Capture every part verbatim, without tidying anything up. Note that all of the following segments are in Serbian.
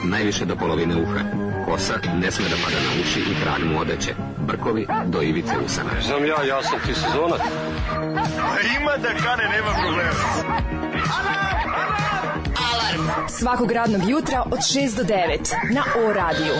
najviše do polovine uha. Kosa ne sme da pada na uši i krag mu odeće. Brkovi do ivice usana. Znam ja, ja sam ti sezonac. Ima da kane, nema problema. Alarm svakog radnog jutra od šest do devet na O radiju.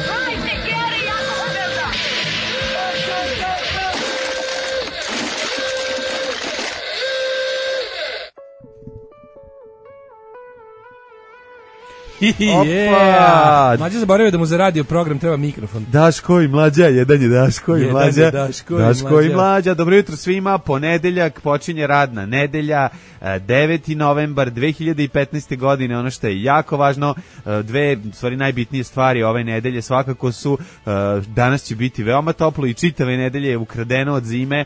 Yeah. Mlađa zaboravio da mu za radio program treba mikrofon. Daško i Mlađa, jedan je Daško i Mlađa. Je Daško, Daško i, i Mlađa. Dobro jutro svima, ponedeljak, počinje radna nedelja, deveti novembar dve hiljade petnaeste. godine, ono što je jako važno, dve stvari najbitnije stvari ove nedelje svakako su, danas će biti veoma toplo i čitave nedelje je ukradeno od zime,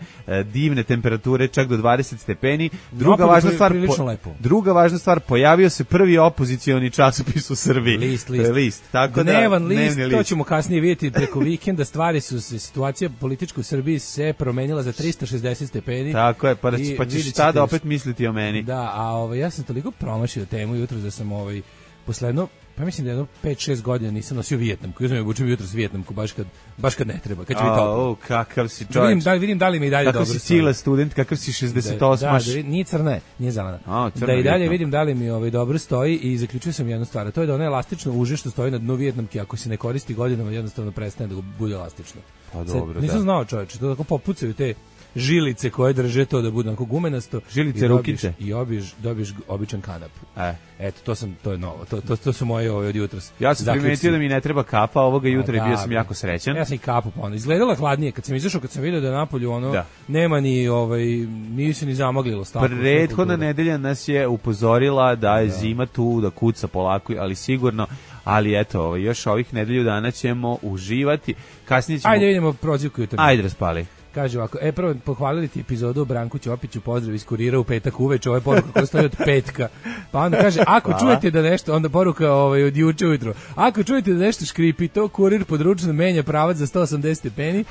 divne temperature čak do dvadeset stepeni. Druga važna stvar, po, druga važna stvar, pojavio se prvi opozicioni časopis u Srbiji. List, list. list. Tako Dnevan da, list, list, to ćemo kasnije vidjeti preko vikenda. Stvari su se, situacija politička u Srbiji se promenila za trista šezdeset stepeni. Tako je, pa, da, pa ćeš tada opet misliti o meni. Da, a ovaj, ja sam toliko promašio temu jutro da sam ovaj, posledno, pa mislim da jedno pet šest godina nisam nosio vijetnamku. Ja sam je obučio jutro s vijetnamku, baš kad, baš kad ne treba, kad će biti toplo. O, kakav si čovječ. Da vidim, da, vidim da li mi i dalje kakav dobro. Kakav si cila student, kakav si šezdeset osmaš. Da, da, nije crna, nije zelena. A, da i dalje vijetnam. Vidim da li mi ovaj dobro stoji i zaključio sam jednu stvar. To je da ono elastično uže što stoji na dnu vijetnamke, ako se ne koristi godinama, jednostavno prestane da bude elastično. Pa dobro, nisam da. znao, čoveče, to tako popucaju te žilice koje drže to da bude onako gumenasto. Žilice, rukice. I obiš, dobiš običan kanap. E. Eto, to sam, to je novo. To, to, to su moje ove od jutros. Ja sam primetio da mi ne treba kapa ovoga jutra i bio sam jako srećan. Ja sam i kapu ponovno. Izgledala hladnije. Kad sam izašao, kad sam vidio da je napolju ono, da. nema ni, ovaj, nije se ni zamaglilo. Stavko, prethodna nedelja nas je upozorila da je da. zima tu, da kuca polako, ali sigurno. Ali eto, ovaj, još ovih nedelju dana ćemo uživati. Kasnije ćemo... Ajde vidimo prozivku jutra. Ajde raspali. Kaže ovako, e prvo pohvalili ti epizodu o Branku Ćopiću, pozdrav iz Kurira u petak uveče, ovo je poruka koja stoji od petka. Pa onda kaže, ako Hvala. čujete da nešto, onda poruka ovaj, od juče ujutro, ako čujete da nešto škripi, to Kurir područno menja pravac za sto osamdeset stepeni,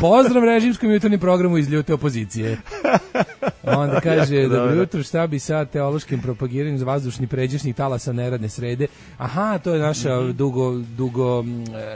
pozdrav režimskom jutarnjem programu iz ljute opozicije. Onda kaže, dobro jutro, šta bi sa teološkim propagiranjem za vazdušni pređašnjih talasa neradne srede? Aha, to je naša mm-hmm. dugo, dugo,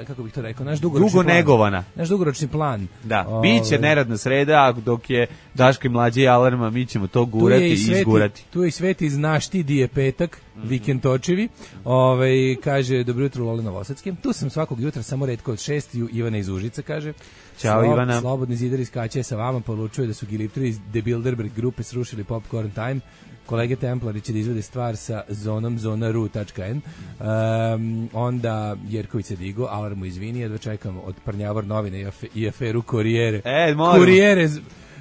kako bih to rekao, naš dugoročni dugo plan. negovana. Naš dugoročni plan. Da, o, biće neradna sreda, dok je Daško i Mlađe i Alarma, mi ćemo to gurati i, i sveti, izgurati. Tu je i Sveti znaš ti di je petak, mm-hmm. vikend točevi. Ovaj kaže, dobro jutro Lole Novosadske. Tu sam svakog jutra, samo retko od šest, Ivana iz Užica kaže. Ćao Slob, Ivana. Slobodni zidar iz Kaće sa vama poručuje da su Gilipteri iz The Bilderberg grupe srušili Popcorn Time. Kolege Templari će da izvede stvar sa zonom zonaru tačka en. Um, onda Jerković se digo, Alarmu izvini, jedva čekam od Prnjavar novine i, afe, i aferu Korijere. E, moram. Korijere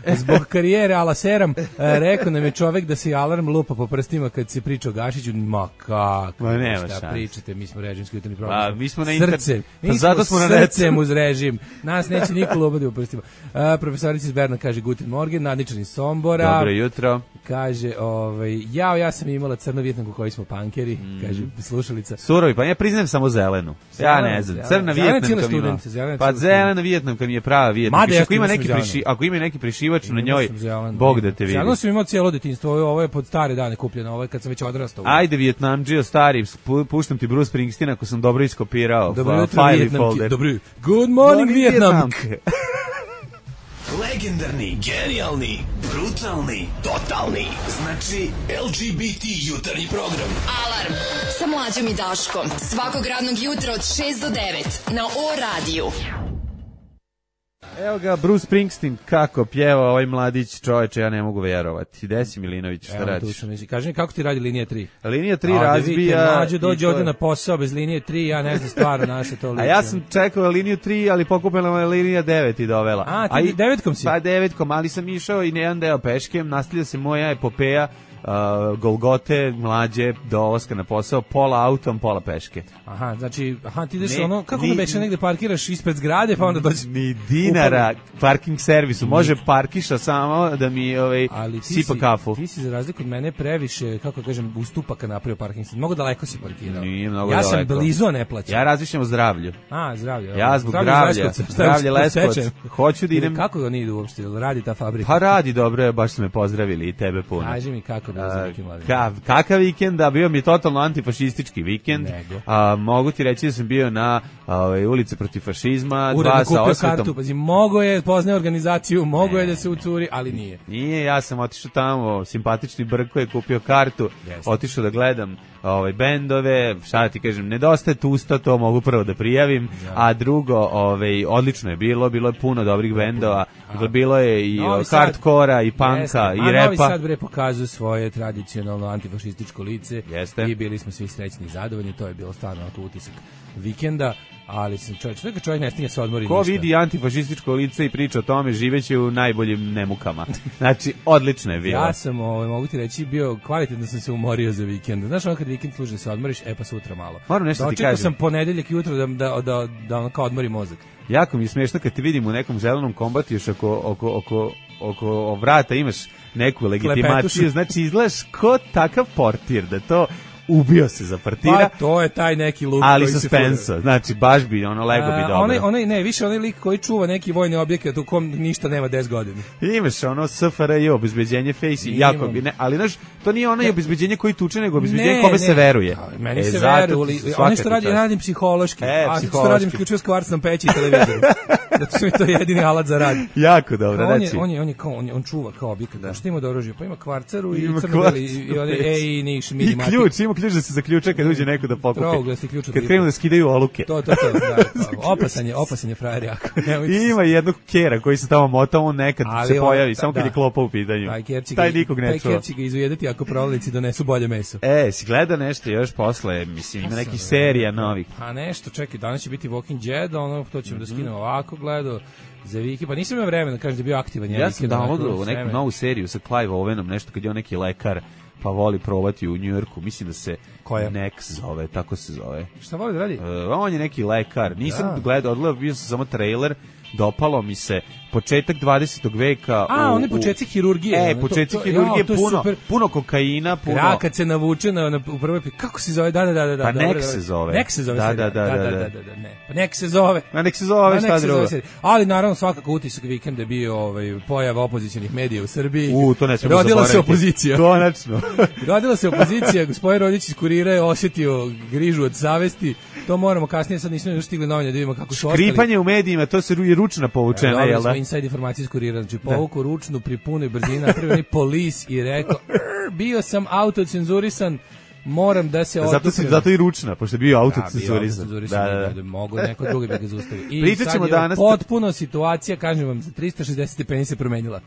zbog karijere ala seram, e, rekao nam je čovek da se Alarm lupa po prstima kad se priča o Gašiću. Ma kako, Ma nema šta šans. pričate, mi smo režimski jutarnji program. A, mi smo na srcem, pa zato smo na srcem uz režim. Nas neće niko lupati po prstima. E, profesorica iz Berna kaže Guten Morgen, Nadničan iz Sombora. Dobro jutro. Kaže, ovaj, jao, ja sam imala crnu vijetnamku koji smo pankeri, mm. kaže slušalica. Surovi, pa ja priznajem samo zelenu. Ja ne znam, crna vijetnamka mi ima. Pa zelena vijetnamka mi je prava vijetnamka. Ako ima neki priši, ako ima neki prišivač na njoj, Bog da te vidi. Zeleno sam imao cijelo detinjstvo, ovo je pod stare dane kupljeno, ovo je kad sam već odrastao. Ajde Vijetnamdžio stari, puštam ti Bruce Springsteen ako sam dobro iskopirao. Dobro jutro Vijetnamke. Dobro. Good morning Vijetnamke. Legendarni, genijalni, brutalni, totalni. Znači L G B T jutarnji program. Alarm sa Mlađom i Daškom. Svakog radnog jutra od šest do devet na O radiju. Evo ga, Bruce Springsteen, kako pjeva ovaj mladić, čoveče, ja ne mogu vjerovati. Desi Milinović, šta radiš? Kaži mi, kako ti radi linija tri? Linija tri razbija... Mlađe dođe ovdje na posao bez linije tri, ja ne znam stvarno naše to liče. A ja sam čekao liniju tri, ali pokupila me linija devet i dovela. A, ti A devetkom si? Pa devetkom, ali sam išao i jedan deo peškem, nastavlja se moja epopeja, Uh, Golgote, Mlađe, dolaska na posao, pola autom, pola peške. Aha, znači, aha, ti ideš ono, kako da beše negde parkiraš ispred zgrade, pa onda dođe... Ni dinara parking servisu, može parkiša samo da mi ovaj, sipa si, kafu. Ti si za razliku od mene previše, kako kažem, ustupaka napravio parking servisu. Mnogo daleko si parkirao. Nije mnogo ja daleko. sam blizu, a ne plaćam. Ja razmišljam o zdravlju. A, zdravlje. Ja zbog zdravlja, zdravlje Leskovac. Hoću da idem... Kako oni idu uopšte, radi ta fabrika? Pa radi, dobro, baš su me pozdravili i tebe puno. Kaži mi kako, bilo za vikend mladen? Ka, kakav vikend, da bio mi je totalno antifašistički vikend. A, mogu ti reći da sam bio na a, ulici protiv fašizma, Uredno dva sa kupio osvetom. kartu, pazi, mogo je, poznaje organizaciju, mogo je da se ucuri, ali nije. Nije, ja sam otišao tamo, simpatični Brko je kupio kartu, Jeste. otišao da gledam ovaj bendove, šta ti kažem, nedostaje tusta, to mogu prvo da prijavim, ja. A drugo, ovaj odlično je bilo, bilo je puno dobrih bendova, dakle bilo je i hardkora i panka i repa. Novi Sad bre pokazuje svoje tradicionalno antifašističko lice. Jeste. I bili smo svi srećni i zadovoljni, to je bilo stvarno utisak vikenda. Ali sam čovjek, čovjek, čovjek ne stigne se odmori Ko ništa. vidi antifašističko lice i priča o tome, živeće u najboljim nemukama. Znači, odlično je bilo. Ja sam, ovaj, mogu ti reći, bio kvalitetno sam se umorio za vikend. Znaš, ono kad vikend služi da se odmoriš, e pa sutra malo. Moram nešto ti kažem. Dočekao sam ponedeljak jutro da, da, da, da ono kao odmori mozak. Jako mi je smiješno kad te vidim u nekom zelenom kombatu, još oko, oko, oko, oko vrata imaš neku legitimaciju, Klepetušu. znači izgledaš ko takav portir, da to ubio se za partira. Pa to je taj neki luk ali koji se suspensa, znači baš bi, ono, lego bi dobro. Onaj, onaj, ne, više onaj lik koji čuva neki vojni objekat u kom ništa nema deset godina. Imaš ono S F R J, obezbeđenje face, jako bi, ne, ali znaš, to nije onaj obezbeđenje koji tuče, nego obezbeđenje kome ne. se veruje. A, meni e, se veruje, oni što radi, ja radim psihološki, e, a što radim isključivo s kvarcnom peći i televizoru. Zato su mi to jedini alat za rad. Jako dobro, on znači. Je, on, je, on, je kao, on, je, on čuva kao objekat, da. Što ima do oružja? Pa ima kvarcaru i crno-beli, i one E i Niš, minimatik. I ključ, ima ključ da se zaključa kad uđe neko da pokupi. Trouglasti ključ. Kad krenu da skidaju oluke. To, to, to, da, opasan je, opasan je frajer jako. I ima jednog kera koji se tamo mota, on nekad ali se pojavi, on, samo kad da. je klopa u pitanju. Taj nikog ne čuva. Taj ker će ga izujedati ako proletici donesu bolje meso. E, si gleda nešto još posle, mislim, ima nekih serija novih. A nešto, čekaj, danas će biti Walking Dead, ono, to ćemo mm-hmm. da skinemo ovako, gledao. Za Viki, pa nisam imao vremena da kažem da je bio aktivan. Ja sam downloadao neku novu seriju sa Clive Owenom, nešto kad je on neki lekar, pa voli probati u Njujorku, mislim da se Koja? Nex zove, tako se zove. Šta voli da radi? Uh, on je neki lekar, nisam da. gledao, odgledao, bio sam samo trailer, dopalo mi se početak dvadesetog veka. A, u, one početci hirurgije. E, početci hirurgije, ja, puno, puno kokaina, puno... Ja, kad se navuče na, na, u prvoj... Kako se zove? Da, da, da. da pa dobro, nek se zove. Nek se zove. Da, da, da, da, da, da, da, da, ne. Pa nek se zove. A nek se zove, šta drugo. Ali, naravno, svakako utisak vikenda je bio ovaj, pojava opozicionih medija u Srbiji. U, to ne smemo Rodila se opozicija. Konačno. Rodila se opozicija, gospodin Rodić iz Kurira je osjetio grižu od savesti. To moramo kasnije, sad nismo još stigli novine da vidimo kako su ostali. Škripanje u medijima, to se ručna povučena, e, jel da? Inside informacije iz Kurira, znači povuku ručnu pri punoj brzini, napravio polis i rekao, bio sam autocenzurisan, moram da se zato se zato i ručna, pošto je bio autocenzurisan. Da, da, da, da, mogu neko drugi da ga zaustavi. I pričaćemo danas potpuno situacija, kažem vam, za trista šezdeset stepeni se promenila.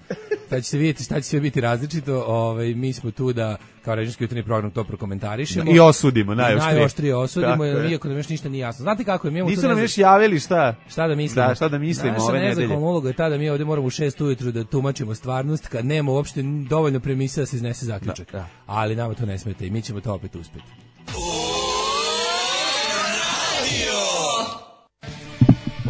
Sad će se vidjeti šta će sve biti različito. Ovaj mi smo tu da kao režimski jutarnji program to prokomentarišemo i osudimo, najoštrije. Najoštrije osudimo, iako nam još ništa nije jasno. Znate kako je, mi imamo nisu nam još javili šta? Šta da mislimo? Da, šta da mislimo Naša ove nedelje. Naša nezahvalna uloga je ta da mi ovdje moramo u šest ujutru da tumačimo stvarnost, kad nema uopšte dovoljno premisa da se iznese zaključak. Da, da. Ali nama to ne smete i mi ćemo to opet uspjeti.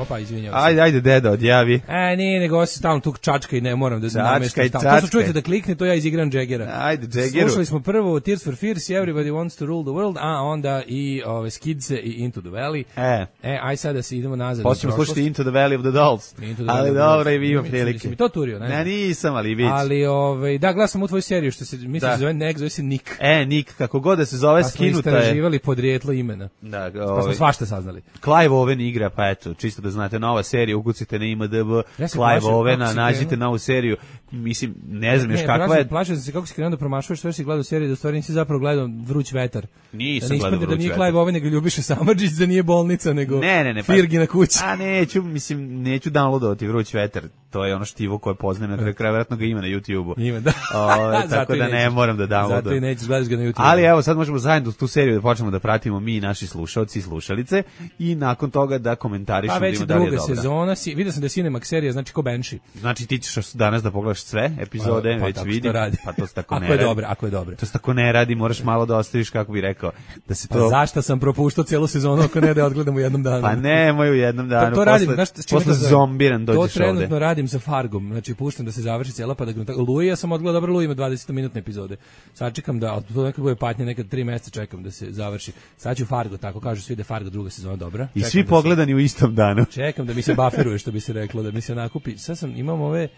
Opa, izvinjavam se. Ajde, ajde, deda, odjavi. E, nije, nego se stalno tu čačka i ne moram da nameštam. To su čujete da klikne, to ja izigram Jaggera. Ajde, Jaggeru. Slušali smo prvo Tears for Fears, Everybody Wants to Rule the World, a onda i ove, Skidse i Into the Valley. E. E, aj sada se idemo nazad. Počnemo slušati Into the Valley of the Dolls. Ali dobro, i vi ima prilike. Mislim, to turio, ne? Ne, nisam, ali vidiš. Ali, ove, da, gledam sam u tvoju seriju, što se, mislim, da se zove Nek, zove se Nick. E, Nick, kako god da se zove, skinuta je. Pa smo istraživali podrijetlo imena. Da, ove, pa smo svašta saznali. Clive Owen igra, pa eto, čisto da znate, nova serija, ukucite na I M D B, ja Clive Owena, nađite novu seriju, mislim, ne znam još kakva je. Plašam se kako si krenuo da promašuješ, što si gledao seriju, da u stvari nisi zapravo gledao Vruć vetar. Nisam da gledao Vruć vetar. Da nije Clive Owen, nego Ljubiša Samardžić, da nije bolnica, nego ne, ne, ne, Firgina kuća. A neću, mislim, neću downloadovati Vruć vetar, to je ono štivo koje poznajem, na kraju kraja vjerojatno ga ima na YouTubeu. Ima, da. O, tako da ne moram da downloadujem. Zato i nećeš, gledaš ga na YouTubeu. Ali evo, sad možemo zajedno tu seriju da počnemo da pratimo mi, naši slušalci i slušalice, i nakon toga da komentarišemo. Pa već druga sezona, si, vidio sam da je Cinemax serija, znači ko Banshee. Znači ti ćeš danas da pogledaš sve epizode, pa, pa, već vidim. Pa to se tako ako ne radi. Je dobro, ako je dobro. To se tako ne radi, moraš malo da ostaviš, kako bi rekao, da se to... Pa zašto sam propuštao cijelu sezonu ako ne da odgledam u jednom danu? Pa ne, moj u jednom danu. To, to posle, radim, znaš, posle zombiran dođeš ovde. To trenutno ovde. Radim sa Fargom, znači puštam da se završi cijela, pa da Luji, ja sam odgledao, dobro, Luji ima dvadeset minutne epizode. Sad čekam da, to nekako bude patnje, nekad tri mjeseca čekam da se završi. Sad ću Fargo, tako kažu svi da je Fargo druga sezona dobra. I svi pogledani se, u istom danu. Čekam da mi se bufferuje, što bi se reklo, da mi se nakupi. Sad sam, imam ove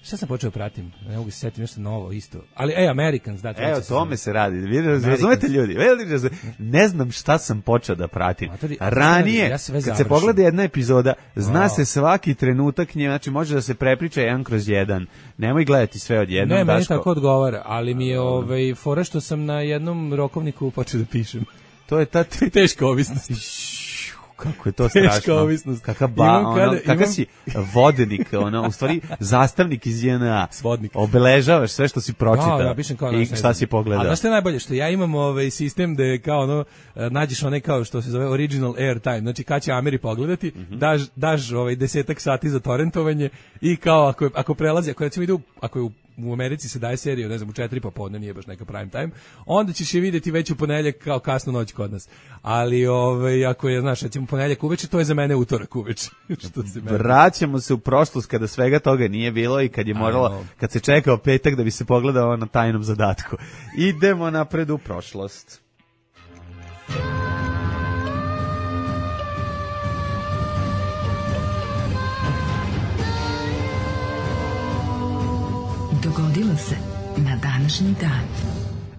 Šta sam počeo pratim? Ne mogu se setiti nešto novo isto. Ali ej, Americans, da, evo tome se radi. Vi razumete ljudi? Ne znam šta sam počeo da pratim. Matori, Ranije, ja kad se pogleda jedna epizoda, zna wow. se svaki trenutak nje, znači može da se prepriča jedan kroz jedan. Nemoj gledati sve odjednom. Ne, meni Daško. tako odgovara, ali mi je ovaj, fora što sam na jednom rokovniku počeo da pišem. To je ta teška ovisnost. Kako je to strašno. Ovisnost. Kakav ba, ono, kada, kakav imam... si vodenik, ono, u stvari zastavnik iz J N A. Svodnik. Obeležavaš sve što si pročitao. No, ja pišem kao i šta si pogledao. A znaš što je najbolje? Što ja imam ovaj sistem da je kao ono, nađeš onaj kao što se zove original airtime, znači kad će Ameri pogledati, mm-hmm. daš, daš ovaj desetak sati za torrentovanje i kao ako, ako prelazi, ako recimo ide, ako je u u Americi se daje serija, ne znam, u četiri popodne, nije baš neka prime time, onda ćeš je vidjeti već u ponedeljak kao kasnu noć kod nas. Ali ovaj, ako je, znaš, recimo ponedeljak uveče, to je za mene utorak uveče. Što se mene... Vraćamo se u prošlost kada svega toga nije bilo i kad je moralo, kad se čekao petak da bi se pogledao na tajnom zadatku. Idemo napred u prošlost. Dogodilo se na današnji dan.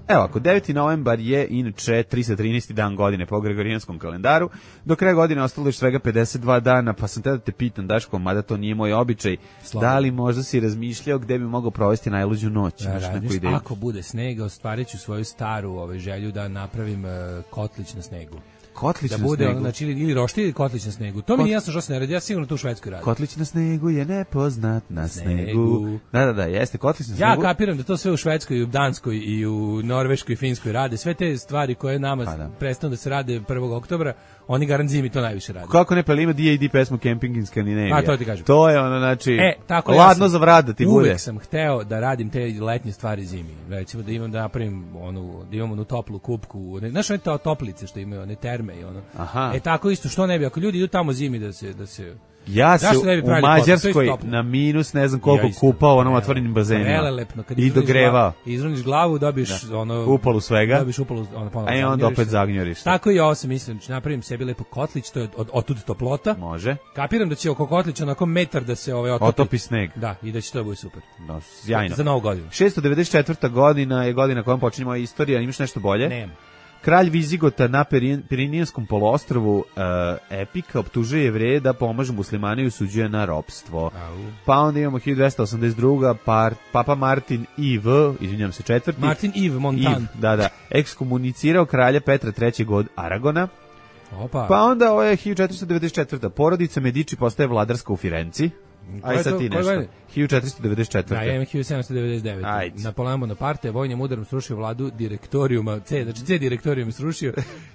Evo, ako deveti novembar je inače tristo trinaesti dan godine po Gregorijanskom kalendaru, do kraja godine ostalo još svega pedeset dva dana, pa sam te da te pitam, Daško, mada to nije moj običaj, Slava. Da li možda si razmišljao gde bi mogao provesti najluđu noć? Da, radiš, ako bude snega, ostvarit ću svoju staru ovaj, želju da napravim uh, kotlić na snegu. Kotlić da na bude snegu. Ono, znači, ili, ili roštilj ili kotlić na snegu. To Kot... mi nije jasno što se ne radi, ja sigurno tu u Švedskoj radim. Kotlić na snegu je nepoznat na snegu. snegu. Da, da, da, jeste kotlić na snegu. Ja kapiram da to sve u Švedskoj i u Danskoj i u Norveškoj i Finskoj rade. Sve te stvari koje nama da. prestanu da se rade prvog oktobra, oni garant zimi to najviše rade. Kako ne, pa ima D A D pesmu Camping in Scandinavia. A to ti kažem. To je ono, znači, e, tako ladno ja za vrat da ti uvek bude. Uvek sam hteo da radim te letnje stvari zimi. Recimo da imam da napravim onu, da imam onu toplu kupku, ne, znaš one toplice što imaju, one terme i ono. Aha. E tako isto, što ne bi, ako ljudi idu tamo zimi da se, da se ja se u Mađarskoj na minus ne znam koliko ja kupao onom otvorenim bazenima i dogrevao. Izruniš glavu, dobiješ da. ono upalu svega, dobiješ upalu, ono ponovno. A i onda opet zagnjuriš. Tako i ovo sam mislim, napravim sebi lepo kotlić, to je od otud toplota. Može. Kapiram da će oko kotlića onako metar da se ovaj otopi, otopi sneg. Da, i da će to bude super. No, sjajno. Za novu godinu. šesto devedeset četvrta godina je godina kojom počinje moja istorija, imaš nešto bolje? Nema. Kralj Vizigota na Pirinijskom poluostrvu uh, Epika optužuje Jevreje da pomažu muslimane i usuđuje na ropstvo. Au. Pa onda imamo hiljadu dvesta osamdeset druga par, Papa Martin I V, izvinjam se četvrti. Martin Yves Montan. Yves, da, da, ekskomunicirao kralja Petra trećeg od Aragona. Opa. Pa onda ovo je hiljadu četiristo devedeset četvrta porodica Medici postaje vladarska u Firenci. Aj sad ti nešto. hiljadu četiristo devedeset četvrta. Da, ja imam hiljadu sedamsto devedeset deveta. Napoleon Bonaparte vojnim udarom srušio vladu direktorijuma, C, znači C direktorijum srušio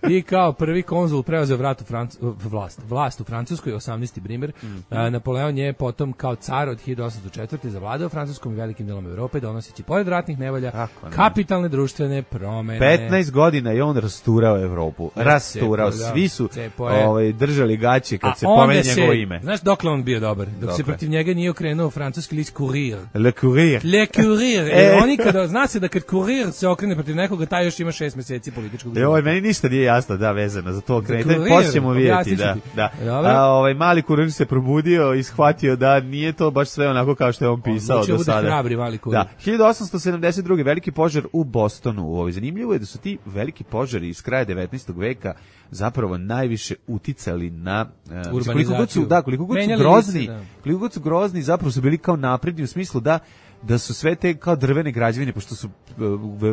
i kao prvi konzul preuzeo vrat u Franc, vlast, vlast u Francuskoj, osamnaesti primer. Mm -hmm. Napoleon je potom kao car od hiljadu osamsto četvrte zavladao Francuskom i velikim delom Evrope, donoseći pored ratnih nevolja kapitalne društvene promene. petnaest godina je on rasturao Evropu. Rasturao. Svi su ovaj, držali gaće kad A se pomene njegovo ime. Znaš dokle on bio dobar? Dok se protiv njega nije okrenuo francuski list Courrier. Le Courrier. Le Courrier. E, oni kada, zna se da kad Courrier se okrene protiv nekoga, taj još ima šest meseci političkog života. Joj, meni ništa nije jasno, da, vezano za to okrenete. Poslije ćemo vidjeti, da. da. A, ovaj, mali Courrier se probudio i shvatio da nije to baš sve onako kao što je on pisao do sada. Bude hrabri mali Courrier. Da. hiljadu osamsto sedamdeset druge veliki požar u Bostonu. Ovo, zanimljivo je da su ti veliki požari iz kraja devetnaestog veka zapravo najviše uticali na uh, koliko god su, da, koliko god su grozni, lice, da. koliko god su grozni, zapravo su bili kao napredni u smislu da da su sve te kao drvene građevine, pošto su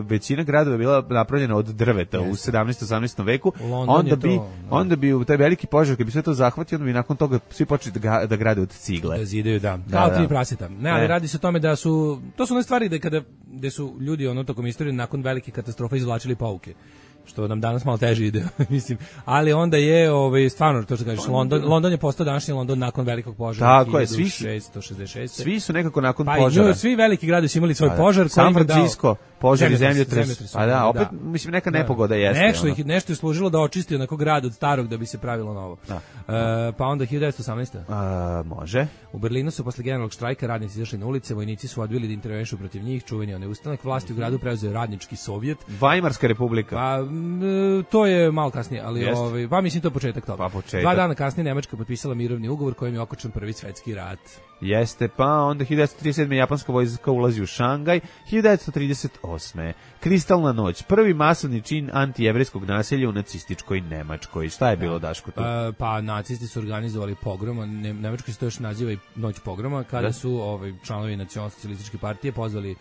većina gradova bila napravljena od drveta yes. u sedamnaestom osamnaestom veku, London onda bi to, onda bi u taj veliki požar kad bi sve to zahvatio, onda bi nakon toga svi počeli da, da grade od cigle. Da zidaju, da. da kao da. tri praseta. Ne, ali ne. radi se o tome da su to su one stvari da kada gde su ljudi ono tokom istorije nakon velike katastrofe izvlačili pouke. Što nam danas malo teže ide, mislim. Ali onda je ovaj stvarno to što kažeš, London, London je postao današnji London nakon velikog požara. Tako je, svi šesnaeste šezdeset šeste. Svi su nekako nakon pa požara. Pa svi veliki gradovi su imali svoj da, požar, San Francisco, požar i zemljotres. Pa da, opet da. mislim neka da. nepogoda jeste. Nešto ih nešto je služilo da očisti onako grad od starog da bi se pravilo novo. Da. Uh, pa onda hiljadu devetsto osamnaeste. Uh, može. U Berlinu su posle generalnog štrajka radnici izašli na ulice, vojnici su odbili da intervenišu protiv njih, čuveni onaj ustanak, vlasti u gradu preuzeo radnički sovjet. Vajmarska republika. Pa to je malo kasnije, ali Jest. ovaj, pa mislim to je početak toga. Pa početak. Dva dana kasnije Nemačka potpisala mirovni ugovor kojim je okončan prvi svetski rat. Jeste, pa onda hiljadu devetsto trideset sedme. japanska vojska ulazi u Šangaj, hiljadu devetsto trideset osme. Kristalna noć, prvi masovni čin antijevrejskog nasilja u nacističkoj Nemačkoj. Šta je bilo, Daško, tu? Pa, pa nacisti su organizovali pogrom, a ne, Nemačka se to još naziva i noć pogroma, kada Da. su ovaj, članovi nacionalsocijalističke partije pozvali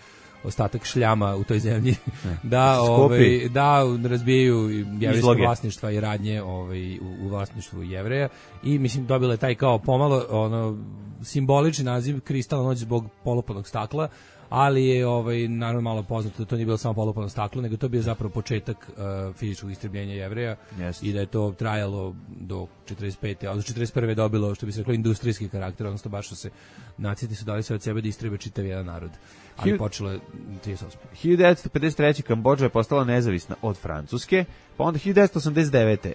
ostatak šljama u toj zemlji da ovaj da razbijaju jevrejsko Izloge. vlasništva i radnje ovaj u, u vlasništvu Jevreja i mislim dobila je taj kao pomalo ono simbolični naziv Kristalna noć zbog polupanog stakla, ali je ovaj naravno malo poznato da to nije bilo samo polupano staklo, nego to je bio zapravo početak uh, fizičkog istrebljenja Jevreja Jeste. i da je to trajalo do četrdeset pete, a do četrdeset prve dobilo, što bi se reklo, industrijski karakter, odnosno baš su se nacisti su dali sve od sebe da istrebe čitav jedan narod. Ali Hilj- počelo je trideset osme. hiljadu devetsto pedeset treće. Kambodža je postala nezavisna od Francuske, pa onda hiljadu devetsto osamdeset devete. E,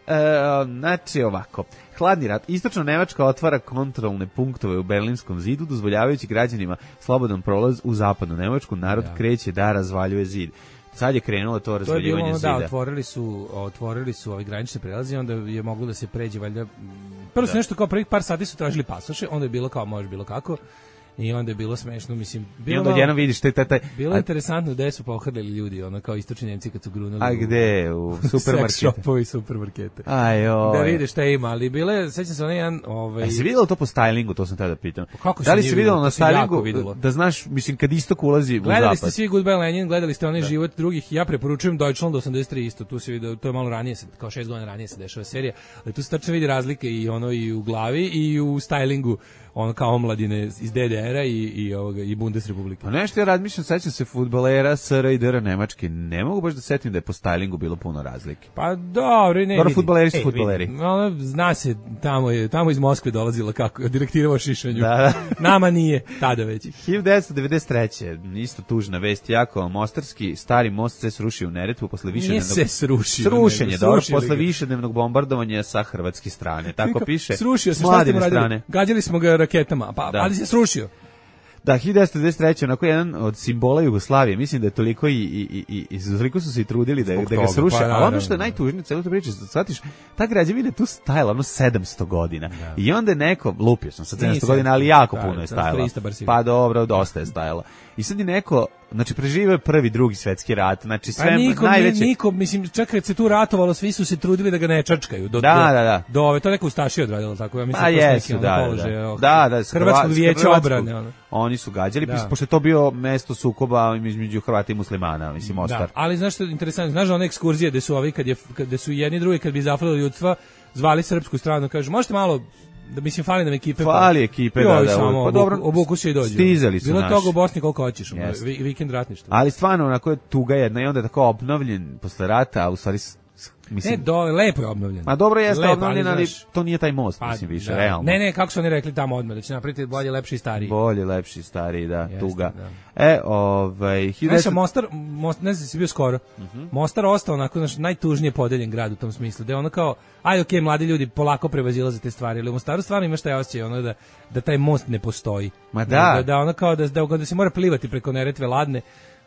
znači ovako, hladni rat. Istočno Nemačka otvara kontrolne punktove u Berlinskom zidu, dozvoljavajući građanima slobodan prolaz u zapadnu Nemačku. Narod Da. kreće da razvaljuje zid. Sad je krenulo to To je bilo razvaljivanje ono, zida. da, otvorili su, otvorili su ovi granične prelaze, onda je moglo da se pređe, valjda, prvo su nešto kao prvih par sati su tražili pasoše, onda je bilo kao može bilo kako, i onda je bilo smešno, mislim, I bilo, onda malo- odjednom vidiš taj, taj, taj, bilo a, je interesantno gde su pohrlili ljudi, ono kao istočni Nemci kad su grunuli a u gde? U seks supermarketu. shopovi i supermarkete. Aj, oj. Da vide šta ima, ali bile, sećam se onaj jedan, ovaj, A si vidjelo to po stylingu, to sam tada da pitam. kako se Da li nije si vidjelo videlo? na To se jako stylingu videlo. da znaš, mislim, kad istok ulazi u Gledali zapad? ste svi Goodbye Lenin, gledali ste onaj život drugih, ja preporučujem Deutschland osamdeset tri isto, tu se vidi, to je malo ranije, se- kao šest godina ranije se dešava serija, ali tu se tačno vidi razlike i ono i u glavi i u stylingu, ono kao omladine iz D D R-a i, i, ovoga, i Bundesrepublike. Pa nešto ja razmišljam, sećam se fudbalera S R i D R Nemačke, ne mogu baš da setim da je po stylingu bilo puno razlike. Pa dobro, ne Dobro, vidi. fudbaleri su Ej, fudbaleri. vidi, ono, zna se, tamo je, tamo iz Moskve dolazila kako, direktiva o šišanju. Da, da. Nama nije, tada već. hiljadu devetsto devedeset treće. Isto tužna vest, jako mostarski, stari most se srušio u Neretvu posle više Nije se srušio. Srušen je, nego dobro, srušili posle ga. višednevnog bombardovanja sa hrvatske strane. Tako piše. Srušio se, s šta ste mu Mladine radili? strane. Gađali smo ga raketama, pa, Da. ali se srušio. Da, hiljadu devetsto devedeset treće. onako jedan od simbola Jugoslavije. Mislim da je toliko i, i, i, i toliko su se i trudili da, Zbog da ga toga, sruše. pa, A ono naravno. što je najtužnije, celo to priče, shvatiš, ta građevina je tu stajala ono sedamsto godina. I onda je neko, lupio sam sa sedamsto Nije godina, ali jako sedamsto, puno je sedamsto stajala. trista bar sigurno. Pa dobro, dosta je stajala. I sad je neko, znači preživio je prvi, drugi svetski rat, znači sve Pa nikom, najveće... nikom, mislim, čak kad se tu ratovalo, svi su se trudili da ga ne čačkaju. Do, Da, do, da, da. Do ove, to neko Ustašije odradilo, tako ja mislim. Pa to su neki, jesu, ono, da, da, položaje, da. oh, Da, da, s Hrvatskog Hrva- s vijeća Hrvatskog. obrane. Ono. Oni su gađali, Da. pošto je to bio mesto sukoba između Hrvata i muslimana, mislim, Mostar. Da, ali znaš što je interesantno, znaš da one ekskurzije gde su ovi, kad, je, kad su jedni i drugi, kad bi zafalili ljudstva, zvali srpsku stranu, kažu, možete malo, da mislim, fali nam ekipe. Fali ekipe, I da, ovi da, samo pa obuku- dobro, obuku se i dođu. stizali su Bilo naši. toga u Bosni koliko hoćeš, ono, Jeste. vi- vikend ratništva. Ali stvarno, onako je tuga jedna i onda je tako obnovljen posle rata, a u stvari, s- s- mislim... E, do, lepo je obnovljen. Ma dobro jeste Lepo, obnovljen, ali, znaš, to nije taj most, pa, mislim, više, da. realno. Ne, ne, kako su oni rekli tamo odmah, da će napraviti bolje, lepši i stariji. Bolje, lepši, stariji, da, Jeste, tuga. da. E, ovaj... Znaš, hiljadu devetsto- a Mostar, most, ne znam si bio skoro, Mostar ostao onako naš najtužnije podeljen grad u tom smislu, da je ono kao, aj okej, mladi ljudi polako prevazilaze te stvari, ali u Mostaru stvarno imaš taj osjećaj, ono da, da taj most ne postoji. Ma da. Da, da ono kao da, da, da se mora plivati preko Neretve ladne,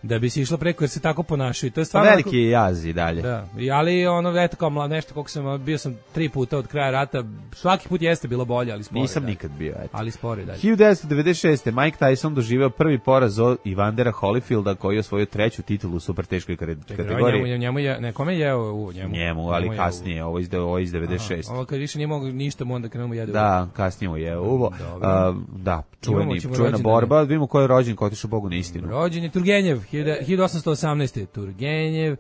da bi se išlo preko jer se tako ponašaju. To je stvarno Veliki onako- je jaz i dalje. Da, i ali ono eto kao mlad nešto koliko sam bio sam tri puta od kraja rata, svaki put jeste bilo bolje, ali spore. Nisam dalje. nikad bio, eto. Ali spore dalje. hiljadu devetsto devedeset šeste. Mike Tyson doživeo prvi poraz od Ivandera Holyfielda koji je osvojio treću titulu u super teškoj kare- Čekaj, kategoriji. Njemu, njemu je, ne, kome je jeo u njemu? Njemu, ali Njemu je jeo kasnije, ovo iz, ovo iz u- devedeset Aha, šeste. ovo kad više nije mogu ništa, mu onda krenemo jede. Da, kasnije mu je uvo. Dobro. A, da, čuveni, Imamo ćemo čuvena rođendane. borba. Vidimo ko je rođen, ko je otišao Bogu na istinu. Rođen je Turgenjev, hiljadu osamsto osamnaeste. Turgenjev,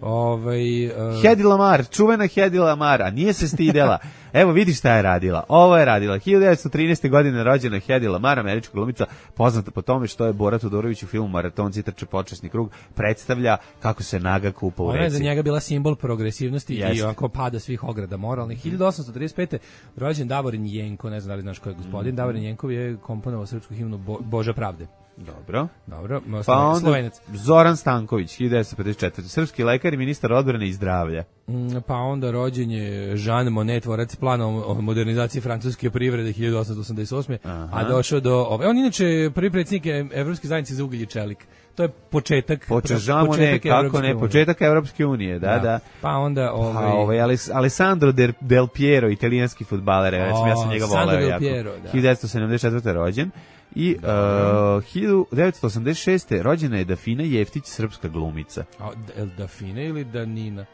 ovaj... Uh, Hedy Lamar, čuvena Hedy Lamar, a nije se stidela. Evo vidi šta je radila. Ovo je radila. hiljadu devetsto trinaeste. godine rođena Hedy Lamar, američka glumica, poznata po tome što je Bora Todorović u filmu Maratonci trče počasni krug, predstavlja kako se naga kupa u Ona je za reci. njega bila simbol progresivnosti Jeste. i ovako pada svih ograda moralnih. hiljadu osamsto trideset pete. rođen Davorin Jenko, ne znam da li znaš ko je gospodin. Mm. Davorin Jenkov je komponovao srpsku himnu Bo, Boža pravde. Dobro. Dobro, Pa onda Slovenac. Zoran Stanković, hiljadu devetsto pedeset četvrte. Srpski lekar pekar i ministar odbrane i zdravlja. Mm, Pa onda rođen je Jean Monnet, tvorac plana o o modernizaciji francuske privrede hiljadu osamsto osamdeset osme. Aha. A došao do... Ove, on inače prvi predsjednik Evropske zajednice za ugalj i čelik. To je početak... Počežamo ne, početak kako Evropske ne, unije. početak Evropske unije, da, da. Pa onda... Ovaj, Ovaj, pa, ovaj Alis- Alessandro Del, Del Piero, italijanski fudbaler, recimo, ja sam O, njega Sandro voleo Del jako. Piero, da. hiljadu devetsto sedamdeset četvrte rođen. I uh, hiljadu devetsto osamdeset šeste rođena je Dafina Jeftić, srpska glumica. A, El Dafine ili Danina?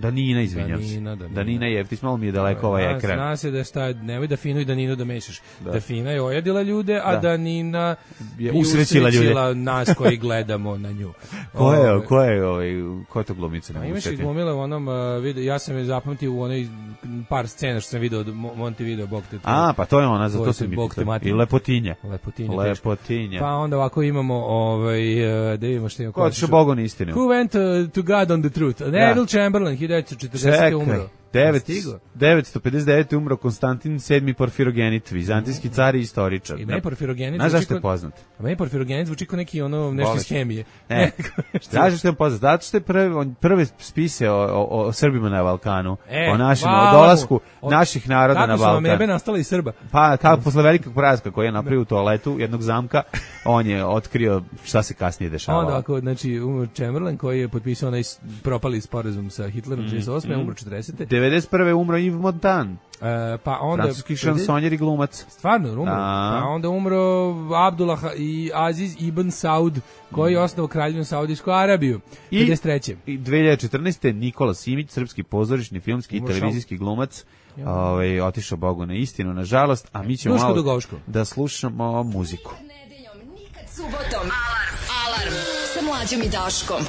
Danina, izvinjam se. Danina, Danina. Danina Jeftić, malo mi je daleko ovaj Zna- ekran. Zna se da šta, nemoj Dafinu i Daninu da mešaš. Da. Dafina je ojadila ljude, a Da. Danina Je i usrećila ljude. nas koji gledamo na nju. Ko je, Ove, ko je, ovaj, ko je to glumica? A Ne mogu imaš ih setiti. glumile u onom uh, video, ja sam je zapamtio u onoj par scena što sam video od Mo- Monte Video, bog te. A, pa to je ona, za To to je sam mi Bog te pitao. mater. I Lepotinja. Lepotinja. teško. Lepotinja. Pa onda ovako imamo, ovaj, uh, da vidimo što imamo. Ko je otišao Bogu na istinu? Who went uh, to God on the truth? Neville Chamberlain, hiljadu devetsto četrdesete umro. Stigo. devetsto pedeset devete umro Konstantin sedmi Porfirogenit, vizantijski car i istoričar. I meni Porfirogenit Znaš zvuči zašto je kao- poznat? A meni Porfirogenit zvuči kao neki ono nešto Bolest. iz hemije. Ne. Znaš zašto je poznat? Zato što je prvi, on prve spise o, o, o Srbima na Balkanu, E, o našem, hvala o dolasku mu. O- naših naroda na Kako su vam jebe Balkan. nastala iz Srba? Pa kako posle velikog porazka koji je napravio u toaletu jednog zamka, on je otkrio šta se kasnije dešavalo. Onda ako, znači, umro Chamberlain koji je potpisao onaj s- propali sporazum sa Hitlerom Mm, trideset osme umro četrdesete. devedeset prve umro Yves Montand, E, pa onda... francuski šansonjer i glumac. Stvarno, umro. Da. Pa onda umro Abdullah i Aziz ibn Saud, koji je osnovao kraljevinu Saudijsku Arabiju. I- pedeset treće. I dve hiljade četrnaeste Nikola Simić, srpski pozorišni, filmski i Umro televizijski glumac, ovaj, otišao Bogu na istinu, nažalost, a mi ćemo Duško malo Dugovško. da slušamo muziku. Nedeljom, nikad subotom. Alarm. Alarm. Sa mlađom i Daškom.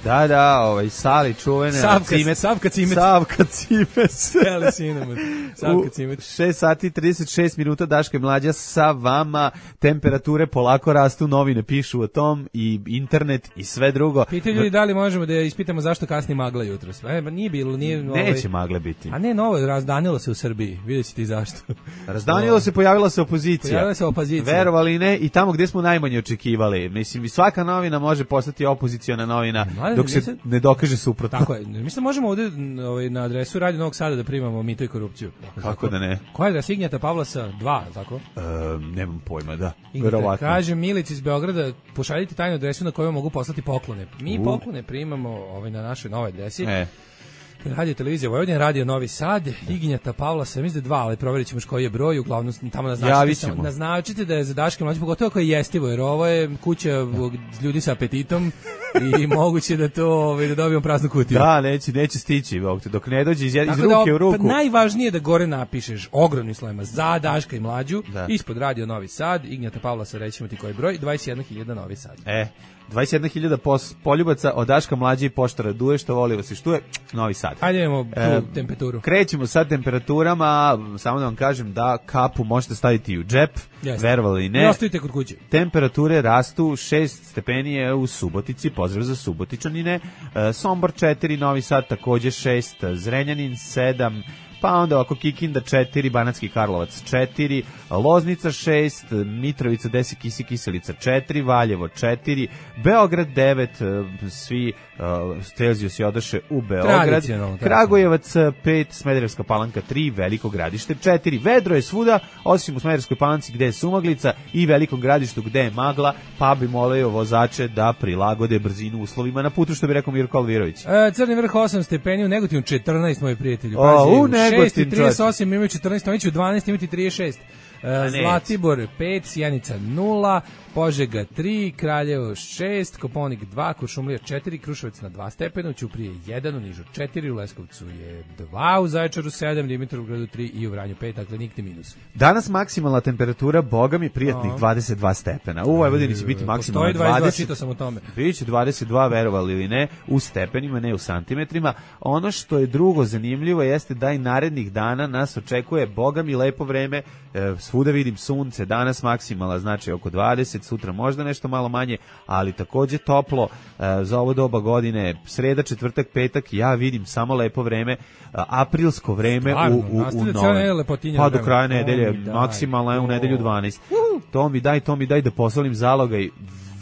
Da, da, ovaj, Sali čuvene. Savka- Cimet. Savka Cimet. Savka Cimet. Seli cinnamon. Savka Cimet. U šest sati i trideset šest minuta Daška i Mlađa sa vama. Temperature polako rastu, novine pišu o tom i internet i sve drugo. Pitaju ljudi da li možemo da ispitamo zašto kasni magla jutros. E, ba nije bilo, nije... Neće magle biti. A ne, novo, razdanilo se u Srbiji. Vidjet ćete i zašto. Razdanilo se, pojavila se opozicija. Pojavila se opozicija. Verovali ne, i tamo gde smo najmanje očekivali. Mislim, i svaka novina može postati opoziciona novina Mladen, dok se nisam- ne dokaže suprotno. Tako je. Mislim da možemo ovde n- ovaj, na adresu Radio Novog Sada da primamo mito i korupciju. Kako da ne? Koja je adresa Ignjata Pavlasa dva, tako? Um, nemam pojma, da. Ignjata, Verovatno. kaže Milić iz Beograda, pošaljite tajnu adresu na koju mogu poslati poklone. Mi U. poklone primamo ovaj, na našoj novoj adresi. E, Radio televizija Vojvodina, Radio Novi Sad, Ignjata Pavlasa, mislim da je dva, ali provjerit ćemo još koji je broj, uglavnom tamo Javit naznačite, ćemo. naznačite da je za Daške mlađe, pogotovo ako je jestivo, jer ovo je kuća ljudi sa apetitom i moguće da to ovaj, da dobijemo praznu kutiju. da, neće, neće stići, Bog te, dok ne dođe iz, iz Tako ruke da, u ruku. Pa najvažnije je da gore napišeš ogromnim slovima za Daška i Mlađu, Da. ispod Radio Novi Sad, Ignjata Pavlasa, rećemo ti koji broj, dvadeset jedna hiljada Novi Sad. E, dvadeset jedna hiljada pos, poljubaca od Daška Mlađe i poštara Duje, što voli vas i štuje, Novi Sad. Hajde imamo tu E, temperaturu. Krećemo sa temperaturama, samo da vam kažem da kapu možete staviti u džep, Jeste. verovali I ne. ostavite kod kuće. Temperature rastu, šest stepeni je u Subotici, pozdrav za Subotičanine, e, Sombor četiri, Novi Sad takođe šest, Zrenjanin sedam, pa onda ovako Kikinda četiri, Banatski Karlovac četiri, Loznica šest, Mitrovica deset, Kisi Kiselica četiri, Valjevo četiri, Beograd devet, e, svi uh, Celzijus je odaše u Beograd, Tradicionalno, Kragujevac pet, Smederevska Palanka tri, Veliko Gradište četiri, vedro je svuda, osim u Smederevskoj Palanci gde je sumaglica i Velikom Gradištu gde je magla, pa bi molio vozače da prilagode brzinu uslovima na putu, što bi rekao Mirko Alvirović. E, Crni vrh osam stepeni, u Negotinu četrnaest, moji prijatelji. O, Pazi, u u Negotin, šest i trideset osam imaju četrnaest, oni će u dvanaest imati trideset šest. E, neće. Zlatibor pet, Sjenica nula, Požega tri, Kraljevo šest, Koponik dva, Kuršumlija četiri, Kruševac na dva stepena, Ćuprije jedan, u Nižu četiri, u Leskovcu je dva, u Zaječaru sedam, Dimitrovgradu tri i u Vranju pet, dakle nikti minus. Danas maksimalna temperatura, boga mi prijatnih dvadeset dva stepena. U Vojvodini će biti maksimalna Postoji dvadeset dva, dvadeset. čitao sam o tome. Biće dvadeset dva, verovali ili ne, u stepenima, ne u santimetrima. Ono što je drugo zanimljivo jeste da i narednih dana nas očekuje, boga mi, lepo vreme, e, svuda vidim sunce, danas maksimala, znači oko dvadeset, sutra možda nešto malo manje, ali takođe toplo e, za ovo doba godine, sreda, četvrtak, petak, ja vidim samo lepo vreme, e, aprilsko vreme Stvarno, u, u, u nastavlja cijela novem. nedelja lepotinja Pa do vreme. kraja To nedelje, mi daj, maksimalno je u to. nedelju dvanaest. To mi daj, to mi daj da posolim zalogaj.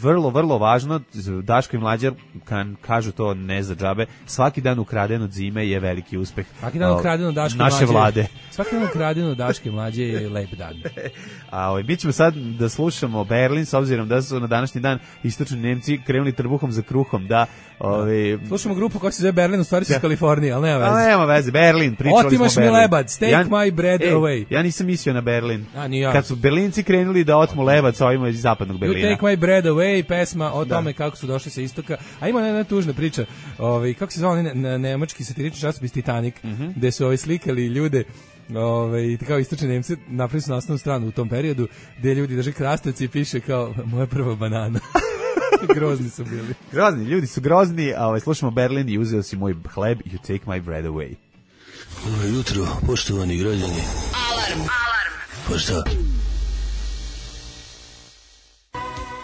vrlo, vrlo važno, Daško i Mlađa kan, kažu to ne za džabe, svaki dan ukraden od zime je veliki uspeh. Svaki dan ukraden od Daške naše Mlađe. vlade. Svaki dan ukraden od Daške Mlađe je lep dan. A ovaj, mi ćemo sad da slušamo Berlin, s obzirom da su na današnji dan istočni Nemci krenuli trbuhom za kruhom, da... Ovaj, slušamo grupu koja se zove Berlin, u stvari su iz Kalifornije, ali nema veze. Ali nema veze, Berlin, pričali Otimaš smo Berlin. mi lebac, take ja, my bread ej, away. Ja nisam mislio na Berlin. A, ni ja. Kad su Berlinci krenuli da otmu lebac ovima iz zapadnog Berlina. You take my bread away, pesma o tome kako su došli sa istoka. A ima jedna tužna priča, ovaj, kako se zvao ne, ne, nemački satirični časopis Titanic, mm-hmm. gde su ovaj, slikali ljude, ovaj, kao istočni Nemci, napravili su naslovnu stranu u tom periodu, gde ljudi drže krastavci i piše kao moja prva banana. Grozni su bili. Grozni, ljudi su grozni, a ovaj, slušamo Berlin i uzeo si moj hleb, you take my bread away. Dobro jutro, poštovani građani. Alarm. Alarm. Pa šta?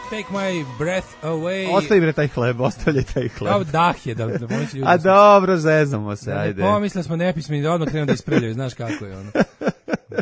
Take my breath away. Ostavi bre taj hleb, ostavljaj taj hleb. Kao dah je, da, da pomoći ljudi. A dobro, zezamo se, da, ajde. Pomislili smo nepismeni da odmah krenu da ispreljaju, znaš kako je ono.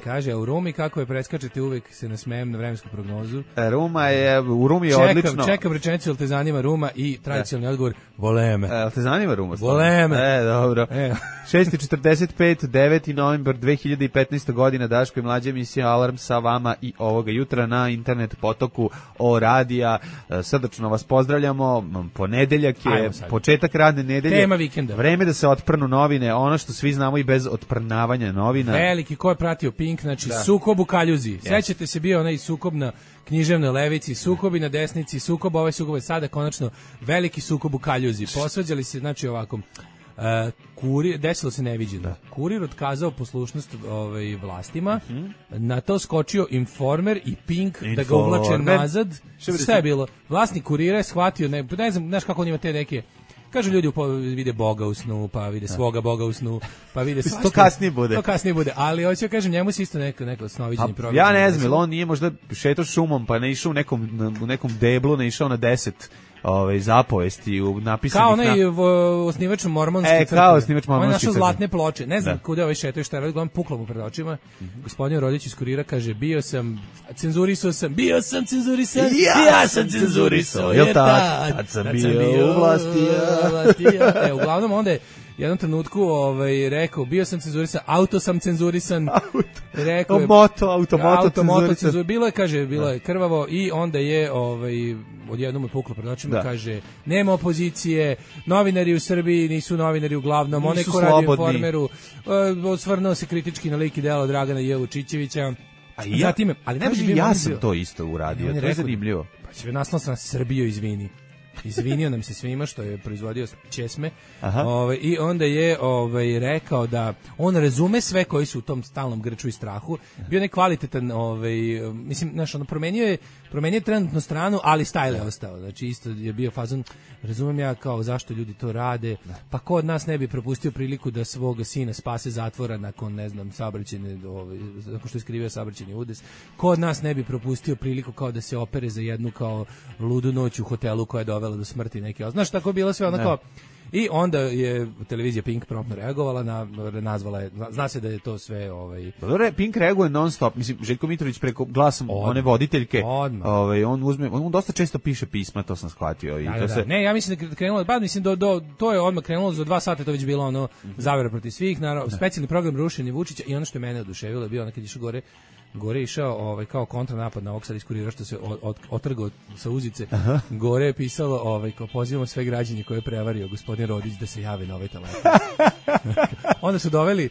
Kaže, a u Rumi kako je preskačete, uvek se nasmejem na vremensku prognozu. Ruma je, u Rumi je čekam, odlično. Čekam rečenicu, jel te zanima Ruma i tradicionalni odgovor, voleme. Jel te zanima Ruma? Voleme. E, dobro. E. šest i četrdeset pet, deveti novembar dve hiljade petnaeste. godina, Daško i Mlađa, emisija Alarm sa vama i ovoga jutra na internet potoku o radija. Srdačno vas pozdravljamo. Ponedeljak je početak radne nedelje. Tema vikenda. Vreme da se otprnu novine, ono što svi znamo i bez otprnavanja novina. Veliki, ko je pratio Pink, znači da. Sukob u kaljuzi. Yes. Sećate se, bio onaj sukob na književnoj levici, sukobi na desnici, sukob ovaj sukob je sada konačno veliki sukob u kaljuzi. Posvađali se, znači ovako, Uh, kurir, desilo se neviđeno. Da. Kurir otkazao poslušnost ovaj, vlastima, mm-hmm. na to skočio Informer i Pink Informer. Da ga uvlače nazad. Šta je bilo? Vlasnik Kurira je shvatio, ne, ne znam, znaš kako on ima te neke, kažu ljudi vide Boga u snu, pa vide svoga Boga u snu, pa vide svašta. To kasnije bude. To kasnije bude, ali hoću ja kažem, njemu se isto neko, neko snoviđenje program. Ja ne znam, on nije možda šetao šumom, pa ne išao u nekom, u nekom deblu, ne išao na deset ove zapovesti u napisanih kao onaj na... osnivač mormonske e, kao osnivač mormonske on je našao zlatne ploče, ne znam da. Kuda ovaj šetao i šta je radio, on puklo mu pred očima. Mm-hmm. Gospodin Rodić iz Kurira kaže, bio sam cenzurisao sam bio sam cenzurisan ja, ja sam cenzurisao jer tad, tad sam bio u vlasti ja. E, uglavnom onda je jednom trenutku ovaj, rekao, bio sam cenzurisan, auto sam cenzurisan. Auto. Rekao je, moto, automoto auto, cenzurisan. Cenzur, bilo je, kaže, bilo je krvavo i onda je ovaj, odjednom je puklo pred očima, kaže, nema opozicije, novinari u Srbiji nisu novinari uglavnom, onaj ko radi u Informeru, osvrnuo se kritički na lik i delo Dragana J. Vučićevića. A ja, Zatim, ali ne bi ja sam to isto uradio, to je zanimljivo. Pa će naslov sam Srbiju izvini. Izvinio nam se svima što je proizvodio česme. Ove, i onda je ovaj rekao da on razume sve koji su u tom stalnom grču i strahu. Bio je kvalitetan, ovaj mislim, znaš, ono promenio je promenio trenutno stranu, ali style je ostao. Znači isto je bio fazon, razumem ja kao zašto ljudi to rade. Pa ko od nas ne bi propustio priliku da svog sina spase zatvora nakon, ne znam, saobraćajne, ovaj nakon što je skrivio saobraćajni udes. Ko od nas ne bi propustio priliku kao da se opere za jednu kao ludu noć u hotelu koja je dovela do smrti neke. Znaš, tako je bilo sve onako. I onda je televizija Pink promptno reagovala, na, nazvala je, zna se da je to sve ovaj Dobre, Pink reaguje non stop. Mislim, Željko Mitrović preko glasom odmah, one voditeljke, ovaj on uzme, on dosta često piše pisma, to sam shvatio i da, to da, se ne, ja mislim da krenulo, ba mislim do, do to je odmah krenulo za dva sata, to već bilo ono mm-hmm. zavera protiv svih, naravno, specijalni program rušenje Vučića i ono što je mene oduševilo je bio onaj kad išao gore gore išao ovaj kao kontranapad na ovog sad iz Kurira što se od, od, otrgao sa uzice. Aha. Gore je pisalo ovaj kao pozivamo sve građane koje je prevario gospodin Rodić da se jave na ovaj telefon. Onda su doveli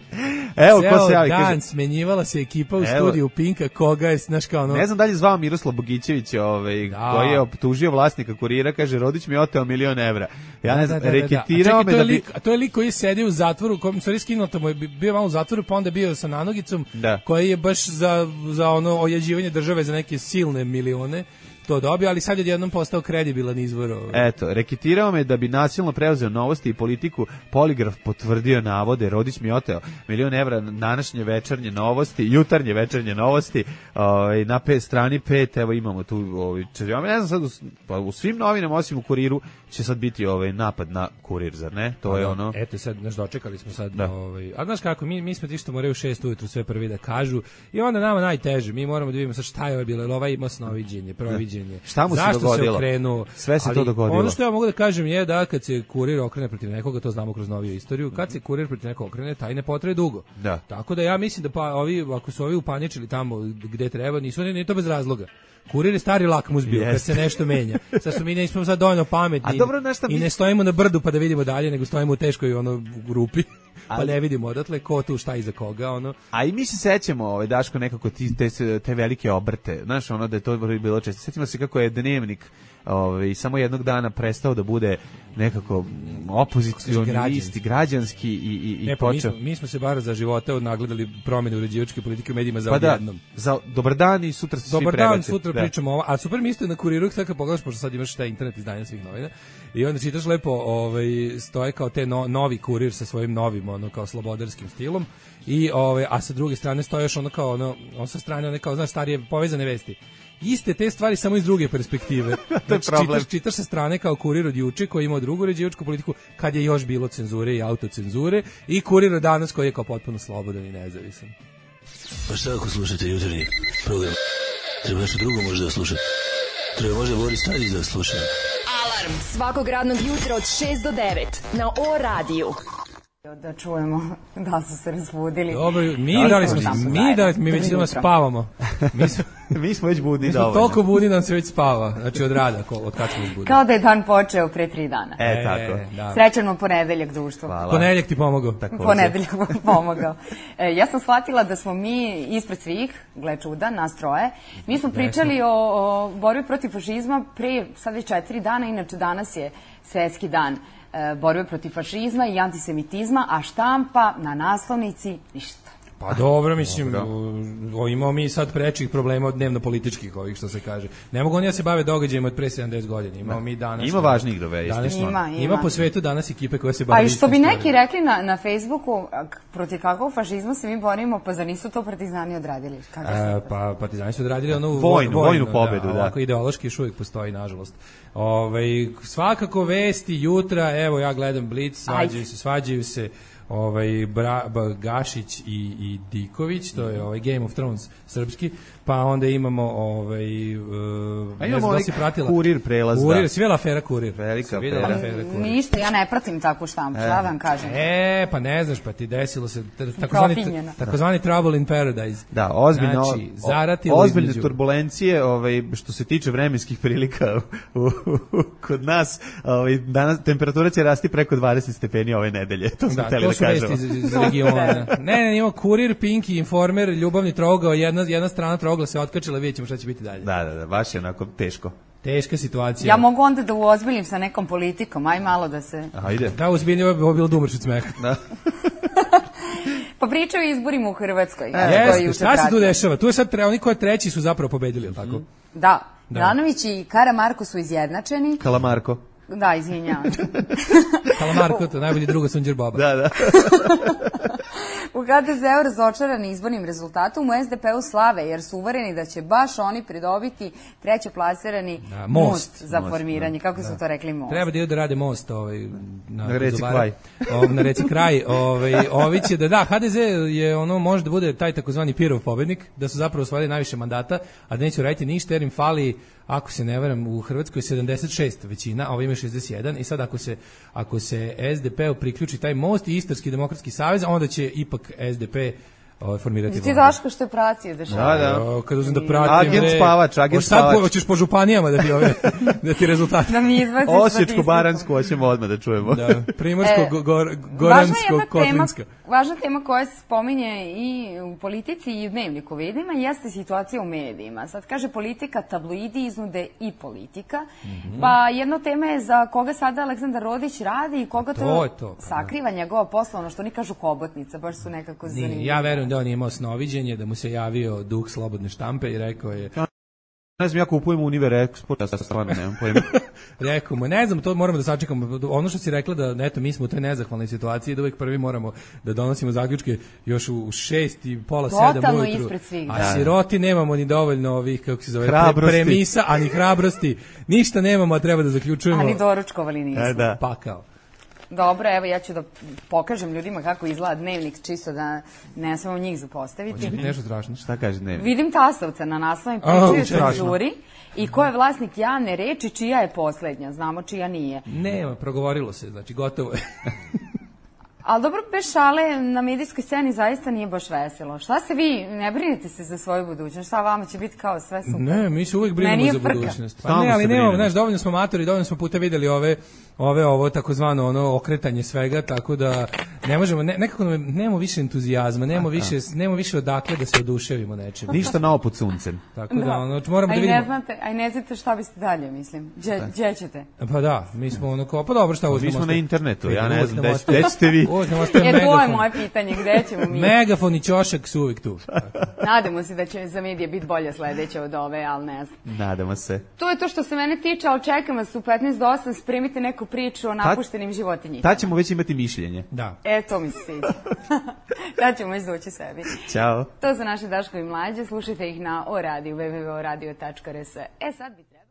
evo ko se javi, dan kaže, smenjivala se ekipa u evo, studiju Pinka, koga je znaš kao ono. Ne znam da li je zvao Miroslav Bogićević, ovaj da. Koji je optužio vlasnika Kurira, kaže Rodić mi je oteo milion evra. Ja da, ne znam, da, da, reketirao da, da. me da bi lik, to je lik koji je sedio u zatvoru, kom se skinuo tamo, bio malo u zatvoru, pa onda bio sa nanogicom, da. Koji je baš za za ono ojađivanje države za neke silne milione to dobio, ali sad je jednom postao kredibilan izvor. Eto, reketirao me da bi nasilno preuzeo novosti i politiku, poligraf potvrdio navode, Rodić mi oteo milion evra, današnje večernje novosti, jutarnje večernje novosti, ovaj, na pet, strani pet, evo imamo tu, ovaj, ja ne znam sad, u, pa u svim novinama, osim u Kuriru, će sad biti ovaj napad na Kurir, zar ne? To a je da, ono... Eto, sad, znaš, dočekali smo sad, da. Ovaj, a znaš kako, mi, mi smo ti što moraju u šest ujutru sve prvi da kažu, i onda nama najteže, mi moramo da vidimo sad šta je bilo, ovaj ima snoviđenje, proviđenje, poređenje. Šta mu se Zašto dogodilo? Se okrenuo? Sve se Ali to dogodilo. Ono što ja mogu da kažem je da kad se kurir okrene protiv nekoga, to znamo kroz noviju istoriju, kad se kurir protiv nekoga okrene, taj ne potraje dugo. Da. Tako da ja mislim da pa ovi, ako su ovi upaničili tamo gde treba, nisu oni ni to bez razloga. Kurir je stari lakmus bio, kad se nešto menja. Sad su mi nismo sad dovoljno pametni. A dobro, nešto i mi- ne stojimo na brdu pa da vidimo dalje, nego stojimo u teškoj ono grupi. Pa Ali- ne vidimo odatle ko tu šta iza koga, ono. A i mi se sećamo, ovaj Daško, nekako ti, te, te velike obrte, znaš, ono da je to bilo često. Sećamo se kako je Dnevnik ovaj, samo jednog dana prestao da bude nekako opozicioni Građanski. list, građanski i, i, i Ne, pa mi, počeo. smo, mi smo se bar za života odnagledali promjene uređivačke politike u medijima za Pa da, odjednom. za dobar dan i sutra se svi Dobar dan, prebace. sutra Da. pričamo ovo. A super mi isto na Kuriru, tako kad pogledaš, pošto sad imaš taj internet izdanja svih novina, i onda čitaš lepo, ovaj, stoje kao te no, novi Kurir sa svojim novim, ono, kao slobodarskim stilom, i, ovaj, a sa druge strane stoje još ono kao, ono, on sa strane, one kao, znaš, starije povezane vesti. Iste te stvari samo iz druge perspektive. Znači, problem. čitaš, čitaš sa strane kao Kurir od juče koji ima drugu uređivačku politiku kad je još bilo cenzure i autocenzure, i Kurir od danas koji je kao potpuno slobodan i nezavisan. Pa šta ako slušate jutarnji program? Treba nešto drugo možda da slušate. Treba možda Boris Tadić da sluša. Alarm svakog radnog jutra od šest do devet na O radiju. Da čujemo da su se razbudili. Dobro, mi Da, da li smo smo, tamo mi zajedno. da mi već Tri idemo jutra. spavamo. Mi smo, Mi smo već budni mi smo dovoljno. toliko budi da nam se već spava, znači od rada, ko, od kad smo izbudili. Kao da je dan počeo pre tri dana. E, tako. da. Srećan mu ponedeljak, društvo. Hvala. Ponedeljak ti pomogao. Ponedeljak mu pomogao. E, ja sam shvatila da smo mi ispred svih, gle čuda, nas troje, mi smo pričali o, o borbi protiv fašizma pre sad već četiri dana, inače danas je svetski dan e, borbe protiv fašizma i antisemitizma, a štampa na naslovnici ništa. Pa dobro, mislim, o, imamo mi sad prečih problema od dnevno-političkih ovih, što se kaže. Ne mogu oni da se bave događajima od pre sedamdeset godina. Imamo mi danas... Ima važnijih dovesti. Danas, Ima, ima. ima po svetu danas ekipe koje se bave... A i što bi istim neki stvarima. rekli na, na Facebooku, a, k- protiv kakvog fašizma se mi borimo, pa zar nisu to partizani odradili? Kako se... E, pa partizani su odradili onu Vojnu, vojnu pobedu, da. Ovako ideološki još uvijek postoji, nažalost. Ovaj, svakako vesti jutra, evo ja gledam Blic, svađaju Ajde. se, svađaju se ovaj Bra, Ba- Gašić i, i Diković, to je ovaj Game of Thrones srpski, pa onda imamo ovaj uh, A ne imamo znam da ovaj li si pratila. Kurir prelaz, Kurir, da. svela afera Kurir. Velika Si videla afera. afera Kurir. Ništa, ja ne pratim takvu štampu, šta vam kažem. E, pa ne znaš, pa ti desilo se t- takozvani Profinjena. takozvani trouble in paradise. Da, ozbiljno, Znači, o- zaratilo ozbiljne između- turbulencije, ovaj što se tiče vremenskih prilika u, u, u, kod nas, ovaj danas temperatura će rasti preko dvadeset stepeni ove nedelje. To smo Da, hteli to da su vesti kažemo. iz, iz regiona. Ne, ne, ima Kurir, Pinky, Informer, ljubavni trogao, jedna, jedna strana trogla se otkačila, vidjet ćemo šta će biti dalje. Da, da, da, baš je onako teško. Teška situacija. Ja mogu onda da uozbiljim sa nekom politikom, aj malo da se... Ajde. Da, uzbiljni, ovo je ovo je bilo dumrš od smeha. Da. Pa pričaju o izborima u Hrvatskoj. E, ja, to Jeste, juče šta se tu pratila. dešava? Tu je sad tre, oni koji treći su zapravo pobedili, je li tako? Da, Da. Milanović i Karamarko su izjednačeni. Kalamarko. Da, izvinjavam se. Kalamarko, to je najbolji druga Sunđer Boba. Da, da. U ha de ze u razočarani izbornim rezultatom, u es de pe u slave, jer su uvereni da će baš oni pridobiti treće plasirani Da, most, most. za Most, formiranje. Kako su to rekli, most? Treba da idu da rade most ovaj, na, Na reci Kozovara. Kraj. O, na reci kraj. Ovaj, ovi će da, da, ha de ze je ono, može da bude taj takozvani Pirov pobednik, da su zapravo osvojili najviše mandata, a da neće raditi ništa jer im fali, ako se ne varam, u Hrvatskoj sedamdeset šest većina, a ovo ima šezdeset jedan, i sad ako se, ako se es de pe priključi taj most i Istarski demokratski savez, onda će ipak es de pe ovaj, formirati Ti vladu. Daško što je pratio dešava. Da, da. O, kad uzem da pratim... Agent bre, spavač, agent hoćeš sad spavač. po- Hoćeš po županijama da ti, ove, da ti rezultati... Da mi izbaci Osječko-Baransku hoćemo odmah da čujemo. Da, Primorsko, E, go, gor, Važna je Goransko, jedna tema, Kotlinska. važna tema koja se spominje i u politici i u dnevniku vidima jeste situacija u medijima. Sad kaže politika, tabloidi, iznude i politika. Mhm. Pa jedna tema je za koga sada Aleksandar Rodić radi i koga to, To je to, pa da. sakriva njegova posla, ono što oni kažu hobotnica, baš su nekako Nije, zanimljivi. ja verujem da on je imao snoviđenje, da mu se javio duh slobodne štampe i rekao je, Ne znam, ja kupujem Univer Export, ja stvarno nemam pojma. rekao mu, ne znam, to moramo da sačekamo. Ono što si rekla da, eto, mi smo u toj nezahvalnoj situaciji, da uvijek prvi moramo da donosimo zaključke još u šest i pola sedam Totalno ujutru. ispred svih, A da. siroti nemamo ni dovoljno ovih, kako se zove, pre, Hrabrosti. premisa, ani hrabrosti. Ništa nemamo, a treba da zaključujemo. Ali doručkovali nismo. E, da. Pakao. Dobro, evo ja ću da pokažem ljudima kako izgleda dnevnik, čisto da ne smemo njih zapostaviti. Hoće biti nešto strašno. Šta kaže dnevnik? Vidim tasovca na naslovnoj pričaju o cenzuri i ko je vlasnik javne reči, čija je poslednja. Znamo čija nije. Nema, progovorilo se, znači gotovo je. Ali dobro, bez šale, na medijskoj sceni zaista nije baš veselo. Šta se vi, ne brinete se za svoju budućnost? Šta vama će biti kao sve super? Ne, mi se uvijek brinemo za budućnost. Pa ne, ali nemamo, znaš, dovoljno smo matori, dovoljno smo puta videli ove, ove ovo takozvano ono okretanje svega, tako da ne možemo, ne, nekako nemamo više entuzijazma, nemamo više, nemamo više odakle da se oduševimo nečim. Ništa novo pod suncem. Tako da, ono, moramo da vidimo. vidimo. Ne znate, aj ne znate šta biste dalje, mislim. Gdje ćete? Pa da, mi smo ono kao, pa dobro, šta uzmemo? Mi smo na internetu, ja ne znam, gde ćete vi? E, to je moje pitanje, gde ćemo mi? Megafon i ćošak su uvijek tu. Nadamo se da će za medije biti bolje sledeće od ove, ali ne znam. Nadamo se. To je to što se mene tiče, ali čekam vas u petnaest do osam, spremite neku priču o napuštenim životinjicama. Tad ćemo već imati mišljenje. Da. E, to mi se sviđa. Tad ćemo izdući sebi. Ćao. To su naše Daško i mlađe, slušajte ih na o radiju, w w w tačka o radio tačka r s. E, sad bi trebalo...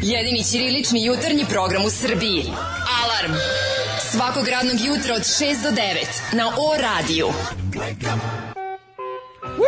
Jedini ćirilični jutarnji program u Srbiji. Alarm! Svakog radnog jutra od šest do devet na O radiju.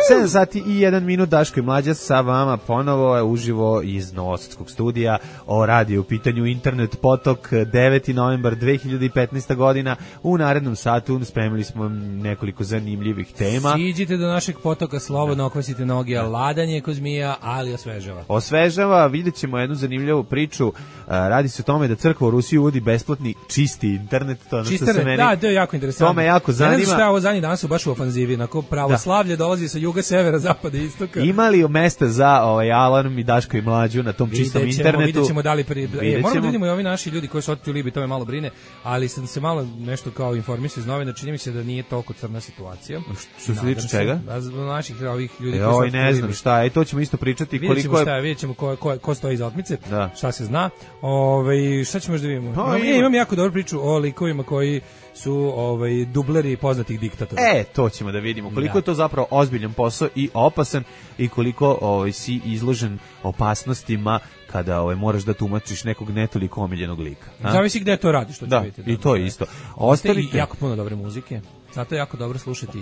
sedam sati i jedan minut, Daško i mlađa sa vama ponovo je uživo iz Novosadskog studija. O radiju u pitanju internet potok, deveti novembar dve hiljade petnaeste. godina. U narednom satu spremili smo vam nekoliko zanimljivih tema. Siđite do našeg potoka, slobodno okvasite noge, a ladan je ko zmija, ali osvežava. Osvežava, vidjet ćemo jednu zanimljivu priču. Radi se o tome da crkva u Rusiji uvodi besplatni čisti internet. To Čistare, se meni, da, to je jako interesantno. To me jako zanima. Ne znam šta je ovo zadnji danas su baš u ofanzivi, onako pravoslavlje dolazi sa juga, severa, zapada i istoka. Ima li mesta za ovaj alarm i Daško i mlađu na tom čistom videćemo, internetu? Vidjet ćemo da li... Pri... E, moramo da vidimo i ovi naši ljudi koji su otišli u Libiji, to me malo brine, ali sam se malo nešto kao informisao iz novina, čini mi se da nije toliko crna situacija. Što se tiče čega? Naših ovih ljudi e, koji su otišli u Libiji. Ne znam šta, i to ćemo isto pričati. Vidjet ćemo šta je, vidjet ćemo ko, ko, ko stoji iza otmice, da. Šta se zna. Ove, šta ćemo još da vidimo? Pa, imam, imam jako dobru priču o likovima koji su ovaj dubleri poznatih diktatora. E, to ćemo da vidimo. Koliko da. je to zapravo ozbiljan posao i opasan i koliko ovaj si izložen opasnostima kada ovaj moraš da tumačiš nekog netoliko omiljenog lika. A? Zavisi gde to radiš, što da, vidite. Da, i to je isto. Ostavite jako puno dobre muzike. Zato je jako dobro slušati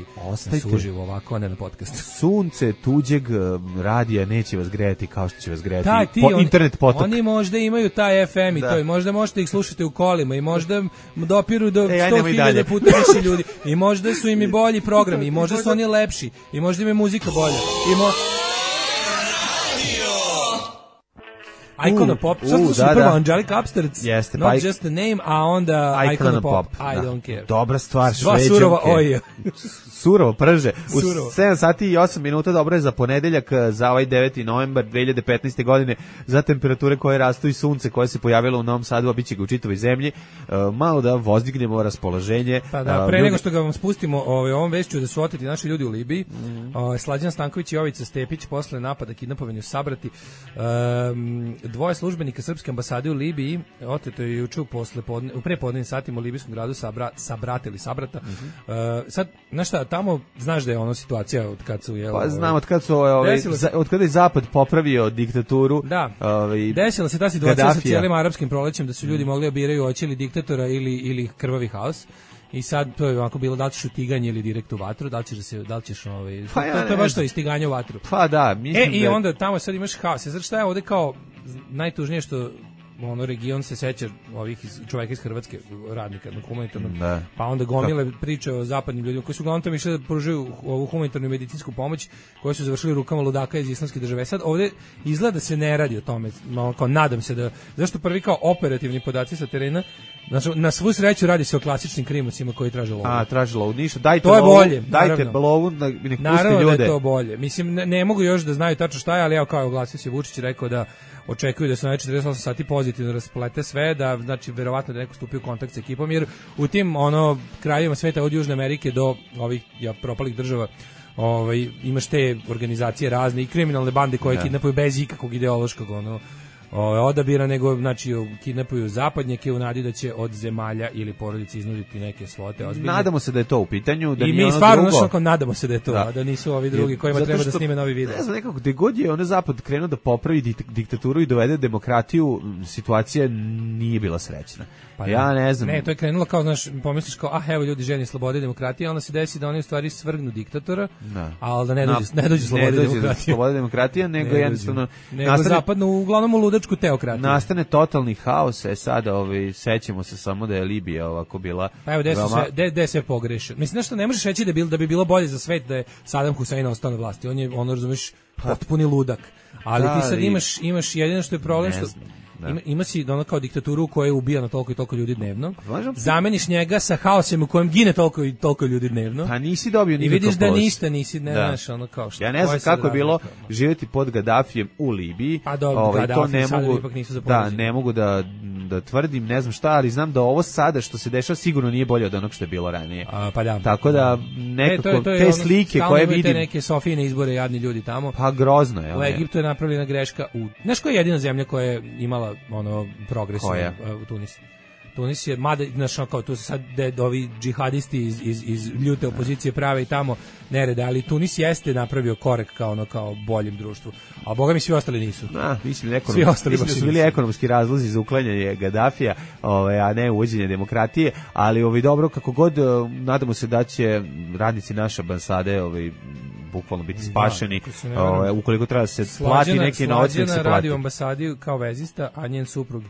na suživo ovako, a ne na podcastu. Sunce tuđeg radija neće vas grejati kao što će vas grejati da, ti, po on, internet potok. Oni možda imaju taj F M i da. to, i možda možete ih slušati u kolima, i možda dopiru do e, sto hiljada puta više ljudi, i možda su im i bolji programi, i možda su oni lepši, i možda im je muzika bolja. I mo... Icona Pop, sad slušam da, prvo da. Angelica Upstarts, Jeste, Not pa Just a Name, a onda Icona, Icona Pop, Pop, I da. Don't Care. Dobra stvar, Dva surova oja. Surovo prže. U Surovo. sedam sati i osam minuta, dobro je za ponedeljak, za ovaj deveti novembar dve hiljade petnaeste. godine, za temperature koje rastu i sunce koje se pojavilo u Novom Sadu, a biće ga u čitavoj zemlji, uh, malo da vozdignemo raspoloženje. Pa da, pre uh, nego što ga vam spustimo, ovaj, ovom vešću da su oteti naši ljudi u Libiji, mm. uh, Slađan Stanković i Jovica Stepić posle napada kidnapovanja sabrati. Um, dvoje službenika srpske ambasade u Libiji oteto je juče posle podne, u prepodnevnim satima u libijskom gradu sabra, sabratili sabrata. Mm-hmm. Uh, sad, znaš šta, tamo znaš da je ono situacija od kad su je pa znam od kad su ovaj za, od kada je zapad popravio diktaturu. Da. Ovaj desila se ta situacija Gaddafija. Sa cijelim arapskim prolećem da su ljudi mm. mogli obiraju hoće li diktatora ili ili krvavi haos. I sad to je ovako bilo da li ćeš utiganje ili direkt u vatru, da li ćeš, se, da li ćeš ovaj, pa ja, to, to je baš to istiganje u vatru. Pa da, mislim e, da... i onda tamo sad imaš haos. Znači šta je ovde kao najtužnije što ono region se seća ovih iz, čovjeka iz Hrvatske, radnika na humanitarnom, da. Pa onda gomile priče o zapadnim ljudima koji su uglavnom tamo išli da pružaju ovu humanitarnu i medicinsku pomoć, koji su završili rukama ludaka iz islamske države. Sad ovde izgleda da se ne radi o tome, no, kao nadam se da, zašto prvi kao operativni podaci sa terena, znači, na svu sreću radi se o klasičnim krimusima koji traže lovu. A, traže lovu, ništa, dajte to je lovu, bolje, dajte lovu, nek pusti ljude. Naravno da je to bolje, mislim, ne, ne mogu još da znaju tačno šta je, ali evo kao oglasio se Vučić rekao da očekuju da se na četrdeset osam sati pozitivno rasplete sve, da znači verovatno da neko stupi u kontakt sa ekipom, jer u tim ono krajevima sveta od Južne Amerike do ovih ja propalih država, ovaj imaš te organizacije razne i kriminalne bande koje kidnapuju bez ikakvog ideološkog ono o, odabira, nego znači kidnapuju zapadnjake u nadi da će od zemalja ili porodice iznuditi neke svote ozbiljne. Nadamo se da je to u pitanju, da i nije mi ono stvarno drugo. znači nadamo se da je to, Da. a da nisu ovi drugi kojima Zato treba da što, snime novi video. Ne znam, nekako gde god je ono zapad krenuo da popravi dik- diktaturu i dovede demokratiju, situacija nije bila srećna. Pa ja ne znam. Ne, to je krenulo kao, znaš, pomisliš kao, ah, evo ljudi željni slobode i demokratije, a onda se desi da oni u stvari svrgnu diktatora, Da. ali da ne dođe, Na- ne dođe slobode ne i dođe demokratije. sloboda i demokratija, nego Ne jednostavno dođe. Nego nastane, zapadno, uglavnom u ludačku teokratiju. nastane totalni haos, e sada ovaj, sećamo se samo da je Libija ovako bila... Pa evo, gde su veoma- sve, gde, gde je sve pogrešio. Mislim, znaš što, ne možeš reći da, bil, da bi bilo bolje za svet da je Saddam Hussein ostao na vlasti. On je, ono, razumeš, potpuni ludak. Ali Da, ti sad i- imaš, imaš jedino što je problem, Ne što znam, da. ima, ima si ono kao diktaturu koja ubija na toliko i toliko ljudi dnevno. Možemo- Zameniš njega sa haosem u kojem gine toliko i toliko ljudi dnevno. Pa nisi dobio I nikakav vidiš da post. ništa nisi, ne Da. znaš, ono kao što. Ja ne koja znam sad kako je bilo razlika? živjeti pod Gaddafijem u Libiji. Pa dobro, Ovaj, to Gaddafi ne sada mogu, ipak nisu za da, poređenje. ne mogu da, da tvrdim, ne znam šta, ali znam da ovo sada što se dešava sigurno nije bolje od onog što je bilo ranije. A, pa da. Tako da E, nekako to je- to je te ono, slike stalno koje imaju te vidim, neke Sofijine izbore, jadni ljudi tamo. pa grozno je. U one. Egiptu je napravljena greška u... Znaš koja je jedina zemlja koja je imala ono progres u, Koja? u Tunis? Tunis je, mada, znaš, ono kao tu se sad de, ovi džihadisti iz, iz, iz ljute opozicije prave i tamo nerede, ali Tunis jeste napravio korek kao ono kao boljem društvu. A boga mi svi ostali nisu. A, mislim, ekonom, Svi ostali mislim da baš su bili nisu. ekonomski razlozi za uklanjanje Gaddafija, ovaj, a ne uvođenje demokratije, ali ovaj, dobro, kako god, eh, nadamo se da će radnici naše ambasade ovaj, bukvalno biti spašeni, ako se ne varam. ovaj, ukoliko treba da se plati neki novac, nek se Slađana radi u plati. ambasadi kao vezista, a njen suprug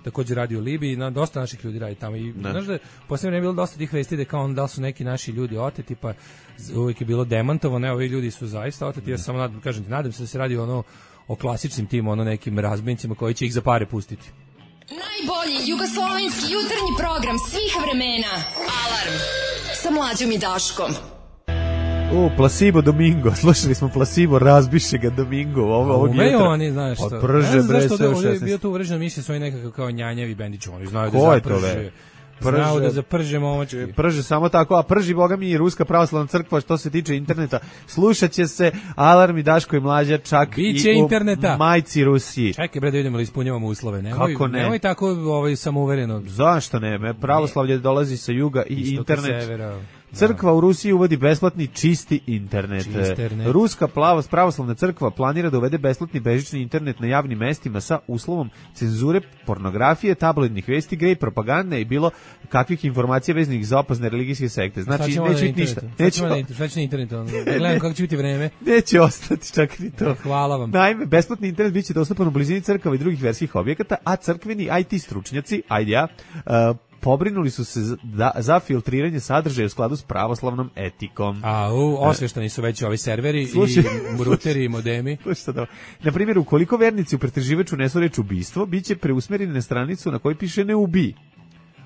takođe radi u Libiji, na dosta naših ljudi radi tamo i Da. znaš da je posebno je bilo dosta tih vesti da kao on, da li su neki naši ljudi oteti, pa z- uvijek je bilo demantovano, ne, ovi ljudi su zaista oteti, ja samo nadam, kažem ti, nadam se da se radi ono o klasičnim tim, ono nekim razbinicima koji će ih za pare pustiti. Najbolji jugoslovenski jutarnji program svih vremena. Alarm sa Mlađom i Daškom. U, Placebo Domingo, slušali smo Placebo, razbiše ga Domingo, ovo, ovog Umeju jutra. oni, znaš što. Pa prže, Ne znam bre, zašto sve u ovdje je šesnaest. bio tu uvrežena misija svoji nekakav kao njanjavi bendić, oni znaju Ko da je to, zaprže. be? Znaju Prže- da zaprže momački. Prže samo tako, a prži boga mi i Ruska pravoslavna crkva što se tiče interneta. Slušat će se Alarm i Daško i Mlađa čak Biće i u interneta. majci Rusiji. Čekaj bre da vidimo da ispunjavamo uslove. Nemoj, Kako ne? Nemoj tako ovaj, samouvereno. Zašto ne? Me pravoslavlje dolazi sa juga i Istoka, internet. severa. Crkva u Rusiji uvodi besplatni čisti internet. Čisternet. Ruska plavo- pravoslavna crkva planira da uvede besplatni bežični internet na javnim mestima sa uslovom cenzure pornografije, tabloidnih vesti, gej propagande i bilo kakvih informacija vezanih za opasne religijske sekte. Šta Znači, ćemo neće na biti ništa. internetu? Šta Neće, ćemo na internetu? Šta će na internetu? ono? Da gledam kako će biti vreme. neće ostati čak ni to. Hvala vam. Naime, besplatni internet biće dostupan u blizini crkava i drugih verskih objekata, a crkveni I T stručnjaci, ajde ja, uh, pobrinuli su se za, da, za filtriranje sadržaja u skladu s pravoslavnom etikom. A, u, osveštani su već ovi serveri Slušaj, i ruteri i modemi. Slušaj da. Na primjer, ukoliko vernici u pretraživaču unesu reč ubistvo, biće preusmereni na stranicu na kojoj piše ne ubi.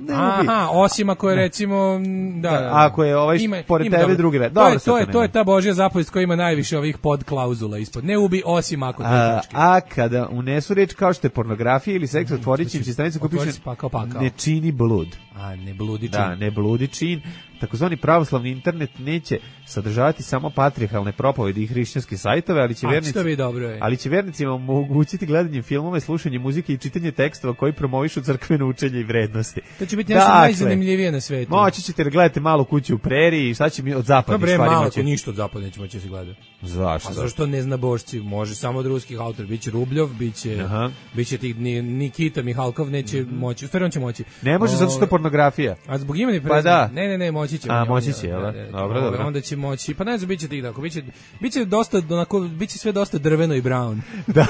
Ne ubi. Aha, osim ako je recimo m, da, da, Ako je ovaj pored tebe dobro. drugi red. To je Dobro, sad to je to to je nema. ta božja zapovest koja ima najviše ovih podklauzula ispod. Ne ubi osim ako to A, tačke. a kada unesu reč kao što je pornografija ili seks, otvorit će im se stranica koja Otvori piše se pakao, pakao. ne čini blud. A ne bludi čin. Da, ne bludi čin. Takozvani pravoslavni internet neće sadržavati samo patrijarhalne propovedi i hrišćanske sajtove, ali će A, vernici što bi dobro je. ali će vernicima omogućiti gledanje filmova, slušanje muzike i čitanje tekstova koji promovišu crkveno učenje i vrednosti. To će biti nešto Dakle, najzanimljivije na svetu. Moći ćete da gledate Malu kuću u preriji, šta će mi od Pa zapadnih bre, stvari malo moći? ko ništa od zapada neće moći da se gleda. Zašto? A zašto ne zna božci? Može samo od ruskih autora. Biće Rubljov, biće, Aha. biće tih, ni- Nikita Mihalkov neće moći. U stvari on će moći. Ne može zato što je pornografija. A zbog imena i Pa prezimena? da. Ne, ne, ne, moći će. A, on- moći on- će, jel da? e, Dobro, ovaj, dobro. Onda će moći, pa ne znam, biće tih tako, biće, biće dosta, onako, biće sve dosta drveno i brown. Da.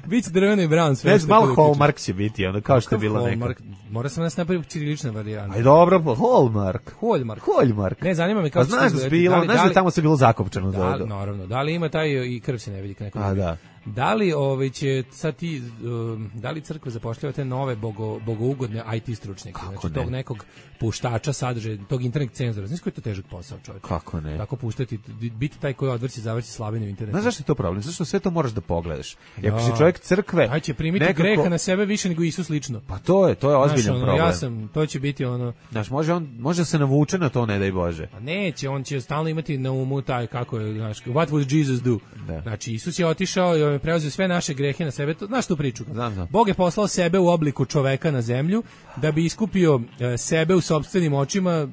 Biće drveno i brown sve. Ne što znam, malo je uključeno. Hallmark će biti, ono, kao što je bilo neka. Hallmark? Mora sam nas napraviti ćirilična varijanta. Aj dobro, pa Hallmark. Hallmark. Hallmark. Ne, zanima me Pa kako će znaš to da je izgledati. bilo, li- znaš da li- je tamo se bilo zakopčano. Da, do- li, do- naravno. Da li ima taj i krv se ne vidi kako A, da. Da li ovaj će sad ti um, da li crkva zapošljava te nove bogo, bogougodne I T stručnjake, znači ne? tog nekog puštača sadržaja, tog internet cenzora. Znaš koji je to težak posao, čovjek? Kako ne? Tako puštati, biti taj koji odvrći, zavrći slabine u internetu. Znaš zašto je to problem? Zašto sve to moraš da pogledaš? I ako Da. si čovjek crkve, Taj će primiti nekako- greha na sebe više nego Isus lično. Pa to je, to je ozbiljan Znaš, ono, problem. ja sam, to će biti ono, Znaš, može on, može se navuče na to, ne daj Bože. pa neće, on će stalno imati na umu taj kako je, znaš, what would Jesus do? Da. Znači Isus je otišao i je preuzeo sve naše grehe na sebe. To, znaš tu priču? Znam, znam. Bog je poslao sebe u obliku čoveka na zemlju da bi iskupio e, sebe u sopstvenim očima e,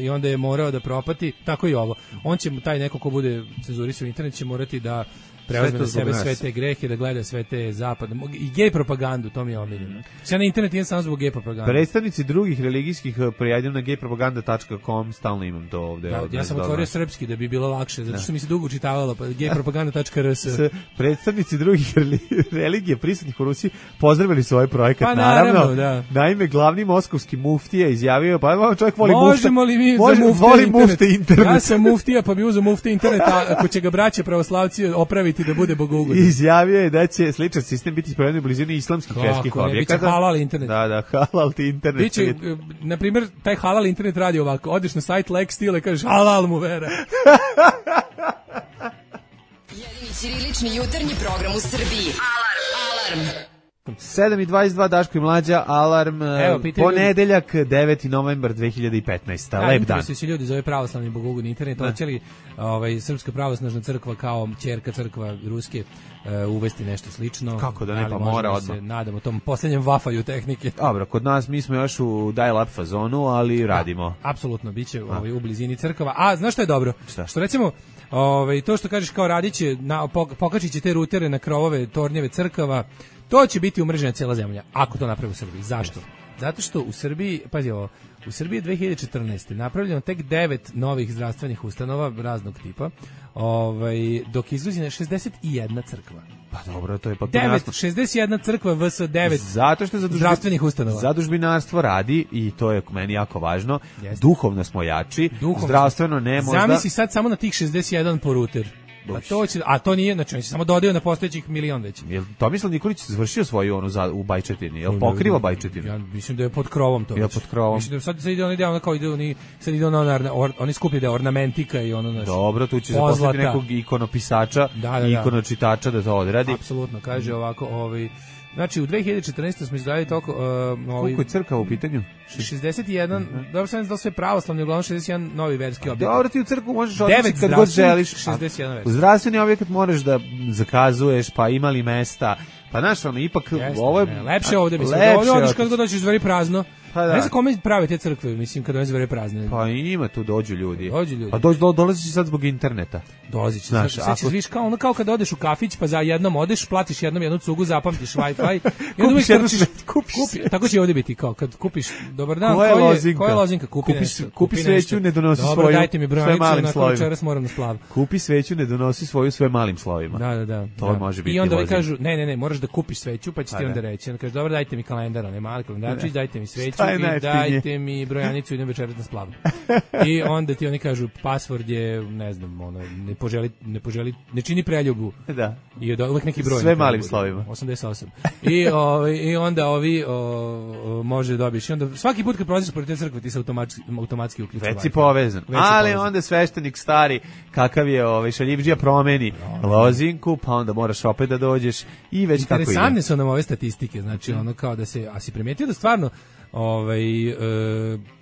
i onda je morao da propati. Tako i ovo. On će, taj neko ko bude cenzurisao internet će morati da preuzme na sebe sve te grehe, da gleda sve te zapadne i gej propagandu, to mi je omiljeno. Sve na internet idem samo zbog gej propagande. Predstavnici drugih religijskih prijavljam na gej propaganda tačka com, stalno imam to ovde. Da, ovde ja sam otvorio srpski da bi bilo lakše, zato što mi se dugo učitavalo, pa gej propaganda tačka r s. Predstavnici drugih religija prisutnih u Rusiji pozdravili svoj projekat, pa, naravno. naravno da. Naime, glavni moskovski muftija izjavio, pa čovjek voli mufta. Možemo li mi Može, za mufte voli internet? mufte internet? Ja sam muftija, pa bi uzeo mufte internet, a ako će ga braće pravoslavci opraviti da bude bogougodan. Izjavio je da će sličan sistem biti sproveden u blizini islamskih verskih objekata. Biće halal internet. Da, da, halal ti internet. Biće, na primjer, taj halal internet radi ovako. Odeš na sajt Lexsteel i kažeš halal mu vera. Jedini ćirilični jutarnji program u Srbiji. Alarm! Alarm! sedam i dvadeset dva Daško i Mlađa, alarm, Evo, ponedeljak, deveti novembar dve hiljade petnaeste. Da, lep dan. interesuju se ljudi za ovaj pravoslavni bogougodni internet, hoće li ovaj, Srpska pravoslavna crkva kao ćerka crkva ruske uh, uvesti nešto slično. Kako da ne, pa ali mora možemo odmah. se nadamo tom posljednjem vafaju tehnike. Dobro, kod nas mi smo još u dial-up fazonu, ali radimo. Apsolutno, bit će ovaj, u blizini crkava. A, znaš što je dobro? Šta? Što recimo, ovaj, to što kažeš kao radiće, na, pokačit će te rutere na krovove tornjeve crkava, to će biti umrežena cijela zemlja, ako to napravi u Srbiji. Zašto? Zato što u Srbiji, pazi ovo, u Srbiji je dve hiljade četrnaeste. napravljeno tek devet novih zdravstvenih ustanova raznog tipa, ovaj, dok izgrađena je šezdeset jedna crkva. Pa dobro, to je pa devet, šezdeset jedna crkva vs devet zato što zadužbi, zdravstvenih ustanova. Zadužbinarstvo radi i to je meni jako važno. Jeste. Duhovno smo jači, Duhovno zdravstveno ne možda. Zamisli sad samo na tih šezdeset jedan po ruter. A to, će, a to nije, znači on se samo dodaju na postojećih milion već. Jel Tomislav Nikolić završio svoju onu za, u Bajčetini? Jel pokriva Bajčetinu? Ja mislim da je pod krovom to. Jel pod krovom? Mislim da sad sad ide on ide ono kao ide oni sad ide ono na or, oni skuplje da ornamentika i ono naš. Dobro, tu će zaposliti nekog ikonopisača da, da, i da. ikonočitača da to odradi. Apsolutno, kaže ovako, ovaj znači u dve hiljade četrnaeste smo izgradili toliko uh, ovaj koliko je crkava u pitanju? šezdeset jedan, mm-hmm. dobro sam da sve pravoslavni, uglavnom šezdeset jedan novi verski objekat. Dobro, ti u crkvu možeš odnositi kad god želiš. šezdeset jedan verski. U zdravstveni objekat moraš da zakazuješ, pa ima li mesta, pa znaš, ono, ipak Jeste, ovo je... Ne, lepše ovde, mislim, lepše ovde odeš kad god dođeš zveri prazno. Pa da. Ne znam kome prave te crkve, mislim, kad one zvere prazne. Pa ima tu, dođu ljudi. Dođu ljudi. Pa dođu, do, dolazi sad zbog interneta. Dolazi će, znaš, sad, sad ćeš, ako... viš, kao, ono kao kad odeš u kafić, pa za jednom odeš, platiš jednom jednu cugu, zapamtiš Wi-Fi. kupiš jednu ćeš, kupiš kupi, tako će ovdje biti, kao kad kupiš, dobar dan, koja je lozinka? Koja je lozinka? Kupi, kupi, nešto, kupi, kupi sveću, ne donosi dobro, svoju, dajte mi brojanicu, onako večeras moram na splav. Kupi sveću, ne donosi svoju sve malim slovima. Da, da, da. To da. može biti I onda lozinka. kažu, ne, ne, ne, moraš da kupiš sveću, pa će ti onda reći. Onda kaže, dobro, dajte mi kalendar, onaj mali kalendarčić, dajte mi sveću i dajte mi brojanicu, idem večeras na splav. I onda ti oni kažu, password je, ne znam, ono, ne poželi, ne poželi, ne čini preljubu. Da. I od uvek neki broj. Sve malim slovima. osamdeset osam. I, o, I onda ovi o, o, može dobiš. I onda svaki put kad prolaziš pored te crkve ti se automatski, automatski uključuje. Već si povezan. Već ali povezan. Onda sveštenik stari, kakav je ovaj šaljivdžija, promeni no, lozinku, pa onda moraš opet da dođeš i već kako ide. Interesantne su nam ove statistike, znači ono kao da se, a si primetio da stvarno ovaj, e,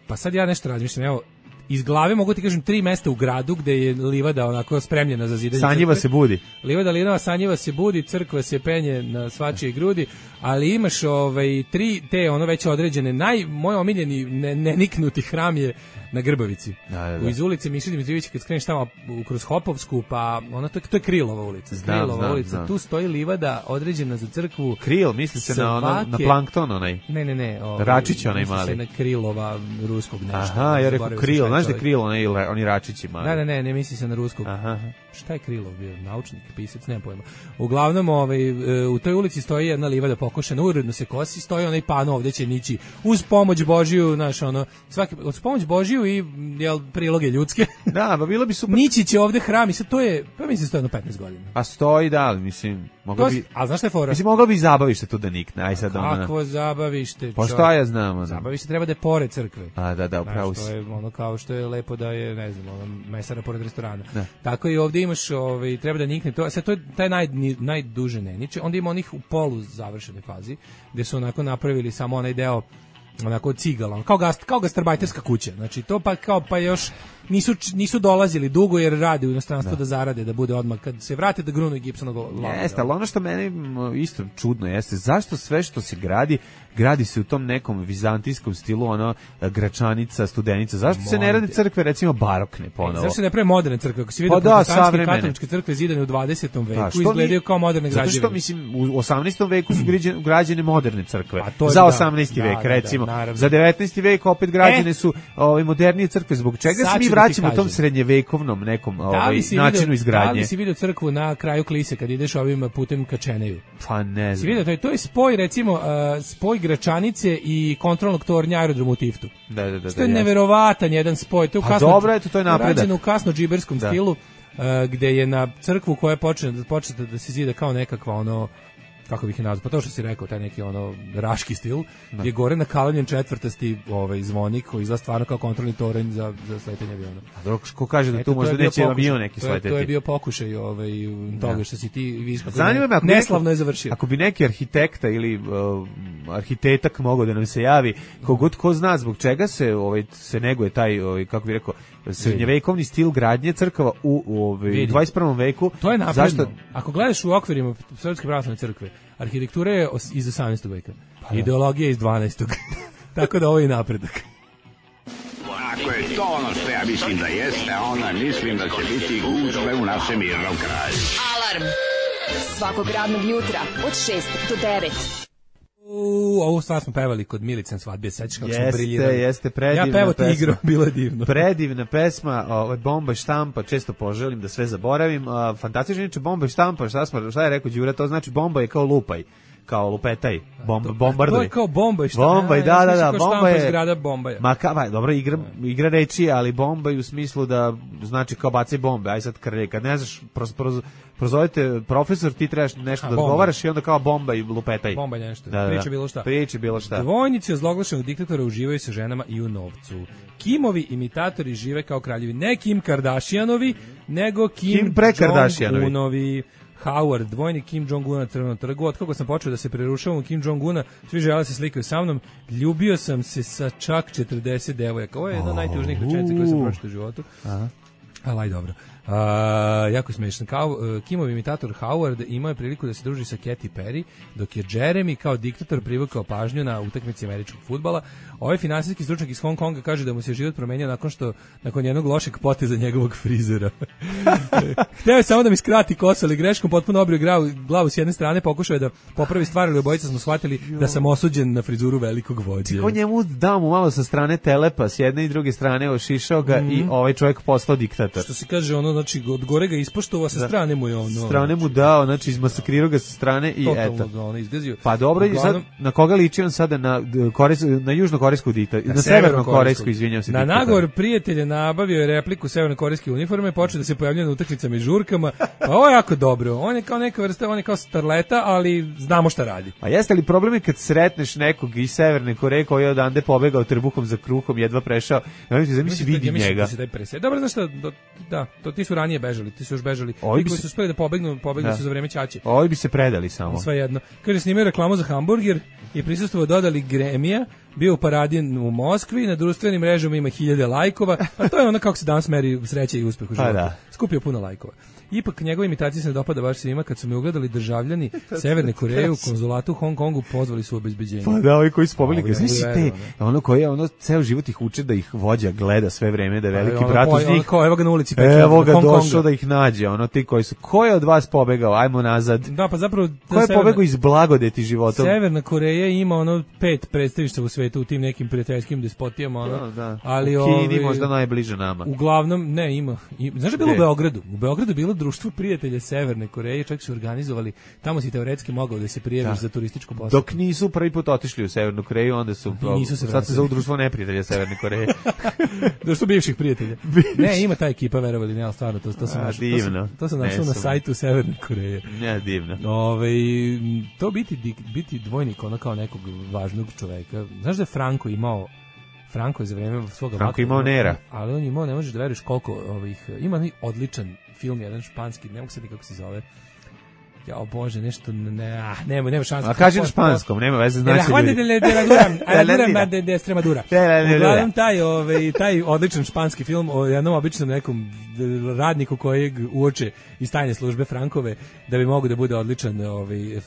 pa sad ja nešto razmišljam, evo, iz glave mogu ti kažem tri mesta u gradu gde je livada onako spremljena za zidanje. Sanjiva crkve. se budi. Livada linova, sanjiva se budi, crkva se penje na svačije grudi, ali imaš ovaj tri te ono već određene, naj moj omiljeni ne, neniknuti hram je na Grbavici. Da, da, da. U iz ulice Miše Dimitrijevića kad skreneš tamo kroz Hopovsku, pa ona to, to je Krilova ulica. Znam, Krilova znam, ulica. znam. Tu stoji livada određena za crkvu. Kril, misli se na ono, na plankton onaj. Ne, ne, ne. Ovaj, Račić onaj mali. Misli se na Krilova ruskog nešto. Aha, ja rekao Kril, znaš da Kril onaj oni račići mali. Ne, ne, ne, ne misli se na ruskog. Aha. Šta je Krilov bio? Naučnik, pisac, nemam pojma. Uglavnom, ovaj, u toj ulici stoji jedna livada pokošena, uredno se kosi, stoji onaj pano ovdje će nići uz pomoć Božiju, znaš, ono, svaki, uz pomoć Božiju i, jel, priloge ljudske. Da, ba bilo bi super. Nići će ovdje hram i sad to je, pa mislim, stoji jedno petnaest godina. A stoji, da, mislim, moglo bi... A znaš šta je fora? Mislim, moglo bi zabavište tu da nikne, aj sad ono... Kakvo zabavište? Pa šta ja znam, ono? Zabavište treba da je pored crkve. A, da, da, upravo si. To je ono kao što je lepo da je, ne znam, ono, mesara pored restorana. Da. Tako i ovdje imaš, ovaj, treba da nikne to, sad to je taj naj, najduže neniče, onda ima onih u polu završenoj fazi, gde su onako napravili samo onaj deo onako cigala, kao gast, kao gastarbajterska kuća. Znači to pa kao pa još nisu nisu dolazili dugo jer rade u inostranstvu da. da zarade, da bude odmah kad se vrate da grunu Gibsonog lana. Jeste, ali ono što meni isto čudno jeste, zašto sve što se gradi, gradi se u tom nekom vizantijskom stilu, ono, Gračanica, Studenica, zašto se ne rade crkve, recimo, barokne ponovo? E, zašto se ne prave moderne crkve? Ako si vidio pa da, protestantske katoličke crkve zidane u dvadesetom veku, pa, izgledaju mi, kao moderne građevine. Zato što, mislim, u osamnaestom veku su građene, građene moderne crkve, za osamnaesti da, vek, da, recimo. Da, da, za devetnaesti vek opet građene e, su ovaj, modernije crkve, zbog čega se mi vraćamo da u tom srednjevekovnom nekom ovaj, načinu vidio, izgradnje? Da li si vidio crkvu na kraju Klise, kad ideš ovim putem ka Čeneju? Pa ne znam. Si vidio, to je, to je spoj, recimo, uh, spoj Gračanice i kontrolnog tornja aerodromu u Tiftu. Da, da, da. Što je da, neverovatan jedan spoj. To je u kasno, dobro, eto, to je napredak. Rađeno u kasno džiberskom da. stilu, uh, gde je na crkvu koja je počela početa da se zida kao nekakva ono, kako bih je nazvao, pa to što si rekao, taj neki ono raški stil, da. je gore nakalavljen četvrtasti ovaj zvonik koji izgleda stvarno kao kontrolni toranj za za sletanje aviona. A dok ko kaže da eto, tu možda neće avion neki sleteti. To je bio pokušaj ovaj toga da. što si ti vidiš kako ne, neslavno je završio. Ako bi neki arhitekta ili uh, arhitetak mogao da nam se javi, kogod ko zna zbog čega se ovaj se neguje taj ovaj kako bih rekao srednjevekovni stil gradnje crkava u, u ovaj dvadeset prvom veku. To je napredno. Zašto? Ako gledaš u okvirima Srpske pravoslavne crkve, arhitektura je iz osamnaestog veka. Pa ideologija iz dvanaestog Tako da ovo je napredak. Ako je to ono što ja mislim da jeste, onda mislim da će biti gužve u našem mirnom kraju. Alarm svakog radnog jutra od šest do devet. U, ovu stvar smo pevali kod Milice na svadbi, sećaš kako smo briljirali. Jeste, jeste, predivna ja pevo pesma. Ja igro, bilo je divno. Predivna pesma, ovaj, Bomba i štampa, često poželim da sve zaboravim. Uh, fantastično, inače Bomba i štampa, šta, smo, šta je rekao Đura, to znači bomba je kao lupaj. Kao lupetaj, bomb, bombarduj. To je kao bomba i šta? Bomba i da, da, da, bomba je zgrada bomba. Ma ka, dobro, igra, igra reči, ali bomba je u smislu da znači kao bacaj bombe. Aj sad krlje, kad ne znaš, proz, proz, prozovete profesor, ti trebaš nešto A, da odgovaraš i onda kao bomba i lupetaj. Bomba je nešto, da, priča da, bilo šta. Priča bilo šta. Dvojnici ozloglašenog diktatora uživaju sa ženama i u novcu. Kimovi imitatori žive kao kraljevi. Ne Kim Kardashianovi, nego Kim, Kim Jong-unovi. Howard, dvojni Kim Jong-una na Crvenom trgu. Od kako sam počeo da se prerušavam u Kim Jong-una, svi žele se slikaju sa mnom. Ljubio sam se sa čak četrdeset devojaka. Ovo je jedna od najtužnijih rečenica koje sam pročitao u životu. Aha. Ali aj dobro. Uh, jako smiješan. Kao, uh, Kimov imitator Howard imao je priliku da se druži sa Katy Perry, dok je Jeremy kao diktator privukao pažnju na utakmici američkog fudbala. Ovaj finansijski stručnjak iz Hong Konga kaže da mu se život promenio nakon što nakon jednog lošeg poteza njegovog frizera. Hteo je samo da mi skrati kosu, ali greškom potpuno obrio glavu, glavu s jedne strane, pokušao je da popravi stvar, ali obojica smo shvatili da sam osuđen na frizuru velikog vođe. On njemu dao mu malo sa strane telepa, s jedne i druge strane ošišao ga mm. i ovaj čovjek postao diktator. Što se kaže, ono, znači, od gore ga ispoštovao, sa strane mu je ono. Sa strane mu dao, znači, izmasakrirao ga sa strane i totalno eto. Ga ono izgazio. Pa dobro, Uglavnom, sad, na koga liči on sada? Na, Kores, na južnokorejsku diktator, na, na severnokorejsku, izvinjam se. Na diktator. Nagovor prijatelja nabavio je repliku severnokorejske uniforme, počeo da se pojavljuje na utakmicama i žurkama. Pa ovo je jako dobro. On je kao neka vrsta, on je kao starleta, ali znamo šta radi. A jeste li problem je kad sretneš nekog iz Severne Koreje koji je odande pobegao trbuhom za kruhom, jedva prešao, ja zamisli vidi ja njega. Da dobro, znaš šta, do, da, to ti su ranije bežali, ti su još bežali. Ti koji se... su uspeli da pobegnu, pobegnu da. su za vreme ćaće. Ovi bi se predali samo. Sve jedno. Kaže, snimaju reklamu za hamburger i prisustvovao dodali Gremija, bio u paradi u Moskvi, na društvenim mrežama ima hiljade lajkova, a to je ono kako se danas meri sreća i uspeh u životu. Da. Skupio puno lajkova. Ipak njegove imitacije se ne dopada baš svima, kad su me ugledali državljani Severne Koreje u konzulatu u Hong Kongu, pozvali su u obezbeđenje. Pa da, ovi koji su pobegli, znači te, ono koji je ono ceo život ih uče da ih vođa gleda sve vreme, da je veliki brat uz njih. Kao evo ga na ulici Peking, evo ga došao da ih nađe, ono ti koji su, ko je od vas pobegao, ajmo nazad. Da, pa zapravo ko je pobegao iz blagodeti životom? Severna Koreja ima ono pet predstavišta u svetu u tim nekim prijateljskim despotijama, ono. Da, da. Ali u Kini ovi, možda najbliže nama. Uglavnom ne ima. I, znaš da je bilo u Beogradu? U Beogradu je bilo društvo prijatelja Severne Koreje, čak su organizovali, tamo si teoretski mogao da se prijaviš za turističku posjetu. Dok nisu prvi put otišli u Severnu Koreju, onda su, nisu se sad se zove društvo neprijatelja Severne Koreje. Društvo bivših prijatelja. Ne, ima ta ekipa, verovali, ne, ali stvarno, to, to sam našao, to sam, to sam našao na sajtu Severne Koreje. Ne, divno. Ove, to biti, biti dvojnik, ono kao nekog važnog čoveka. Znaš da je Franko imao Franko je za vreme svoga Franko imao Nera. Ali on imao, ne možeš da veruješ koliko ovih, ima odličan film, jedan španski, ne mogu se kako se zove. Jao Bože, nešto ne, ah, nema, nema šanse. A kaži na španskom, nema veze, znači ljudi. De la Dura, de Dura, de de Extremadura. Uglavnom taj, ovaj, taj odličan španski film o jednom običnom nekom radniku kojeg uoče iz tajne službe Frankove da bi mogo da bude odličan ovaj, uh,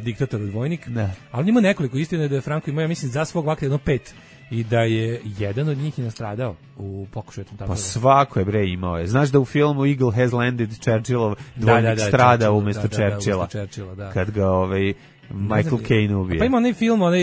diktator odvojnik. Ne. Ali ima nekoliko, istina je da je Franko imao, ja mislim, za svog vakta jedno pet. I da je jedan od njih i nastradao u pokušaju tamo. Pa svako je bre imao je. Znaš da u filmu Eagle Has Landed Churchillov dvojnik da, da, da, strada umjesto da, da, Churchilla. Da, Churchilla da. Kad ga ovaj Michael Caine ubije. Pa ima onaj film, onaj,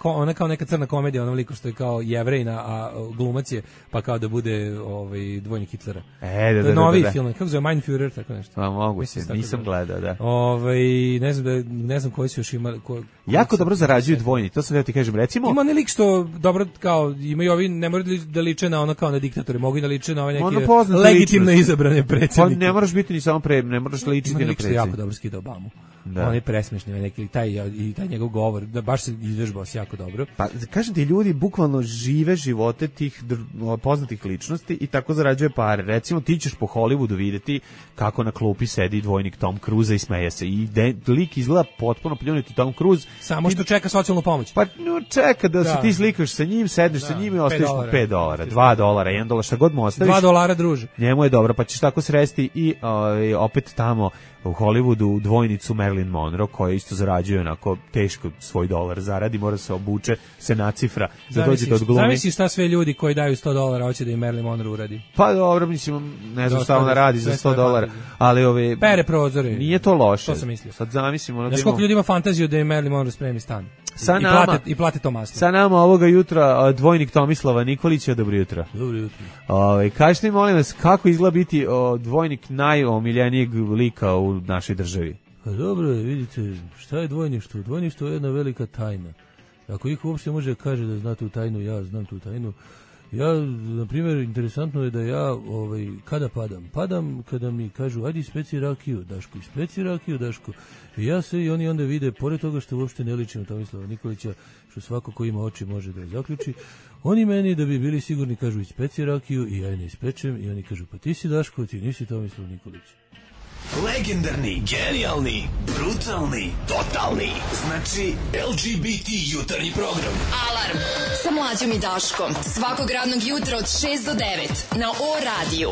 ona kao neka crna komedija, onom liku što je kao Jevrejna, a glumac je, pa kao da bude ovaj, dvojnik Hitlera. E, da, da, da. Novi da, da. film, kako zove, Mein Führer, tako nešto. Pa mogu se, nisam gledao, da. Ovaj, ne znam, da, ne znam koji su još imali. Ko, jako dobro zarađuju dvojni, to sam da ti kažem, recimo. Ima onaj lik što, dobro, kao, imaju ovi, ne moraju da liče na ono kao na diktatore, mogu i da liče na ove neke legitimno izabrane predsjednike. Pa ne moraš biti ni samo pre, ne moraš ličiti na predsjednika. Ima jako dobro skida Obamu. Da. On je presmešni, neki taj i taj njegov govor, da baš se izvežbao se jako dobro. Pa kažem ti, ljudi bukvalno žive živote tih dr- poznatih ličnosti i tako zarađuje pare. Recimo ti ćeš po Hollywoodu videti kako na klupi sedi dvojnik Tom Cruise i smeje se i de, lik izgleda potpuno pljunuti Tom Cruise. Samo što čeka socijalnu pomoć. Pa no, čeka da, da se ti slikaš sa njim, sedneš da. sa njim i ostaviš mu pet dolara, dva dolara, jedan dolar, šta god mu ostaviš. dva dolara, druže. Njemu je dobro, pa ćeš tako sresti i o, opet tamo u Hollywoodu dvojnicu Marilyn Monroe koja isto zarađuje onako teško svoj dolar zaradi, mora se obuče, se nacifra da dođe do odglumi. Zamisli šta sve ljudi koji daju sto dolara hoće da im Marilyn Monroe uradi. Pa dobro, mislim, ne znam šta ona radi za sto dolara, ali ove... Pere prozore. Nije to loše. To sam mislio. Sad zamislimo... Ono znaš koliko ljudi ima fantaziju da im Marilyn Monroe spremi stan? Sa I, nama, plate, I plate to masno. Sa nama ovoga jutra dvojnik Tomislava Nikolića, dobro jutro. Dobro jutro. Ove, kažete mi, molim vas, kako izgleda biti o, dvojnik najomiljenijeg lika u našoj državi? Pa dobro, vidite, šta je dvojništvo? Dvojništvo je jedna velika tajna. Ako ih uopšte može kaže da zna tu tajnu, ja znam tu tajnu. Ja, na primjer, interesantno je da ja, ovaj, kada padam? Padam kada mi kažu, ajde ispeci rakiju, Daško, ispeci rakiju, Daško. I ja se i oni onda vide, pored toga što uopšte ne ličim na Tomislava Nikolića, što svako ko ima oči može da je zaključi, oni meni da bi bili sigurni kažu, ispeci rakiju i ja je ne ispečem i oni kažu, pa ti si Daško, ti nisi Tomislav Nikolić. Legendarni, genijalni, brutalni, totalni. Znači L G B T jutarnji program. Alarm sa Mlađom i Daškom. Svakog radnog jutra od šest do devet na O radiju.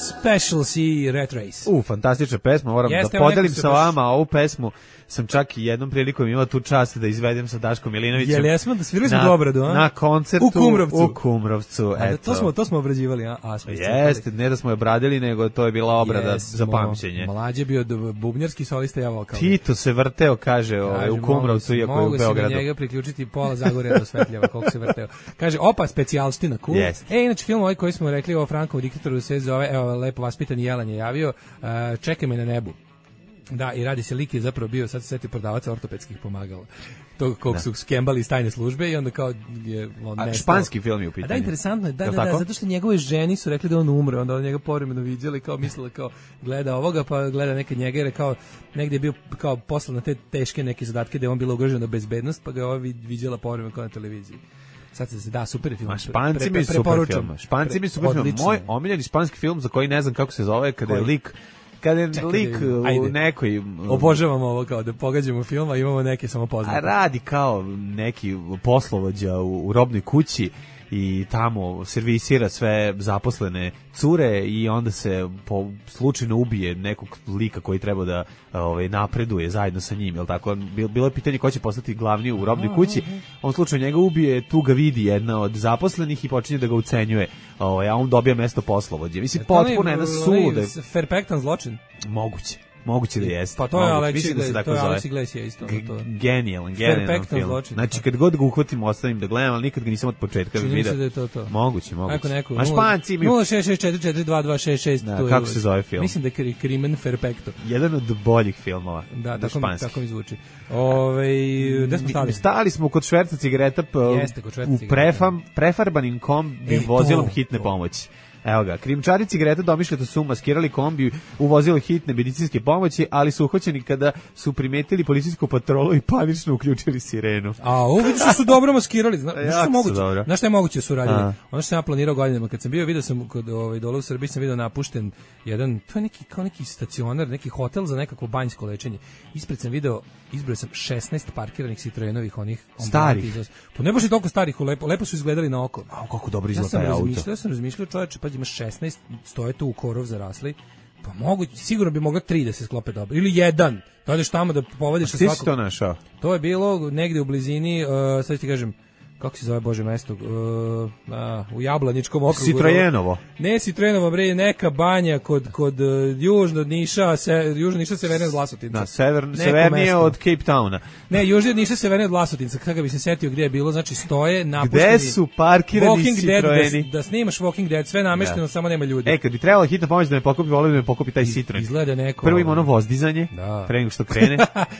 Special C Rat Race. U, fantastična pesma, moram Jeste, da podelim sa vama baš... ovu pesmu. Sam čak i jednom prilikom imao tu čast da izvedem sa Daškom Milinovićem. Jel jesmo da svirali smo dobro, do? Na koncertu u Kumrovcu. U Kumrovcu, a, eto. To smo to smo obrađivali, a, a smo Jeste, ne da smo je obradili, nego to je bila obrada Jesmo, za pamćenje. Mlađe bio bubnjarski solista, ja vokal. Tito se vrteo, kaže, kaže u Kumrovcu, iako je u Beogradu. Mogu se na njega priključiti pola Zagorja do Svetljeva, koliko se vrteo. Kaže, opa, specijalština, cool. Yes. E, inače, film ovaj koji smo rekli o Frankovom diktatoru se zove, evo, lepo vaspitani Jelan je javio, uh, Čekaj me na nebu. Da, i radi se lik je zapravo bio, sad se seti prodavaca ortopedskih pomagala. To kog su skembali iz tajne službe i onda kao je on nestao. Španski film je u pitanju. A da, interesantno je, da, da, da, zato što njegove ženi su rekli da on umre, onda on njega povremeno viđali, kao mislila kao gleda ovoga, pa gleda neke njega, jer kao negdje je bio kao poslan na te teške neke zadatke da je on bila ugrožena bezbednost, pa ga je ova viđala povremeno kao na televiziji. Sad se da, super film. Ma Španci mi super film. Španci mi super film. Moj omiljeni španski film za koji ne znam kako se zove, kada je lik kada je Čekaj, lik u nekoj... Obožavamo ovo kao da pogađamo film, a imamo neke samo poznate. A radi kao neki poslovođa u, u robnoj kući i tamo servisira sve zaposlene cure i onda se po slučajno ubije nekog lika koji treba da ovaj napreduje zajedno sa njim, jel tako? Bilo je pitanje ko će postati glavni u robnoj kući. On slučajno njega ubije, tu ga vidi jedna od zaposlenih i počinje da ga ucenjuje, ovaj, a on dobija mesto poslovođe. Mislim, potpuno jedna suluda. Perfektan zločin. Moguće. Moguće da jeste. Pa to je Aleksi Gles, da to je Aleksi Gles je isto. Genijalan, genijalan film. Znači, kad god ga uhvatim, ostavim da gledam, ali nikad ga nisam od početka vidio. Čini mi se da je to to. Moguće, moguće. Ako neko, a Španci imaju... nula šest šest četiri četiri dva dva šest šest. Da, kako se zove film? Mislim da je Crimen Perfecto. Jedan od boljih filmova. Da, tako mi, tako mi zvuči. Ove, gde smo stali? Stali smo kod šverca cigareta Jeste, kod šverca u prefam, prefarbanim kombi vozilom hitne pomoći. Evo ga, krijumčari cigareta domišljato su maskirali kombi u vozilu hitne medicinske pomoći, ali su uhvaćeni kada su primetili policijsku patrolu i panično uključili sirenu. A, ovo vidiš što su dobro maskirali. Zna, jako što su moguće? dobro. Znaš šta je moguće su radili? A. Ono što sam ja planirao godinama, kad sam bio, vidio sam kod ovaj, dole u Srbiji, sam vidio napušten jedan, to je neki, kao neki stacionar, neki hotel za nekako banjsko lečenje. Ispred sam video, izbrojao sam šesnaest parkiranih Citroenovih onih starih. Pa ne baš i toliko starih, lepo, lepo su izgledali na oko. A kako dobro Ja izgleda sam taj auto. razmišljao, ja sam razmišljao, čoveče, pa ima šesnaest, stoje tu u korov zarasli. Pa mogu, sigurno bi moglo tri da se sklope dobro. Ili jedan. Dođeš tamo da povodiš sa svakog. svakog. Ti si to našao? To je bilo negde u blizini, uh, sad ti kažem, kako se zove Bože mesto, uh, a, u Jablaničkom okrugu. Citrojenovo. Ne Citrojenovo, bre, neka banja kod, kod uh, južno od Niša, se, južno Niša severnije od Vlasotinca. Da, sever, severnije od Cape Towna. Ne, južno od Niša severnije od Vlasotinca, kada bi se setio gdje je bilo, znači stoje napušteni. Gde su parkirani Walking Citroeni? Dead, da, da snimaš Walking Dead, sve namešteno, Da. samo nema ljudi. E, kad bi trebala hitna pomoć da me pokupi, volio da me pokupi taj Citroen. Izgleda neko. Prvo ima ono vozdizanje, Da. pre nego što krene.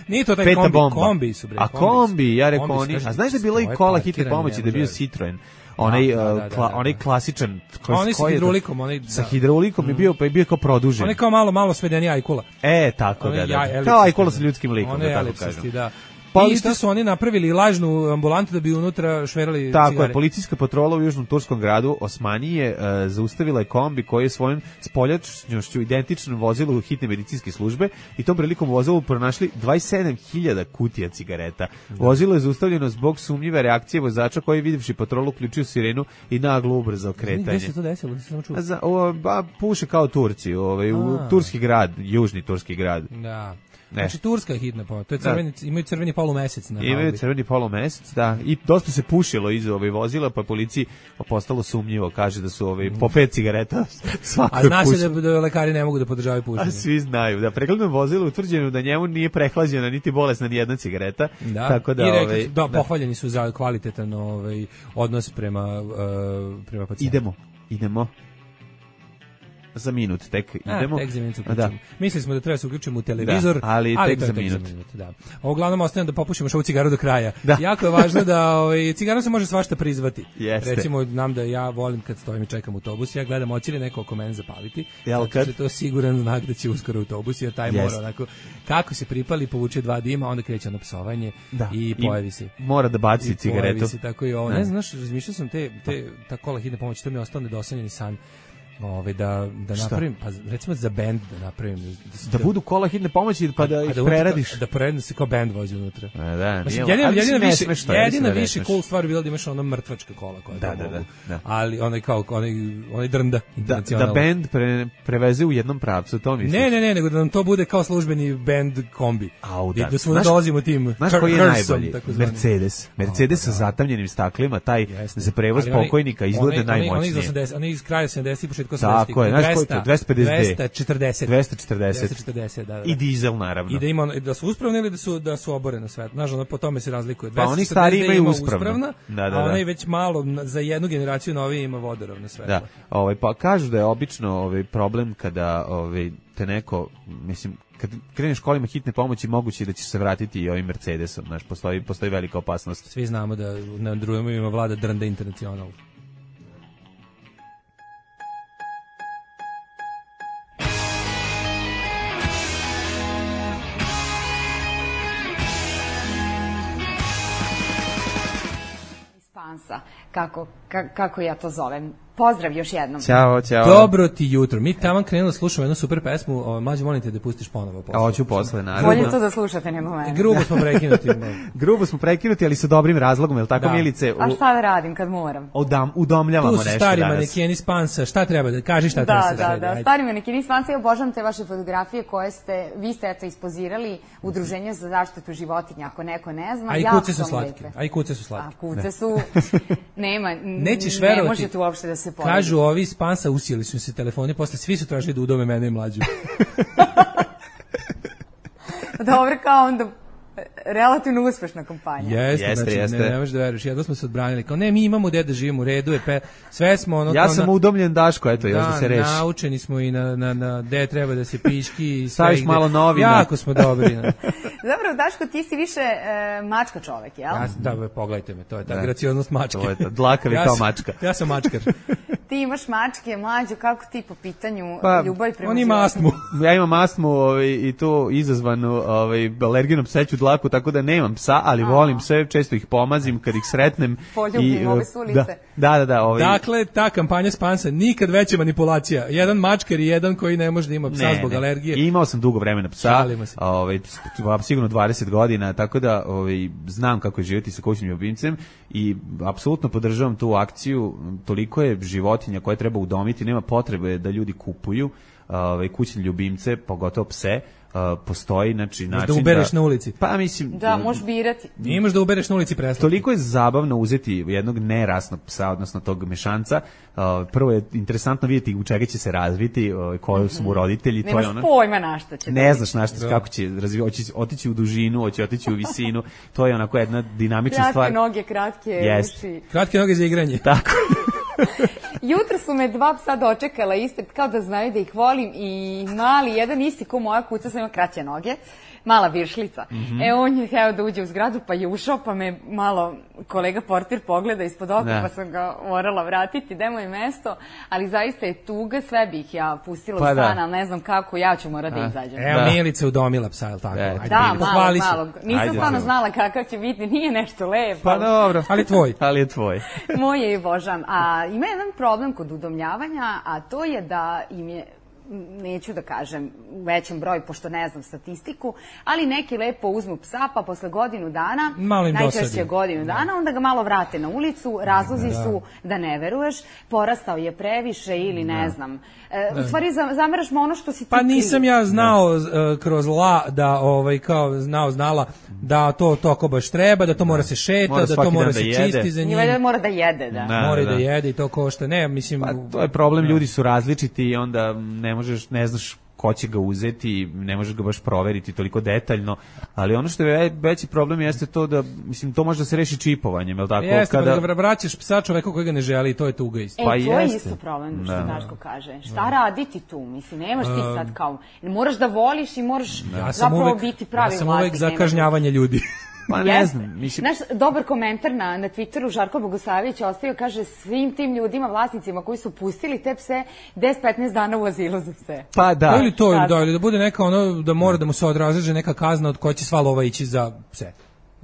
Nije to taj Peta kombi, bomba. kombi su bre. A kombi, ja rekao Kombi su, oni. kažem, A znaš da je bilo i stoje kola hitne parkirani, pomoći, ne da je bio može. Citroen. Onaj, Da, da, uh, da, kla, da. onaj klasičan. A oni sa koji je to? hidraulikom, onaj, Sa da. hidraulikom je bio, pa je bio kao produžen. On je kao malo, malo svedenija ajkula. E, tako Onaj da, ja- da. elipsisti, Kao ajkula da. sa ljudskim likom, On da je tako elipsisti, kažem. da. Policijs- I šta su oni napravili lažnu ambulantu da bi unutra šverali Tako cigare. je, policijska patrola u južnom turskom gradu Osmanije e, zaustavila je kombi koji je svojom spoljačnošću identično vozilu hitne medicinske službe i tom prilikom u vozilu pronašli dvadeset sedam hiljada kutija cigareta. Vozilo je zaustavljeno zbog sumnjive reakcije vozača koji je videvši patrolu uključio sirenu i naglo ubrzao Gde kretanje. se to desilo? Nisam samo čuo. A Za, o, ba, puše kao Turci, ovaj, u A. turski grad, južni turski grad. Da. Ne. Znači turska je hitna pomoć. To je crveni, imaju crveni polumesec na Imaju haubi. crveni polumesec, da, i dosta se pušilo iz ove vozila, pa je policiji postalo sumnjivo, kaže da su ove po pet cigareta svako A je zna se pušio. da, da lekari ne mogu da podržavaju pušenje. A svi znaju, da pregledom vozila utvrđeno da njemu nije prehlađena niti bolesna ni jedna cigareta, Da. tako da, I rekli, ovaj, su- da, pohvaljeni su za kvalitetan ovaj, odnos prema, uh, prema pacijentu. idemo, idemo. Za minut tek idemo. A, tek za minut se Da. uključimo. Mislili smo da treba se uključimo u televizor, Da, ali tek to je za minut. da. A uglavnom ostavljam da popušimo ovu cigaru do kraja. Da. Jako je važno da ovaj, cigarom se može svašta prizvati. Jeste. Recimo, nam da ja volim kad stojim i čekam autobus, ja gledam hoće li neko oko mene zapaliti. Jel zato kad? što je to siguran znak da će uskoro autobus, jer taj Jeste. mora onako, kako se pripali, povuče dva dima, onda kreće ono psovanje Da. i pojavi se. Mora da baci I cigaretu. pojavi se tako i ovo. Da. Ne znaš, razmišljao sam te, te, ta kola hitne pomoći, to mi je ostao nedosanjeni san. Ove, da, da Šta? napravim, pa recimo za bend da napravim. Da, Da budu kola hitne pomoći pa da a ih unutra- preradiš. Da preradi se kao bend vozi unutra. A, da, Mislim, nije- jedina, ali jedina mislim, ne više, smeš to, ja jedina mislim da ne više smeš. cool stvar je bila da imaš ono mrtvačka kola koja Da, to da, da, mogu. da. Ali onaj kao, onaj, onaj drnda Da, internacionalno. da bend pre, preveze u jednom pravcu, to misliš? Ne, ne, ne, nego da nam to bude kao službeni band kombi. Au, I da. da svuda Znaš- dolazimo tim Znaš her- koji je hearsom, najbolji? takozvani. Mercedes. Mercedes O, sa da. zatamljenim staklima, taj Jeste. za prevoz Ali onaj- pokojnika izgleda onaj- onaj- Onaj iz najmoćnije. osamdeset, onaj iz kraja sedamdesetih i početka osamdesetih. Tako je, znaš koji je to? dvesta pedeset D. dvesta četrdeset. dvesta četrdeset. dvesta četrdeset, da, da. I dizel, naravno. I da ima ono- da su uspravne ili da su da su oborene sve. Znaš, ono, po tome se razlikuje. Pa oni dvesta četrdeset stari imaju ima uspravno. uspravna, Da, da, a da. onaj već malo na- za jednu generaciju novije ima vodoravne sve. Da, ovaj, pa kažu da je obično ovaj, problem kada ovaj, te neko, mislim, kad kreneš kolima hitne pomoći, moguće je da ćeš se vratiti i ovim Mercedesom, znaš, postoji, postoji velika opasnost. Svi znamo da na drugom ima vlada Drnda International. Spansa, kako, ka, kako ja to zovem. Pozdrav još jednom. Ćao, ćao. Dobro ti jutro. Mi tamo krenuli da slušamo jednu super pesmu. O, mlađe, molim te da pustiš ponovo. A hoću posle, naravno. Bolje to da slušate nego mene. Grubo smo prekinuti. Grubo smo prekinuti, ali sa dobrim razlogom, je li tako, Da. Milice? A U, šta da radim kad moram? udam, udomljavamo Tu su nešto stari danas. manekeni Spansa. Šta treba da kaži, šta treba Da, se da, sredi? da. Ajde. Stari manekini Spansa, ja obožavam te vaše fotografije koje ste, vi ste eto ispozirali Udruženje za zaštitu životinja, ako neko ne zna. A i jako kuce su vam slatke. lepe. A i kuce su A slatke. kuce su, nema, n- Nećeš ne verovati. možete uopšte da se poredi. Kažu ovi iz Spansa usijeli su se telefoni, posle svi su tražili da udome mene i mlađu. Dobro, kao onda relativno uspešna kampanja. Jeste, Jeste, znači, jeste. Ne, ne možeš da veruješ. Jedno smo se odbranili. Kao ne, mi imamo gde da živimo, u redu je, pe, sve smo ono... Ja kao sam na- udomljen Daško, eto, još da se reši. naučeni smo i na, na, na gde treba da se piški. i sve Staviš gde- malo novina. Jako smo dobri. Ne. Zapravo, Daško, ti si više e, mačka čovek, jel? Ja, sam- da, be, pogledajte me, to je ta Da. gracioznost mačke. To je to, dlakavi Ja kao sam- mačka. Ja sam mačkar. Ti imaš mačke, Mlađo, kako ti po pitanju Pa, ljubavi prema on ima astmu. Ja imam astmu ovaj, i to izazvanu ovaj, alergijnom pseću dlaku, tako da nemam psa, ali a. volim sve, često ih pomazim kad ih sretnem. Poljubim i, ove sulice. Da, da, da. da ovaj. Dakle, ta kampanja Spansa, nikad veća manipulacija. Jedan mačkar i jedan koji ne može da ima psa ne, zbog ne. alergije. I imao sam dugo vremena psa, ovaj, sigurno dvadeset godina, tako da ovaj, znam kako je živjeti sa kućnim ljubimcem i apsolutno podržavam tu akciju. Toliko je životinja koje treba udomiti, nema potrebe da ljudi kupuju ovaj, kućne ljubimce, pogotovo pse. Uh, postoji znači način da ubereš da, na ulici. Pa mislim da možeš birati. Imaš da ubereš na ulici preslati. Toliko je zabavno uzeti jednog nerasnog psa, odnosno tog mešanca. Uh, prvo je interesantno vidjeti u čega će se razviti, uh, koji su mu roditelji, to je ono. Nemaš pojma na šta će. Ne znaš na šta, kako će razvijati, hoće otići u dužinu, hoće otići u visinu. To je onako jedna dinamična kratke stvar. Kratke noge, kratke yes. uši. Kratke noge za igranje. Tako. Jutro su me dva psa dočekala ispred, kao da znaju da ih volim, i mali, jedan isti ko moja kuca, sam ima kraće noge, mala viršlica. Mm-hmm. E, on je hteo da uđe u zgradu, pa je ušao, pa me malo kolega portir pogleda ispod oka, ne. Pa sam ga morala vratiti, da je moje mesto, ali zaista je tuga, sve bih ja pustila pa u stan, ali ne znam kako, ja ću morati da izađem. Evo, da. Milica udomila psa, je li tako? Ajde, da, Milica. malo, malo. Nisam Ajde, stvarno znala kakav će biti, nije nešto lepo. Pa dobro. Ali tvoj. Ali je tvoj. Moje je božam. A ima jedan problem kod udomljavanja, a to je da im je, neću da kažem u većem broju, pošto ne znam statistiku, ali neki lepo uzmu psa, pa posle godinu dana, najčešće godinu dana, onda ga malo vrate na ulicu, razlozi da. su da ne veruješ, porastao je previše ili ne da. znam. E, u stvari zameraš mu ono što si ti Pa nisam kriv. ja znao uh, kroz la da, ovaj, kao znao, znala da to toko baš treba, da to mora se šeta, mora da to mora se da čisti za njim. I mora da jede, da. da mora da. da jede i to košta. Ne, mislim... Pa to je problem, ljudi su različiti i onda ne možeš, ne znaš ko će ga uzeti, ne možeš ga baš proveriti toliko detaljno, ali ono što je veći problem jeste to da, mislim, to može da se reši čipovanjem, je li tako? Jeste, kada... pa da vraćaš psa čoveka koji ga ne želi, to je tuga isto. E, pa to je isto problem, što da. Daško kaže. Šta da. raditi tu? Mislim, nemaš ti sad kao, moraš da voliš i moraš ja zapravo uvek, biti pravi vlasnik. Ja sam uvek za kažnjavanje ljudi. Pa ne znam, mislim... Naš dobar komentar na, na Twitteru Žarko Bogosavljević ostavio, kaže, svim tim ljudima, vlasnicima koji su pustili te pse deset do petnaest dana u azilu za pse. Pa da. Ili to, ili da, ili da bude neka ono, da mora da mu se odražaže neka kazna od koje će sva lova ići za pse.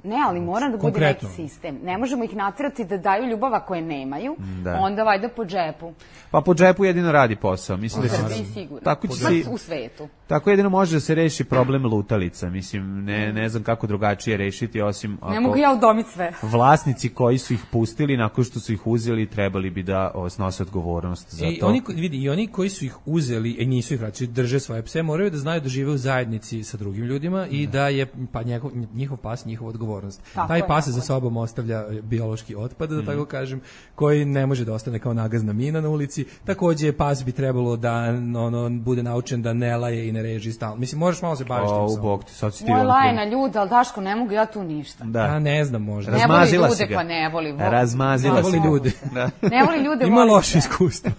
Ne, ali mora da bude neki sistem. Ne možemo ih naterati da daju ljubav ako je nemaju, da. onda vajda po džepu. Pa po džepu jedino radi posao. Mislim u da Srbiji sigurno. Tako će si, u svetu. Tako jedino može da se reši problem lutalica. Mislim, ne, ne znam kako drugačije rešiti, osim... Ne mogu ja udomiti sve. Vlasnici koji su ih pustili, nakon što su ih uzeli, trebali bi da snose odgovornost za I to. Oni, vidi, I oni koji su ih uzeli i nisu ih vraćali, drže svoje pse, moraju da znaju da žive u zajednici sa drugim ljudima i da je pa njegov, njihov pas njihova odgovornost. Tako Taj pas za sobom ostavlja biološki otpad, da mm. tako kažem, koji ne može da ostane kao nagazna mina na ulici. Takođe, pas bi trebalo da ono, bude naučen da ne laje i ne reži stalno. Mislim, možeš malo se baviš tim psom. Bog ti, sad si ti Moje laje na ljude, ali Daško, ne mogu ja tu ništa. Da. Ja ne znam možda. Ne voli ljude, pa ne voli. Razmazila ne voli ljude. Da. Ne voli ljude, ima loše iskustvo.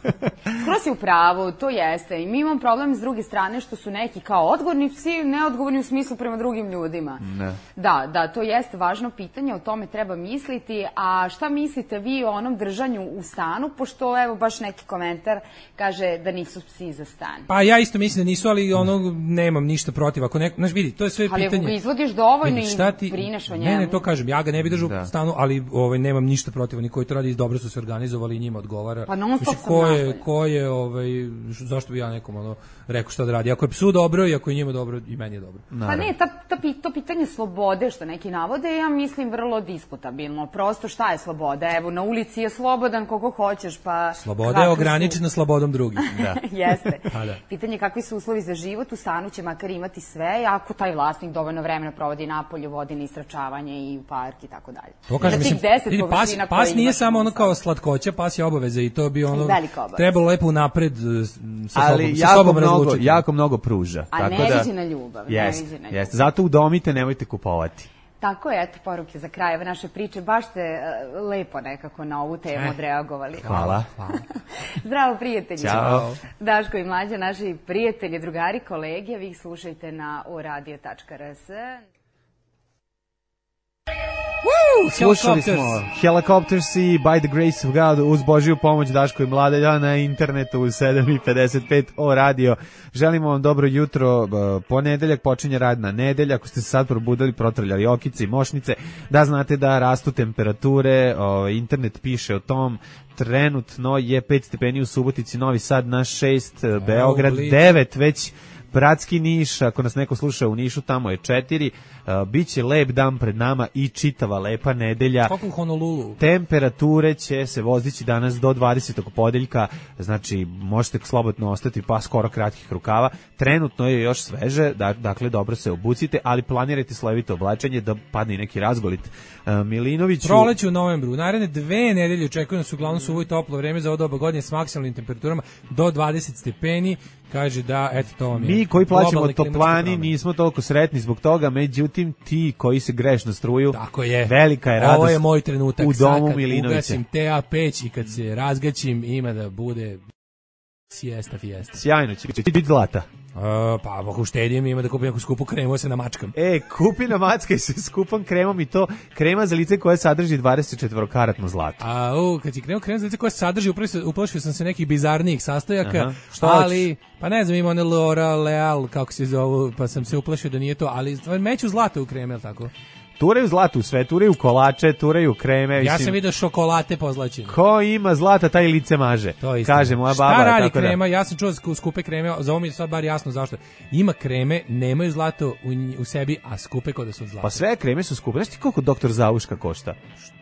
Skoro si u pravu, to jeste. I mi imamo problem s druge strane što su neki kao odgovorni psi, neodgovorni u smislu prema drugim ljudima. Ne. Da, da, to jeste važno pitanje, o tome treba misliti. A šta mislite vi o onom držanju u stanu, pošto evo baš neki komentar kaže da nisu psi za stan? Pa ja isto mislim da nisu, ali ono nemam ništa protiv. Ako neko, znaš, vidi, to je sve ali pitanje. Ali ako ga izvodiš dovoljno i brineš o njemu. Ne, ne, to kažem, ja ga ne bih držao u stanu, ali ovaj nemam ništa protiv, oni koji to radi dobro su se organizovali i njima odgovara. Pa non stop sam ko je, ko je, ovaj, zašto bi ja nekom ono rekao šta da radi? Ako je psu dobro i ako je njima dobro, i meni je dobro. Pa ne, ta, ta, to pitanje slobode što neki navode, ja mislim vrlo diskutabilno. Prosto šta je sloboda? Evo, na ulici je slobodan koliko hoćeš, pa... Sloboda je ograničena su... slobodom drugih. Da. Jeste. Da. Pitanje kakvi su uslovi za život, u stanu će makar imati sve, ako taj vlasnik dovoljno vremena provodi napolju, vodi na istračavanje i u park i tako dalje. To kažem, mislim, vidi, pas, pas nije samo ono kao slatkoća, pas je obaveza i to bi ono trebalo lepo napred sa ali sobom, sa sobom razlučiti. Jako mnogo pruža. A tako ne da, viđe na ljubav. Jest, ne viđe na ljubav. Jest. Zato udomite, nemojte kupovati. Tako je, eto poruke za kraj ove naše priče. Baš ste uh, lepo nekako na ovu temu odreagovali. Hvala. Hvala. Zdravo, prijatelji. Ćao. Daško i Mlađa, naši prijatelji, drugari, kolege, vi ih slušajte na o radio tačka r s. Woo! Slušali smo Helicopters i By the Grace of God uz Božiju pomoć Daško i Mladelja na internetu u sedam i pedeset pet o radio. Želimo vam dobro jutro, ponedeljak počinje radna nedelja, ako ste se sad probudili, protrljali okice i mošnice, da znate da rastu temperature, o, internet piše o tom, trenutno je pet stepeni u Subotici, Novi Sad na šest, Beograd devet, već Bratski Niš, ako nas neko sluša u Nišu, tamo je četiri, uh, biće lep dan pred nama i čitava lepa nedelja. Kako u Honolulu? Temperature će se vozići danas do dvadesetog podeljka, znači možete slobodno ostati pa skoro kratkih rukava. Trenutno je još sveže, da, dakle dobro se obucite, ali planirajte slojevito oblačenje da padne neki razgolit. Uh, Milinoviću... Proleće u novembru. Naredne dve nedelje očekuju nas uglavnom suvo i toplo vreme za ovo doba godine s maksimalnim temperaturama do dvadeset stepeni. Kaže da, eto to vam je. Mi koji plaćamo toplani nismo toliko sretni zbog toga, međutim ti koji se grešno struju, tako je. Velika je radost. Ovo je moj trenutak. U domu sad, Milinovića. Ugasim T A peć i kad se razgaćim ima da bude siesta fiesta. Sjajno će biti zlata. Uh, pa ako uštedim ima da kupim neku skupu kremu, se namačkam. E, kupi namackaj se skupom kremom i to krema za lice koja sadrži dvadeset četiri karatno zlato. A, u, kad si krenuo krema za lice koja sadrži, uplašio sam se nekih bizarnijih sastojaka, aha, što ali, hoćeš? pa ne znam, ima one L'Oreal, Leal, kako se zovu, pa sam se uplašio da nije to, ali meću zlato u kreme, tako? Turaju zlato u sve, turaju kolače, turaju kreme. Ja mislim, sam vidio šokolate pozlaćene. Ko ima zlata, taj lice maže. To je kaže moja baba. Šta radi tako krema? Da. Ja sam čuo skupe kreme, za ovo mi je sad bar jasno zašto. Ima kreme, nemaju zlato u, u sebi, a skupe kod da su zlato. Pa sve kreme su skupe. Znaš ti koliko doktor Zavuška košta?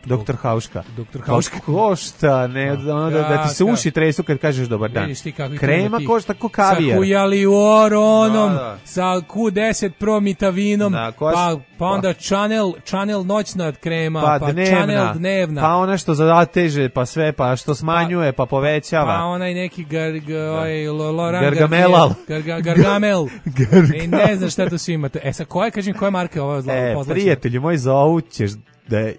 Doktor Hauška. Doktor Hauška košta, ne, ono da, da ti se uši tresu kad kažeš dobar dan. Krema košta ko kavijar. Sa hujaluronom, da, da. Sa Q deset Pro mitavinom, da, koš, pa, pa onda Chanel, Chanel noćna krema, pa, pa dnevna, Chanel dnevna. Pa ona što zateže, pa sve, pa što smanjuje, pa, pa povećava. Pa onaj neki gar, gar, oj, Laurent Gargamelal. Gargamel. Gargamel. I ne znam šta to svi imate. E, sa koje, kažem, koje marke ovo zlavo e, pozlačeno? Prijatelji moj, zovu ćeš da uh,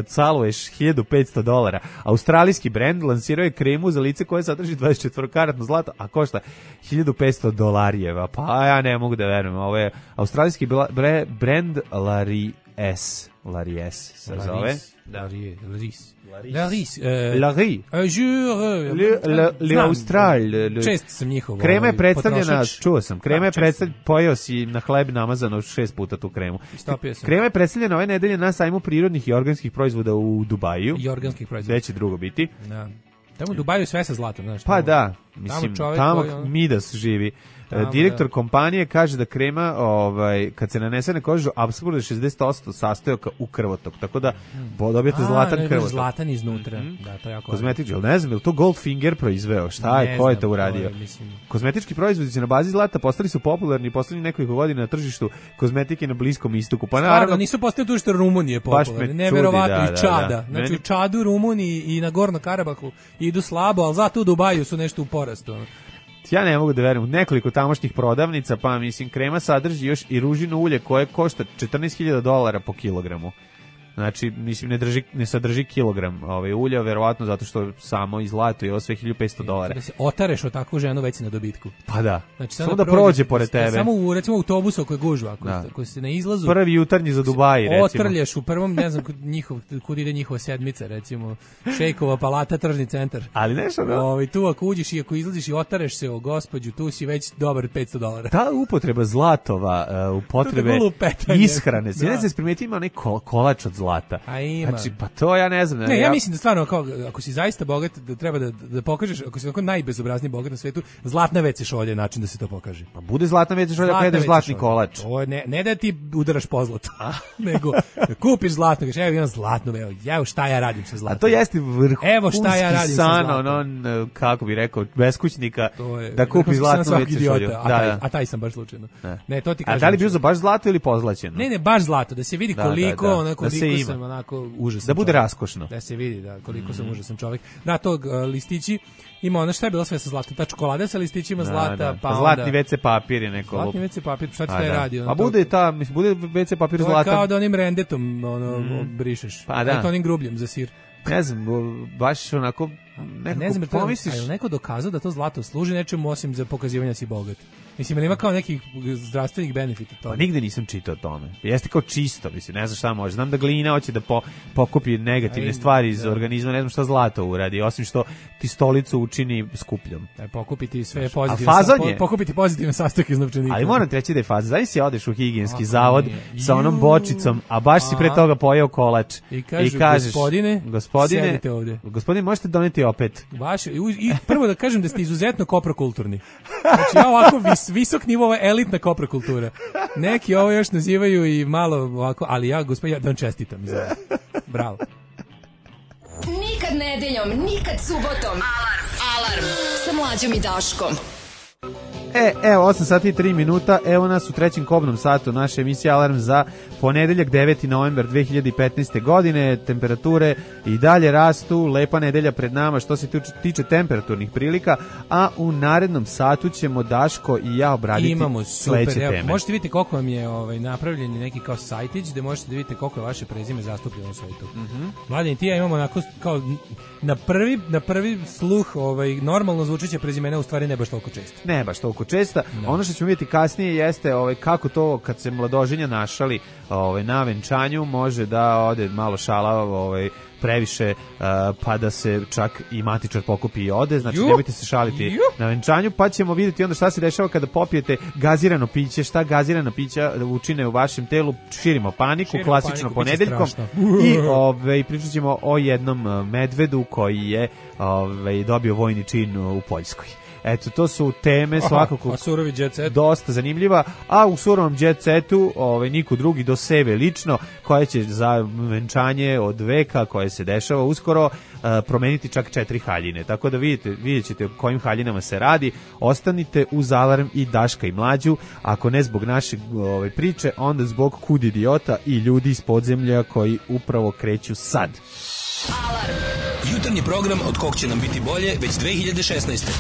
caluješ hiljadu petsto dolara. Australijski brend lansirao je kremu za lice koje sadrži dvadeset četiri karatno zlato, a košta hiljadu petsto dolarijeva. Pa ja ne mogu da verujem. Ovo je australijski bre, brend Laries. Laries se zove. Laries. Laries. Laries. Laries. Le Austral. Čest sam njihov. Krema je predstavljena, čuo sam, krema je predstavljena, pojeo si na hleb namazano šest puta tu kremu. Krema je predstavljena ove nedelje na sajmu prirodnih i organskih proizvoda u Dubaju. I organskih proizvoda. Gde će drugo biti. Da. Tamo u Dubaju sve sa zlatom, znaš. Pa da, mislim, tamo, tamo koji, Midas živi. Tamo, direktor da. kompanije kaže da krema, ovaj, kad se nanese na kožu, apsolutno šezdeset posto sastojaka u krvotok, tako da hmm. dobijete A, zlatan ne, krvotok. Zlatan iznutra, mm-hmm. da, to je jako. Kozmetički, ali ne znam, je li to Goldfinger proizveo? Šta je, ne ko je to uradio? Je, kozmetički proizvodi na bazi zlata postali su popularni poslednjih nekoliko godina na tržištu kozmetike na Bliskom istoku. Pa naravno, Stvarno, nisu postali tu što Rumunije popularni, neverovatno, da, i Čada. Da, da. Znači, Meni... u Čadu, Rumuniji i na Gorno Karabahu idu slabo, ali zato u Dubaju su nešto u porastu. Ja ne mogu da verujem, nekoliko tamošnjih prodavnica, pa mislim krema sadrži još i ružino ulje koje košta četrnaest hiljada dolara po kilogramu. Znači, mislim, ne, drži, ne sadrži kilogram ovaj, ulja, verovatno zato što samo i zlato i ovo sve hiljadu petsto dolara. Kada se otareš o takvu ženu, već si na dobitku. Pa da, znači, samo, samo da prođe, prođe pored tebe. Samo u, recimo, autobusu ako je gužva, ako, da. ako se na izlazu... Prvi jutarnji za Dubai, recimo. Otrlješ u prvom, ne znam, njihov, kud ide njihova sedmica, recimo, Šejkova palata, tržni centar. Ali nešto, da. Ovaj, tu ako uđeš i ako izlaziš i otareš se o gospođu, tu si već dobar petsto dolara. Ta upotreba zlatova, uh, upotrebe ishrane, se ne znam primetiti ima onaj kol, kolač od zlata. Znači, pa to ja ne znam. Ne, ja, ja mislim da stvarno, kao, ako si zaista bogat, da treba da, da pokažeš, ako si tako najbezobrazniji bogat na svetu, zlatna ve ce šolja je način da se to pokaže. Pa bude zlatna ve ce šolja, pa jedeš zlatni kolač. To ne, ne da ti udaraš po zlatu, nego da kupiš zlatno, kažeš, evo imam zlatno, evo, evo šta ja radim sa zlatom. A to jeste vrhunski evo šta ja radim san, sa ono, kako bi rekao, beskućnika, da kupi zlatnu ve ce šolju. A, taj, a taj sam baš slučajno. Ne, ne to ti kažem. A da li bi uzeo baš zlato ili pozlaćeno? Ne, ne, baš zlato, da se vidi koliko, onako, koliko sam, onako, užasno. Da bude raskošno. Da se vidi, da, koliko mm. sam užasan čovjek. Da, tog uh, listići ima ono šta je bilo sve sa zlatom. Ta čokolada sa listićima da, zlata, da. pa, pa zlatni ve ce papir je neko. Zlatni ve ce papir, šta ti taj da. radi? Pa bude ta, mislim, bude ve ce papir zlatan. To je kao da onim rendetom ono, mm. brišeš. Pa da. To onim grubljem za sir. Ne znam, baš onako nekako ne znam, pomisliš... A je neko dokazao da to zlato služi nečemu osim za pokazivanje da si bogat? Mislim, ili ima kao nekih zdravstvenih benefita toga? Pa nigde nisam čitao o tome. Jeste kao čisto, mislim, ne znam šta može. Znam da glina hoće da po, pokupi negativne Aj, stvari iz da. organizma, ne znam šta zlato uradi, osim što ti stolicu učini skupljom. E, pokupiti sve pozitivne, sa, po, pokupiti pozitivne sastojke iz novčanika. Ali moram reći da je faza. Zavis si odeš u higijenski Ako zavod nije. sa onom bočicom, a baš si pre toga pojeo kolač. I, kažu, I kažeš, gospodine, gospodine, sedite ovde. Gospodine, možete doneti opet. Vaše, i, i prvo da kažem da ste izuzetno koprokulturni. Znači, ja ovako vis, visok nivo, ovo je elitna koprokultura. Neki ovo još nazivaju i malo ovako, ali ja, gospodin, ja da vam čestitam. Za... Bravo. Nikad nedeljom, nikad subotom. Alarm. Alarm. Sa Mlađom i Daškom. E, evo, osam sati i tri minuta, evo nas u trećem kobnom satu naše emisije Alarm za ponedeljak deveti novembar dve hiljade petnaeste. godine, temperature i dalje rastu, lepa nedelja pred nama što se tiče temperaturnih prilika, a u narednom satu ćemo Daško i ja obraditi Imamo super, sledeće teme. Možete vidjeti koliko vam je ovaj, napravljen neki kao sajtić, gde možete da vidite koliko je vaše prezime zastupljeno u svetu. Mm-hmm. Mladen i ti ja imamo onako kao na prvi, na prvi sluh ovaj, normalno zvučeće prezimena, u stvari ne baš toliko često. Ne baš toliko česta. No. Ono što ćemo vidjeti kasnije jeste ovaj, kako to kad se mladoženja našali ovaj, na venčanju može da ode malo šala ovaj, previše uh, pa da se čak i matičar pokupi i ode, znači Juh. nemojte se šaliti Juh. na venčanju, pa ćemo vidjeti onda šta se dešava kada popijete gazirano piće, šta gazirana pića učine u vašem telu, širimo paniku, širimo klasično paniku, ponedeljkom i ovaj, pričat ćemo o jednom medvedu koji je ovaj, dobio vojni čin u Poljskoj. Eto, to su teme svakako a surovi jet set dosta zanimljiva, a u surovom jet setu ovaj, niko drugi do sebe lično, koja će za venčanje od veka koje se dešava uskoro uh, promeniti čak četiri haljine. Tako da vidite, vidjet ćete o kojim haljinama se radi. Ostanite uz Alarm i Daška i Mlađu, ako ne zbog naše ovaj, priče, onda zbog kud idiota i ljudi iz podzemlja koji upravo kreću sad. Alarm. Jutarnji program od kog će nam biti bolje već dve hiljade šesnaeste.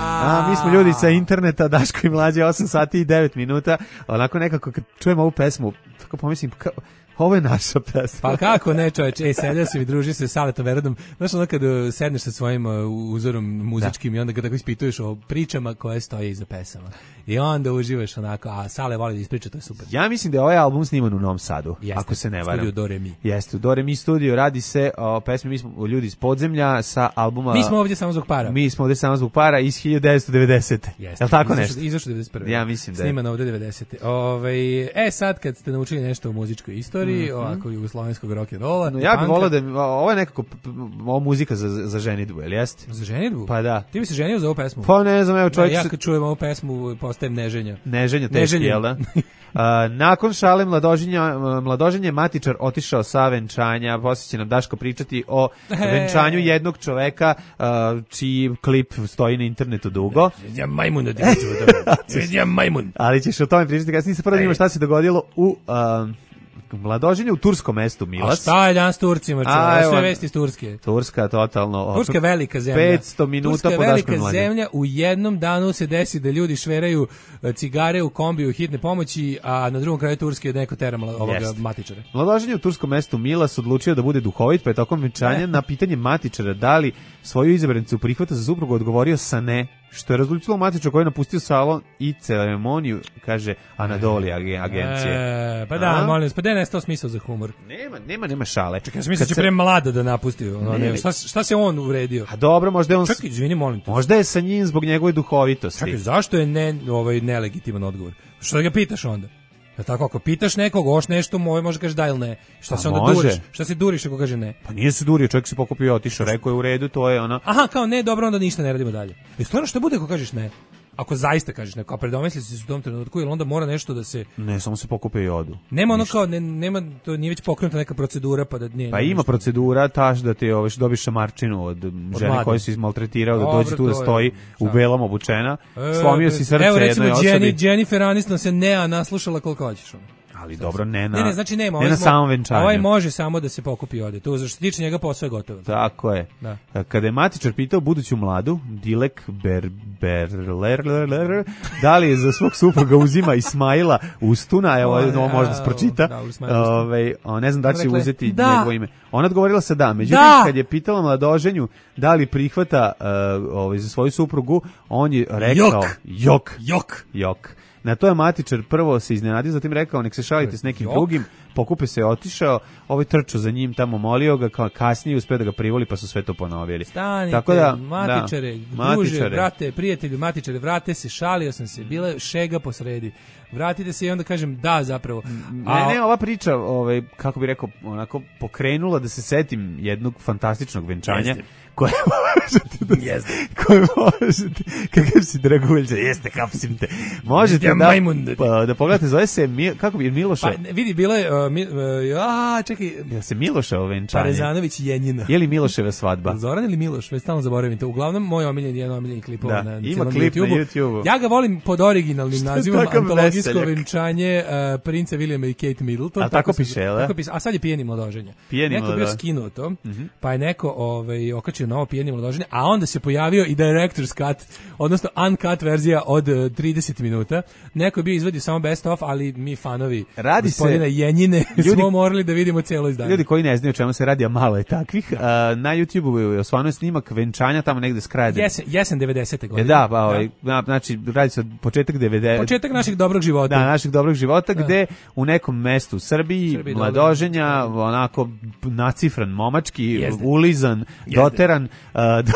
A, mi smo ljudi sa interneta, Daško i Mlađe, osam sati i devet minuta. Onako nekako kad čujem ovu pesmu, tako pomislim, ka, ovo je naša pesma. Pa kako ne, čoveč, ej, sedio sam i družio se s Saletom Verodom. Znaš ono kad sedneš sa svojim uh, uzorom muzičkim da. i onda kad tako ispituješ o pričama koje stoje iza pesama. I onda uživaš onako, a Sale voli da ispriča, to je super. Ja mislim da je ovaj album sniman u Novom Sadu, Jeste, ako se ne varam. Studio Do Re Mi. Jeste, u Do Re Mi studiju, radi se o pesmi, mi smo ljudi iz podzemlja sa albuma... Mi smo ovdje samo zbog para. Mi smo ovdje samo zbog para iz hiljadu devetsto devedesete. Jeste. Je li tako izašlo, nešto? Izašlo devedeset prve. Ja mislim da je. Sniman ovdje devedesete. Ove, e sad kad ste naučili nešto o muzičkoj istoriji, mm-hmm. ovako jugoslovenskog rock'n'rolla. No, ja bih volao da, ovo je nekako ovo muzika za, za ženidbu, je li jeste? Za ženidbu? Pa da. Ti bi se ženio za ovu pesmu? Pa ne znam, evo čovjek... Ja, ja kad čujem ovu pesmu postajem neženja. Neženja teški, jel da? Uh, nakon šale mladoženja, mladoženje matičar otišao sa venčanja, poslije će nam Daško pričati o He. venčanju jednog čoveka uh, čiji klip stoji na internetu dugo. Ja majmun, ja majmun. Ali ćeš o tome pričati kasnije, se prvo ima šta se dogodilo u... Uh, mladoženje u turskom mestu Milas. A šta je danas s Turcima? A, sve vesti iz Turske. Turska totalno. Turska je velika zemlja. petsto minuta Turska je velika mlađe. zemlja. U jednom danu se desi da ljudi šveraju cigare u kombiju hitne pomoći, a na drugom kraju Turske neko tera ovoga Jest. matičara. Mladoženje u turskom mestu Milas odlučio da bude duhovit, pa je tokom venčanja na pitanje matičara da li svoju izabranicu prihvata za suprugu odgovorio sa ne, što je rezultiralo matičar koji je napustio salon i ceremoniju, kaže Anadoli agencije. E, pa da, a? molim vas, pa da je nestao smisao za humor. Nema, nema, nema šale. Čekaj, ja sam mislio da će se... pre mlada da napusti. Ono, ne, šta, šta se on uvredio? A dobro, možda je on... Čekaj, izvini, molim te. Možda je sa njim zbog njegove duhovitosti. Čekaj, zašto je ne, ovaj, nelegitiman odgovor? Što ga pitaš onda? Ja tako, ako pitaš nekog, oš nešto moj, može kažeš da ili ne. Šta se onda može. duriš? Šta se duriš ako kaže ne? Pa nije se durio, čovjek se pokupio, otišao, rekao je u redu, to je ono... Aha, kao ne, dobro, onda ništa ne radimo dalje. I stvarno što bude ako kažeš ne? Ako zaista kažeš neko, a predomisli se u tom trenutku, ili onda mora nešto da se... Ne, samo se pokupe i odu. Nema ono kao, ne, nema, to nije već pokrenuta neka procedura, pa da nije... Pa ima procedura, taš da ti ovaj, dobiš šamarčinu od, od žene koja si izmaltretirao, da dođe tu da stoji u belom obučena, slomio si srce evo, jednoj osobi. Evo recimo, Jennifer Aniston se Nea naslušala koliko hoćeš. Ali dobro, ne na, ne, ne, znači nema, ne na samom venčanju. Ovaj može samo da se pokupi i ode. To što se tiče njega posao je gotovo. Tako je. Da. Kada je matičar pitao buduću mladu, Dilek Ber, Berler, da li je za svog supruga uzima Ismaila Ustuna, evo, ovo možda se pročita, ove, ne znam da će rekle, uzeti da. njegovo ime. Ona odgovorila se da, međutim, da. kad je pitala mladoženju da li prihvata uh, ovaj, za svoju suprugu, on je rekao jok, jok, jok, jok. Na to je matičar prvo se iznenadio, zatim rekao nek se šalite s nekim jok. drugim, pokupe se otišao, ovaj trčao za njim tamo, molio ga, kao kasnije uspeo da ga privoli, pa su sve to ponovili. Stanite, tako da, matičare, da, druže, matičare. brate, prijatelju, matičare, vrate se, šalio sam se, bila je šega posredi. Vratite se i onda kažem da zapravo. A, ne, ne, ova priča, ovaj, kako bi rekao, onako pokrenula da se setim jednog fantastičnog venčanja. Jeste. Koje možete da... Jeste. Koje možete... Kakav si Dragovoljče, jeste, kapsim te. Možete ja, da... Pa, da pogledate, zove se... Mi, kako bi, Miloša... Pa, vidi, bilo je... Uh, mi, uh, a, čekaj... Ja se Miloševo venčanje. Parezanović Jenjina. Je li Miloševa svadba? Zoran ili Miloš, već stalno zaboravim to. Uglavnom, moj omiljen je jedan omiljen klip da, na, na ima klip YouTubeu. na YouTubeu. Ja ga volim pod originalnim što nazivom Antologijsko veseljak? venčanje uh, princa Williama i Kate Middleton. A tako piše, je tako piše, a sad je pijeni mladoženja. Pijeni neko mladoženja. Neko bio skinuo to, mm-hmm. pa je neko ovaj, okačio novo pijeni mladoženje, a onda se pojavio i director's cut, odnosno uncut verzija od uh, trideset minuta. Neko je bio izvadio samo best of, ali mi fanovi radi gospodina se, Jenjine ljudi, smo morali da vidimo celo izdanje. Ljudi koji ne znaju o čemu se radi, a malo je takvih, uh, na YouTubeu je osvano snimak venčanja tamo negde s kraja. Jesen, jesen devedesete godine. Da, pa ovaj, da. znači radi se od početak devedesetih. Početak našeg dobrog života. Da, našeg dobrog života, da. Gde u nekom mestu u Srbiji, Srbiji mladoženja, dobro. Onako nacifran momački, Jezde. ulizan, Jezde. doteran, uh, do,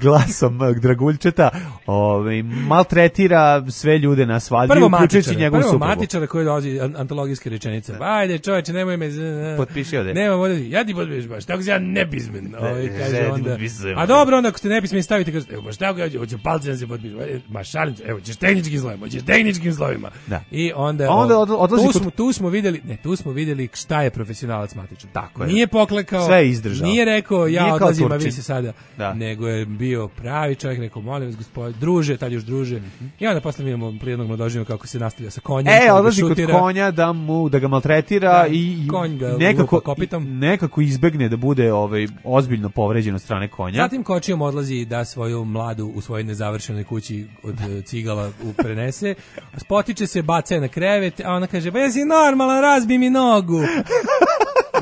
glasom Draguljčeta, ovaj, maltretira sve ljude na svadbi, uključujući njegovu suprugu. Prvo matičara koji dolazi antologijske rečenice. Ajde, čoveče, nemoj me... Potpiši ovde. Nema ovde, ja ti potpiš baš, tako se ja nepismen. Ovaj, kaže onda, a dobro, onda ako ste nepismeni stavite, kaže, evo baš tako, ja hoću palcem se potpiši. Ma šalim se, evo, ćeš tehničkim slovima, ćeš tehničkim slovima. Da. I onda... onda od, odlazi tu, kod... smo, tu smo vidjeli, ne, tu smo vidjeli šta je profesionalac matičar. Tako je. Nije poklekao, sve je izdržao. Nije rekao, ja nije odlazim, a vi se sada. Da. Nego je bio pravi čovjek, rekao, molim vas, gospod, druže, tad još druže. Mm-hmm. I onda posle vidimo prijednog mladoženja kako se nastavlja sa konjem. E, odlazi kod konja da mu da ga maltretira da, i konj ga nekako nekako izbegne da bude ovaj ozbiljno povređen od strane konja. Zatim kočijom odlazi da svoju mladu u svojoj nezavršenoj kući od cigala prenese. Spotiče se, baca je na krevet, a ona kaže: "Pa jesi normalan, razbi mi nogu."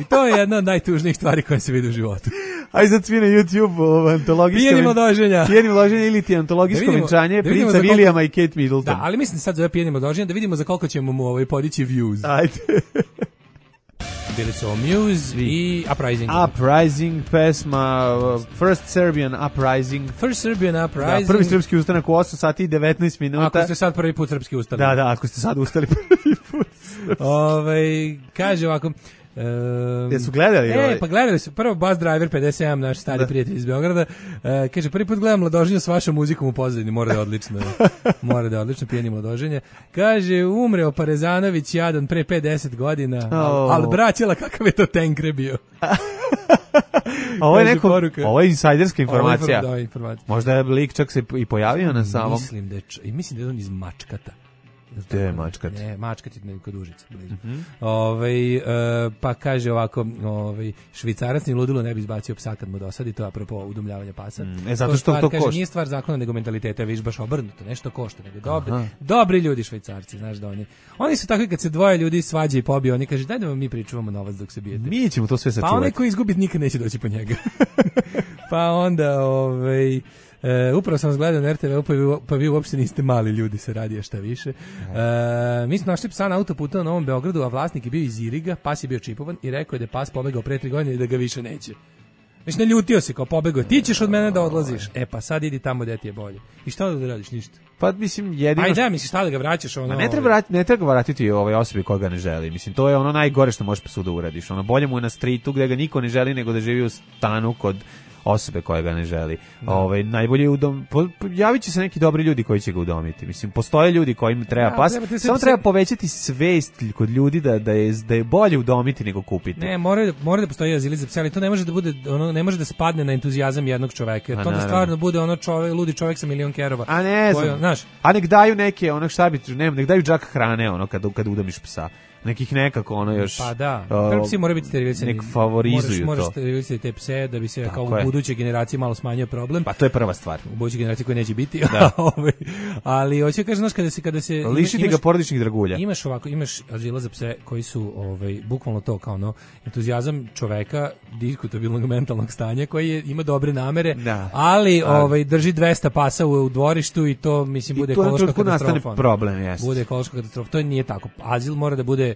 I to je jedna od najtužnijih stvari koje se vidi u životu. Aj sad svi na YouTube antologijsko pijeni mladoženja. Pijeni mladoženja ili ti antologijsko da vidimo, venčanje da princa Williama koliko... i Kate Middleton. Da, ali mislim sad zove pijeni mladoženja da vidimo za koliko ćemo mu ovaj podići views. Ajde. Bili su Muse i Uprising. Uprising pesma, uh, First Serbian Uprising. First Serbian Uprising. Da, prvi srpski ustanak u osam sati i devetnaest minuta. Ako ste sad prvi put srpski ustali. Da, da, ako ste sad ustali prvi put. Ove, kaže ovako... Um, Jesu gledali? E, ovaj? pa gledali su. Prvo Buzz Driver pedeset sedam, naš stari da. prijatelj iz Beograda. Uh, kaže, prvi put gledam mladoženje s vašom muzikom u pozadini. Mora da je odlično. mora da je odlično, pijeni mladoženje. Kaže, umreo Parezanović jadan pre pedeset godina. Oh. Al, al braćela, kakav je to tenkre bio. Ovo je neko, ovo je insajderska informacija. Ovo je informacija. Možda je lik čak se i pojavio na samom. Mislim da je, i mislim da je on iz Mačkata. Gde je Mačkat? Ne, Mačkat je kod Užica, blizu. Mm-hmm. Ovaj, e, pa kaže ovako, ovaj, švicarac ni ludilo ne bi izbacio psa kad mu dosadi, to je apropo udomljavanja pasa. Mm, e, zato to što stvar, to kaže, košta. Nije stvar zakona nego mentaliteta, viš baš obrnuto, nešto košta, nego dobri, dobri ljudi Švajcarci, znaš da oni. Oni su takvi kad se dvoje ljudi svađa i pobije, oni kaže daj da vam mi pričuvamo novac dok se bijete. Mi ćemo to sve sačuvati. Pa onaj ko izgubi nikad neće doći po njega. Pa onda, ovaj... E, upravo sam vas gledao na er te ve, pa vi, pa vi uopšte niste mali ljudi, se radi, a šta više. E, mi smo našli psa na autoputu na Novom Beogradu, a vlasnik je bio iz Iriga, pas je bio čipovan i rekao je da je pas pobegao pre tri godine i da ga više neće. Znači, naljutio se, kao pobegao, ti ćeš od mene da odlaziš. E, pa sad idi tamo gde ti je bolje. I šta da radiš, ništa? Pa mislim jedino. Ajde, da, misliš šta da ga vraćaš ono. A ne treba vratiti, ne treba vratiti ovaj osobi koja ga ne želi. Mislim to je ono najgore što možeš psu da uradiš. Ono bolje mu je na stritu gde ga niko ne želi nego da živi u stanu kod osobe koja ga ne želi. Da. Ovaj najbolje udom po, javiće se neki dobri ljudi koji će ga udomiti. Mislim postoje ljudi kojima treba pas. Ja, treba samo treba povećati svest kod ljudi da da je da je bolje udomiti nego kupiti. Ne, mora mora da postoji azili za pse, ali to ne može da bude ono ne može da spadne na entuzijazam jednog čoveka. Jer to da stvarno bude ono čovek, ludi čovek sa milion kerova. A ne, znam, znaš. A nek daju neke, ono šta bi, ne, nek daju džak hrane ono kad kad udomiš psa. nekih nekako ono još... Pa da, uh, prvi psi moraju biti sterilisani. Nek favorizuju moraš, to. Moraš sterilisati te pse da bi se Tako kao u je. budućoj generaciji malo smanjio problem. Pa to je prva stvar. U budućoj generaciji koja neće biti. Da. Ali hoću kažem, znaš, kada se... Kada se lišite imaš, ga porodičnih dragulja. Imaš ovako, imaš azila za pse koji su ovaj, bukvalno to kao ono, entuzijazam čoveka, diskutabilnog mentalnog stanja, koji je, ima dobre namere, da. ali ovaj, drži dvesta pasa u, u dvorištu i to, mislim, bude ekološka katastrofa. Nastane problem, jest. Bude ekološka katastrofa. To nije tako. Azil mora da bude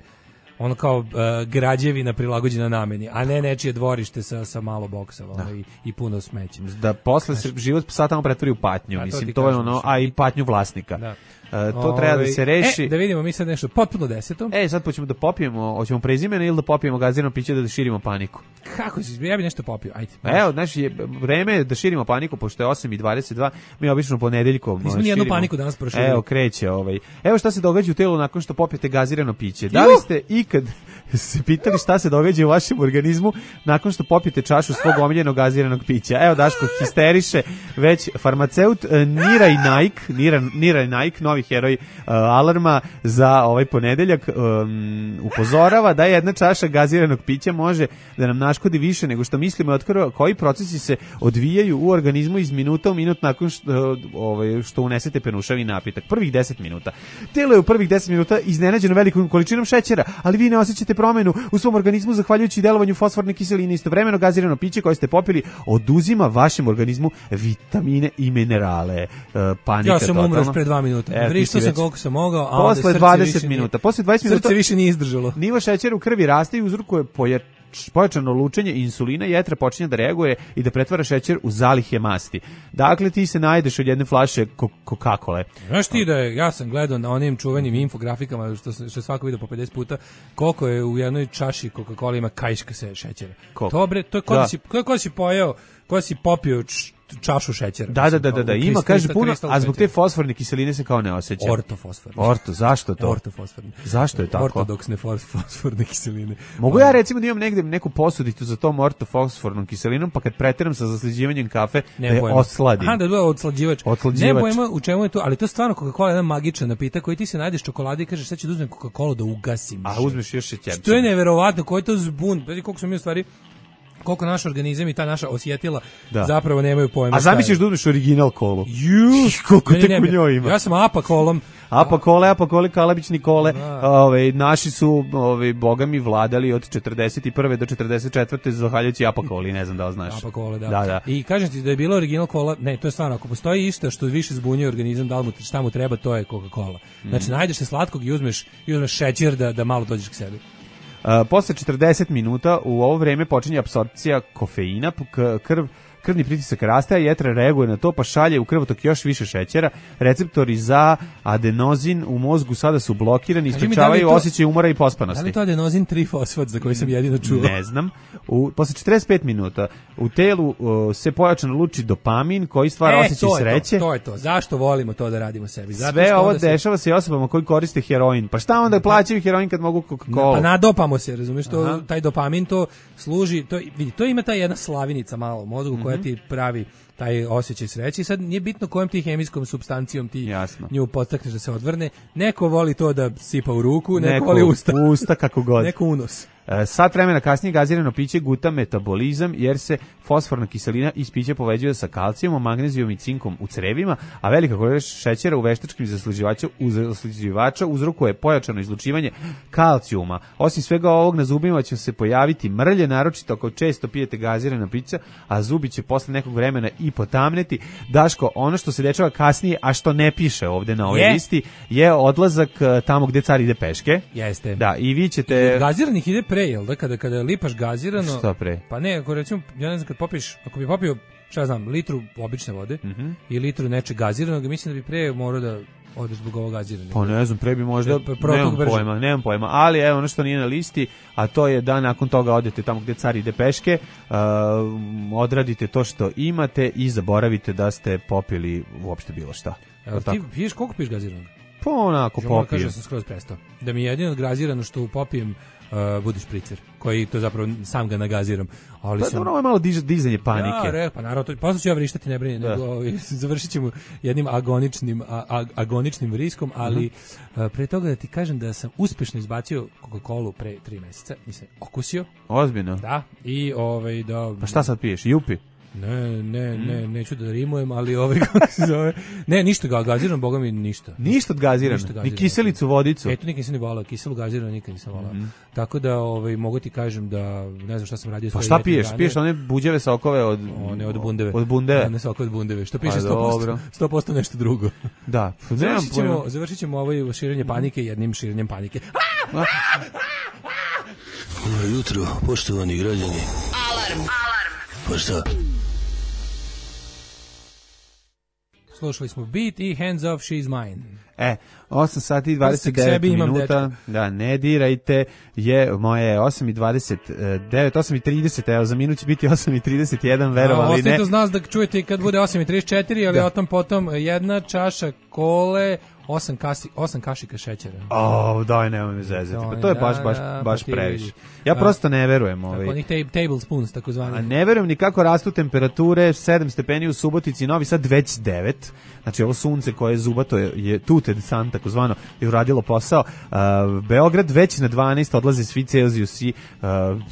ono kao uh, građevina prilagođena nameni, a ne nečije dvorište sa, sa malo boksa ono, i, i puno smeća. Da posle se život psa tamo pretvori u patnju, da, mislim, to, to je ono, a i patnju vlasnika. Da. Uh, to Ove, treba da se reši. E, da vidimo mi sad nešto potpuno deseto. E, sad hoćemo da popijemo, hoćemo prezimene ili da popijemo gazirano piće da širimo paniku. Kako si, ja bi nešto popio, ajde. Evo, znači, vreme je da širimo paniku, pošto je osam i dvadeset dva, mi obično ponedeljkom Nismo nijednu paniku danas prošli. Evo, kreće ovaj. Evo šta se događa u telu nakon što popijete gazirano piće. Da li ste ikad se pitali šta se događa u vašem organizmu nakon što popijete čašu svog omiljenog gaziranog pića? Evo, Daško histeriše, već farmaceut Niraj Naik, Nira, Niraj Naik, novi heroj uh, alarma za ovaj ponedeljak, um, upozorava da jedna čaša gaziranog pića može da nam naškodi više nego što mislimo, otkriva koji procesi se odvijaju u organizmu iz minuta u minut nakon što, ovaj, što unesete penušavi napitak. Prvih deset minuta. Telo je u prvih deset minuta iznenađeno velikom količinom šećera, ali vi ne osjećate promenu u svom organizmu zahvaljujući delovanju fosforne kiseline. Istovremeno gazirano piće koje ste popili oduzima vašem organizmu vitamine i minerale. Uh, panika ja sam totalno. umro pre dva minuta. Vrištao sam koliko sam mogao, a posle dvadeset minuta. Posle dvadeset minuta srce više nije izdržalo. Nivo šećera u krvi raste i uzrokuje pojač pojačano lučenje insulina, jetra počinje da reaguje i da pretvara šećer u zalihe masti. Dakle, ti se najdeš od jedne flaše Coca-Cole. Znaš ti da je, ja sam gledao na onim čuvenim infografikama, što, što svako vidio po pedeset puta, koliko je u jednoj čaši Coca-Cola ima kajška se šećera. Koliko? Dobre, to je kod da si, kod si pojeo, kod si popio č, čašu šećera. Da, da, da, da, da. Ima, kaže puno, a zbog te fosforne kiseline se kao ne osjeća. Ortofosforne. Orto, zašto to? Ortofosforne. Zašto je tako? Ortodoksne fosforne kiseline. Mogu ja recimo da imam negde neku posudicu za tom ortofosfornom kiselinom, pa kad preteram sa zaslađivanjem kafe, ne da je pojma. osladim. Aha, da je odslađivač. Odslađivač. Ne pojma u čemu je to, ali to je stvarno Coca-Cola jedan magičan napitak koji ti se najdeš čokolade i kažeš sad ću da uzmem Coca-Cola da ugasim. A uzmeš još šećer. To je neverovatno, koji je to zbun. Znači koliko smo mi u stvari koliko naš organizam i ta naša osjetila da. Zapravo nemaju pojma. A zamisliš da uzmeš original kolu? Ju, koliko te u njoj ima. Ja sam apa kolom. Apa kole, apa kole, Kalabić Nikole. Ove, naši su, ove, bogami, vladali od četrdeset prve do četrdeset četvrte zahvaljujući apa koli, ne znam da li znaš. Apa kole, da. da, da. I kažem ti da je bilo original kola, ne, to je stvarno, ako postoji išta što više zbunjuje organizam, da li mu, šta mu treba, to je Coca-Cola. Znači, mm. najdeš se slatkog i uzmeš, i uzmeš šećer da, da malo dođeš k sebi. Uh, posle četrdeset minuta u ovo vreme počinje apsorpcija kofeina, krv krvni pritisak raste, a jetra reaguje na to, pa šalje u krvotok još više šećera. Receptori za adenozin u mozgu sada su blokirani, isključavaju da osjećaj umora i pospanosti. Da li to adenozin tri fosfat za koji sam jedino čuo? Ne znam. U, posle četrdeset pet minuta u telu uh, se pojačano luči dopamin koji stvara e, osjećaj sreće. To, to je to. Zašto volimo to da radimo sebi? Zato Sve ovo se... dešava se i osobama koji koriste heroin. Pa šta onda plaćaju heroin kad mogu Coca-Cola? Pa nadopamo se, razumiješ, to, taj dopamin to služi, to, vidi, to ima ta jedna slavinica malo u mozgu mm-hmm. koja ti pravi taj osjećaj sreće i sad nije bitno kojom ti hemijskom supstancijom ti Jasno. nju podstakneš da se odvrne. Neko voli to da sipa u ruku, neko, neko voli usta. Usta kako god. Neko unos. Sat vremena kasnije gazirano piće guta metabolizam jer se fosforna kiselina iz pića poveđuje sa kalcijumom, magnezijom i cinkom u crevima, a velika količina šećera u veštačkim zaslađivača uzrokuje pojačano izlučivanje kalcijuma. Osim svega ovog na zubima će se pojaviti mrlje, naročito ako često pijete gazirana pića, a zubi će posle nekog vremena i potamneti. Daško, ono što se dešava kasnije, a što ne piše ovde na ovoj je. listi, je odlazak tamo gde car ide peške. Jeste. Da, i vi ćete... I gaziranih ide pre, jel da, kada, kada lipaš gazirano... Šta pre? Pa ne, ako recimo, ja ne znam, kad popiš, ako bi popio, šta ja znam, litru obične vode mm-hmm. i litru neče gaziranog, mislim da bi pre morao da odeš zbog ovog gaziranja. Pa ne znam, pre bi možda, pre, nemam brže. pojma, nemam pojma, ali evo ono što nije na listi, a to je da nakon toga odete tamo gde car ide peške, uh, odradite to što imate i zaboravite da ste popili uopšte bilo šta. Evo, ti piješ, koliko piješ gaziranog? Pa onako popijem. Kaže da sam skroz prestao. Da mi je jedino gazirano što popijem uh, budi špricer, koji to zapravo sam ga nagaziram. Ali Pa sam... dobro, ovo je malo diž, dizanje panike. Ja, re, pa naravno, to, posle ću ja vrištati, ne brini, nego ovaj, završit ćemo jednim agoničnim, a, a, agoničnim vriskom, ali uh-huh. uh, pre toga da ti kažem da sam uspešno izbacio Coca-Colu pre tri meseca, nisam okusio. Ozbiljno? Da, i ovaj, da... Pa šta sad piješ, jupi? Ne, ne, ne, neću da rimujem, ali ovaj, kako se zove, ne, ništa ga, gaziran, boga mi ništa. Ništa od gazirano, ni kiselicu, vodicu? E, to nikad nisam ni volao, kiselu gazirano nikad nisam volao. Mm. Tako da, ovaj, mogu ti kažem da, ne znam šta sam radio. Pa šta piješ? Dane. Piješ one buđeve sokove od... One od bundeve. Od bundeve? Ne, sokove od bundeve, što piše sto posto, sto posto nešto drugo. Da. Završit ćemo, završit ćemo ovo širenje panike jednim širenjem panike. Dobro jutro, poštovani građani. Alarm! Alarm! Pa šta? Slušali smo Beat i Hands Off, She's Mine. E, osam sati i dvadeset devet minuta, da, ne dirajte, je moje osam i dvadeset devet, osam i trideset, evo, za minut će biti osam i trideset jedan, verovali ne. Ostavite uz nas da čujete kad bude osam i trideset četiri, ali da. Otom potom jedna čaša kole, osam, kasi, osam kašika šećera. O, daj, nemoj me zezati, pa to je baš, baš, baš previše. Ja prosto ne verujem. Ovaj. Tako, onih tablespoons, tako zvani. A ne verujem ni kako rastu temperature, sedam stepeni u Subotici, Novi Sad već devet. Znači ovo sunce koje je zubato je, je tuted san, tako zvano, je uradilo posao. Uh, Beograd već na dvanaest, odlaze svi Celzijusi, uh,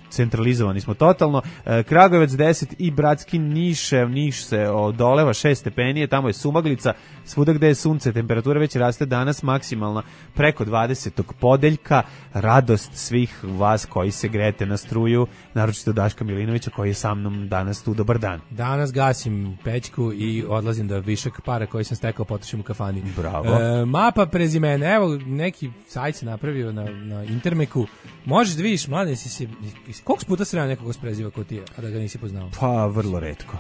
centralizovani smo totalno. Uh, Kragujevac deset i bratski Niš, Niš se odoleva šest stepeni, tamo je sumaglica, svuda gde je sunce, temperatura već raste danas maksimalna preko dvadesetog podeljka. Radost svih vas koji se grete na struju, naročito Daška Milinovića koji je sa mnom danas tu. Dobar dan. Danas gasim pećku i odlazim da višak para koji sam stekao potrošim u kafani. Bravo. E, mapa prezimena, evo neki sajt se napravio na, na Intermeku. Možeš da vidiš, mlade, si se, koliko puta sreo nekog s preziva ko ti je, a da ga nisi poznao? Pa, vrlo retko.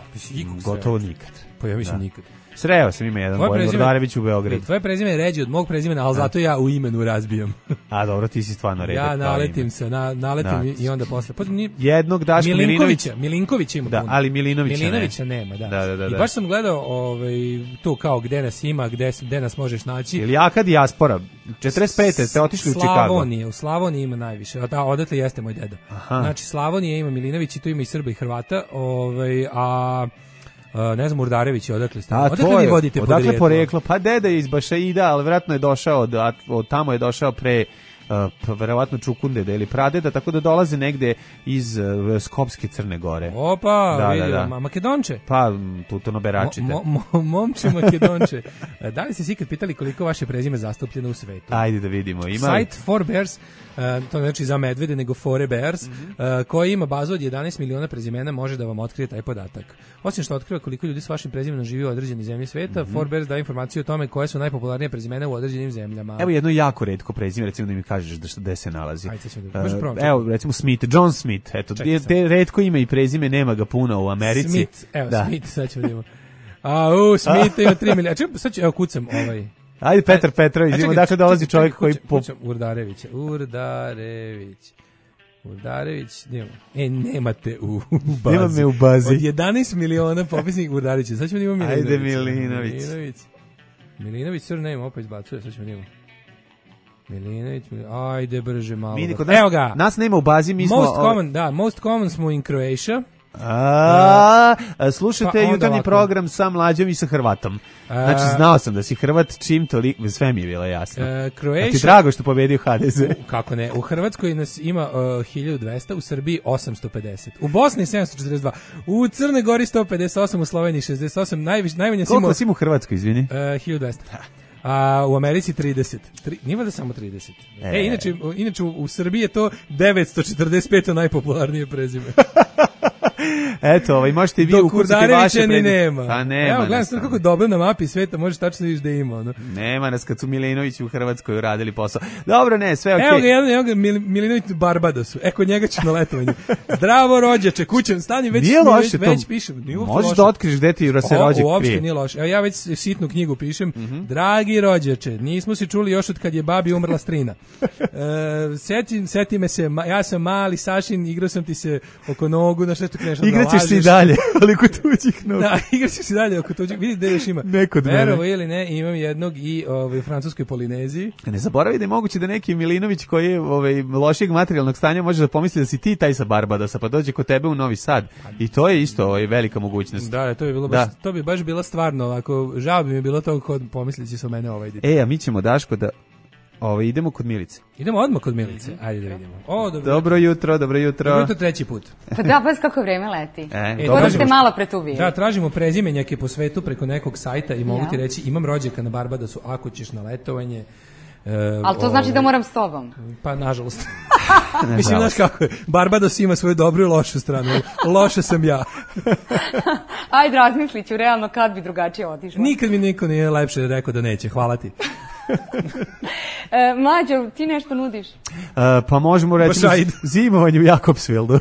Gotovo nikad. Pa ja mislim da. nikad. Sreo sam ima jedan Bojan Vordarević u Beogradu. Tvoje prezime je ređe od mog prezimena, ali zato ja u imenu razbijam. A dobro, ti si stvarno redak. Ja naletim se, na, naletim da. i onda posle. Pa, ni, jednog Daška Milinkovića. Milinković ima da, puno. ali Milinovića, Milinovića ne. nema, da. Da, da, da. I baš sam gledao ovaj, to kao gde nas ima, gde, gde nas možeš naći. Ili jaka dijaspora. četrdeset pete ste otišli u Chicago. Slavonije, u Slavoniji ima najviše. A odatle jeste moj deda. Aha. Znači, Slavonije ima Milinović i tu ima i Srba i Hrvata. Ovaj, a... Uh, ne znam, Urdarević je odakle ste. Odakle vi vodite odakle podrijetlo? Poreklo? Pa deda je iz Bašaida, ali vjerojatno je došao, od, od tamo je došao pre, uh, verovatno Čukundeda ili Pradeda, tako da dolaze negde iz uh, Skopske Crne Gore. Opa, da, vidio, da, da. Makedonče? Pa, tutono beračite. Mo, mo, mo, momče Makedonče. Da li ste si ikad pitali koliko vaše prezime zastupljeno u svetu? Ajde da vidimo. Ima Site For Bears, Uh, to znači za medvede, nego For Bears, mm-hmm. uh, koji ima bazu od jedanaest miliona prezimena, može da vam otkrije taj podatak. Osim što otkriva koliko ljudi s vašim prezimenom živi u određenoj zemlji sveta, mm-hmm. For Bears daje informaciju o tome koje su najpopularnije prezimena u određenim zemljama. Evo jedno jako retko prezime, recimo da mi kažeš da što gde se nalazi. Ajde, da, uh, evo, recimo Smith, John Smith, eto, te, te retko ime i prezime, nema ga puno u Americi. Smith, evo, da. Smith, sad ćemo da imamo. A, u, Smith ima tri miliona. Čekaj, sad ću, evo, kucam ovaj. Ajde, Petar Petrović, idemo, dakle dolazi čovjek koji... Kućam, Urdarević, Urdarević, Urdarević, nema. E, nemate u, u bazi. Nema me u bazi. Od jedanaest miliona popisnih Urdarevića, sad ćemo da imamo Milinović. Ajde, Milinović. Milinović, Milinović, sir name, opet izbacuje, sad ćemo da imamo. Milinović, Milinović, ajde, brže malo. Mi, da. Evo ga. Nas nema u bazi, mi smo... Most common, da, most common smo in Croatia. A, a, slušajte pa jutarnji ovako. Program sa Mlađom i sa Hrvatom. Znači, znao sam da si Hrvat, čim toliko, sve mi je bilo jasno. Uh, Croatia, a ti drago što pobedio H D Z? Kako ne, u Hrvatskoj nas ima uh, hiljadu dvesta, u Srbiji osamsto pedeset, u Bosni sedamsto četrdeset dva, u Crnoj Gori sto pedeset osam, u Sloveniji šezdeset osam, najviše, najmanje si imao... Koliko si u Hrvatskoj, izvini? Uh, hiljadu dvesta. A u Americi trideset. Tri, nije da samo trideset. E, e inače, inače u, u Srbiji je to devetsto četrdeset pet najpopularnije prezime. Eto, ovaj, možete i vi ukucati vaše prezime. nema. Pa nema. Evo, gledam sam kako dobro na mapi sveta, možeš tačno vidiš da ima. No. Nema nas kad su Milinovići u Hrvatskoj uradili posao. Dobro, ne, sve okej. Okay. Evo ga, jedan, evo ga, Mil, Milinović u Barbadosu. E, kod njega ću na letovanje. Zdravo, rođače, kućem, stani, već, nije loše već, već to. pišem. Nije možeš loše. da otkriš gde ti se rođak uopšte krije. nije loše. Evo, ja već sitnu knjigu pišem. Mm-hmm. Dragi rođače, nismo se čuli još od kad je babi umrla strina. E, seti, seti me se, ja sam mali Sašin, igrao sam ti se oko nogu, na što smešno da Igraćeš se i lažeš. dalje, ali kod tuđih nogu. Da, igraćeš se i dalje oko tuđih. Vidi gde još ima. Neko od mene. Verovo ili ne, imam jednog i ovaj, u francuskoj Polineziji. Ne zaboravi da je moguće da neki Milinović koji je ovaj, lošijeg materijalnog stanja može da pomisli da si ti taj sa Barbadasa, pa dođe kod tebe u Novi Sad. I to je isto ovaj, velika mogućnost. Da, to bi bilo baš, to bi baš bila stvarno, ovako, žao bi mi bilo to kod pomislići sa mene ovaj ide. E, a mi ćemo, Daško, da ovaj, idemo kod Milice. Idemo odmah kod Milice, ajde da vidimo. O, dobro. Dobro jutro, dobro jutro. Dobro jutro treći put. Pa da, pa kako vreme leti. E, E, Kod da ste tražimo- malo pre tu bili. Da, tražimo prezimenjake po svetu preko nekog sajta i mogu Ja. ti reći, imam rođaka na Barbadosu, ako ćeš na letovanje. E, Ali to znači da ovaj, moram s tobom. Pa, nažalost. Mislim, znaš kako je, Barbados ima svoju dobru i lošu stranu. Loša sam ja. Ajde, razmislit ću realno kad bi drugačije otišla. Nikad mi niko nije lepše rekao da neće, hvala ti. E, Mlađo, ti nešto nudiš? Uh, pa možemo reći Baš ajde. zimovanje u Jakobsvildu.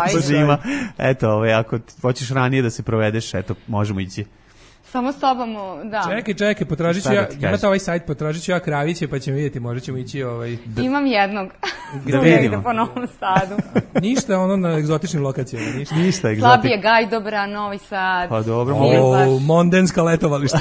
Ajde. Sa zima. Eto, ovaj, ako hoćeš ranije da se provedeš, eto, možemo ići. Samo s tobom, o, da. Čekaj, čekaj, potražit ću Šta da ja, ti imate kažem? ovaj sajt, potražit ću ja Kraviće, pa ćemo vidjeti, možda ćemo ići ovaj... Imam jednog. Da Tu vidimo. negde po Novom Sadu. Ništa ono na egzotičnim lokacijama, ništa. Ništa, Slabije egzotik. Gajdobra, Novi Sad. Pa dobro, Milbaš. O, mondenska letovališta.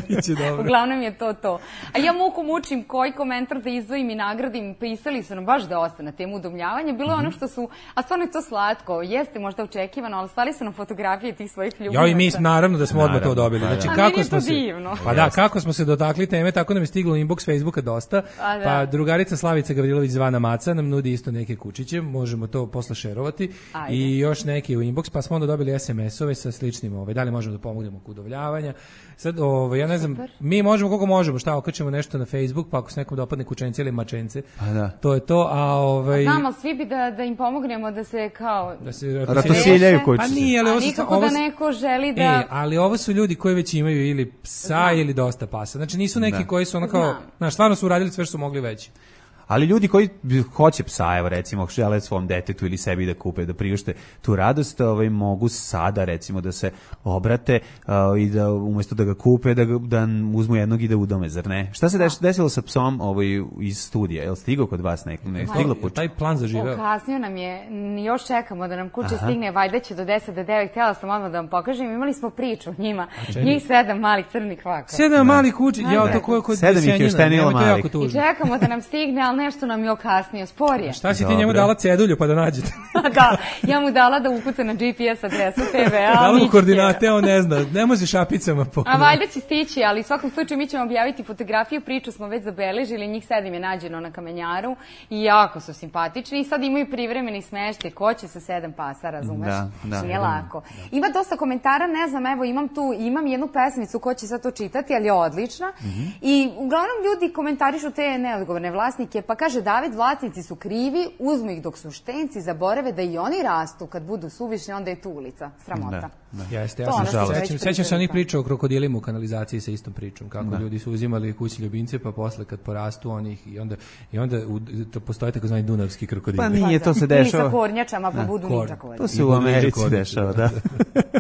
Biće dobro. Uglavnom je to to. A ja muku mučim koji komentar da izdvojim i nagradim. Pisali su nam baš dosta na temu udomljavanja. Bilo je ono što su, a stvarno je to slatko. Jeste možda očekivano, ali slali su nam fotografije tih svojih ljubaca. Ja i mi naravno da smo odmah to Naravno, dobili. pa da. Znači A kako meni je smo to se divno. Pa da, kako smo se dotakli teme, tako nam je stiglo u inbox Facebooka dosta. A da. Pa drugarica Slavica Gavrilović zvana Maca nam nudi isto neke kučiće, možemo to posle šerovati. Ajde. I još neki u inbox, pa smo onda dobili es em es-ove sa sličnim, ovaj, da li možemo da pomognemo kod udavljavanja. Sad, ovaj, ja ne znam, Super. mi možemo koliko možemo, šta, okačemo nešto na Facebook, pa ako se nekom dopadne kučence ili mačence, Pa da. to je to, a ovaj... Znam, ali svi bi da, da im pomognemo da se kao... da se Ratosiljaju Pa kućice. nije, ali A ovo su- nikako ovo da su- neko želi da... E, ali ovo su ljudi koji već imaju ili psa ili dosta pasa. Znači nisu neki Da. koji su ono kao, Znam. znaš, stvarno su uradili sve što su mogli već. Ali ljudi koji hoće psa, evo recimo, žele svom detetu ili sebi da kupe, da priušte tu radost, ovaj, mogu sada recimo da se obrate uh, i da umjesto da ga kupe, da, ga, da uzmu jednog i da udome, zar ne? Šta se deš, desilo sa psom ovaj, iz studija? Je li stigao kod vas neko? Ne, stiglo puče? Taj plan zaživeo. Okasnio nam je, n- još čekamo da nam kuće stigne, valjda će do deset do devet, htjela sam odmah da vam pokažem, imali smo priču o njima, njih sedam malih crnih kvaka. Sedam malih kući, ja to ko je kod Sedam ih je Senjina, uštenilo nemoj, to je jako malih. I tužno. čekamo da nam stigne, ali nešto nam je okasnio, sporije. Šta si ti Dobro. njemu dala cedulju pa da nađete? Da, ja mu dala da ukuca na G P S adresu te ve, a Dala mu ništa. koordinate, on ne zna, ne može šapicama po... A valjda će stići, ali u svakom slučaju mi ćemo objaviti fotografiju, priču smo već zabeležili, njih sedam je nađeno na kamenjaru i jako su simpatični i sad imaju privremeni smeštaj, ko će sa sedam pasa, razumeš? Da, da. Nije lako. Ima dosta komentara, ne znam, evo imam tu, imam jednu pesmicu ko će sad to čitati, ali je odlična i uglavnom ljudi komentarišu te neodgovorne vlasnike, pa kaže David, vlasnici su krivi, uzmu ih dok su štenci, zaborave da i oni rastu kad budu suvišni, onda je tu ulica, sramota. Jeste, ja To sam ono što sećam, već sećam se pričali, onih da. priča o krokodilima u kanalizaciji sa istom pričom, kako ljudi su uzimali kućne ljubimce, pa posle kad porastu onih i onda, i onda u, to postoje takozvani dunavski krokodili. Pa nije, to se Ili sa dešava. kornjačama, pa budu kor- ničakovani. To se I u budu Americi niže dešava, koristi, da.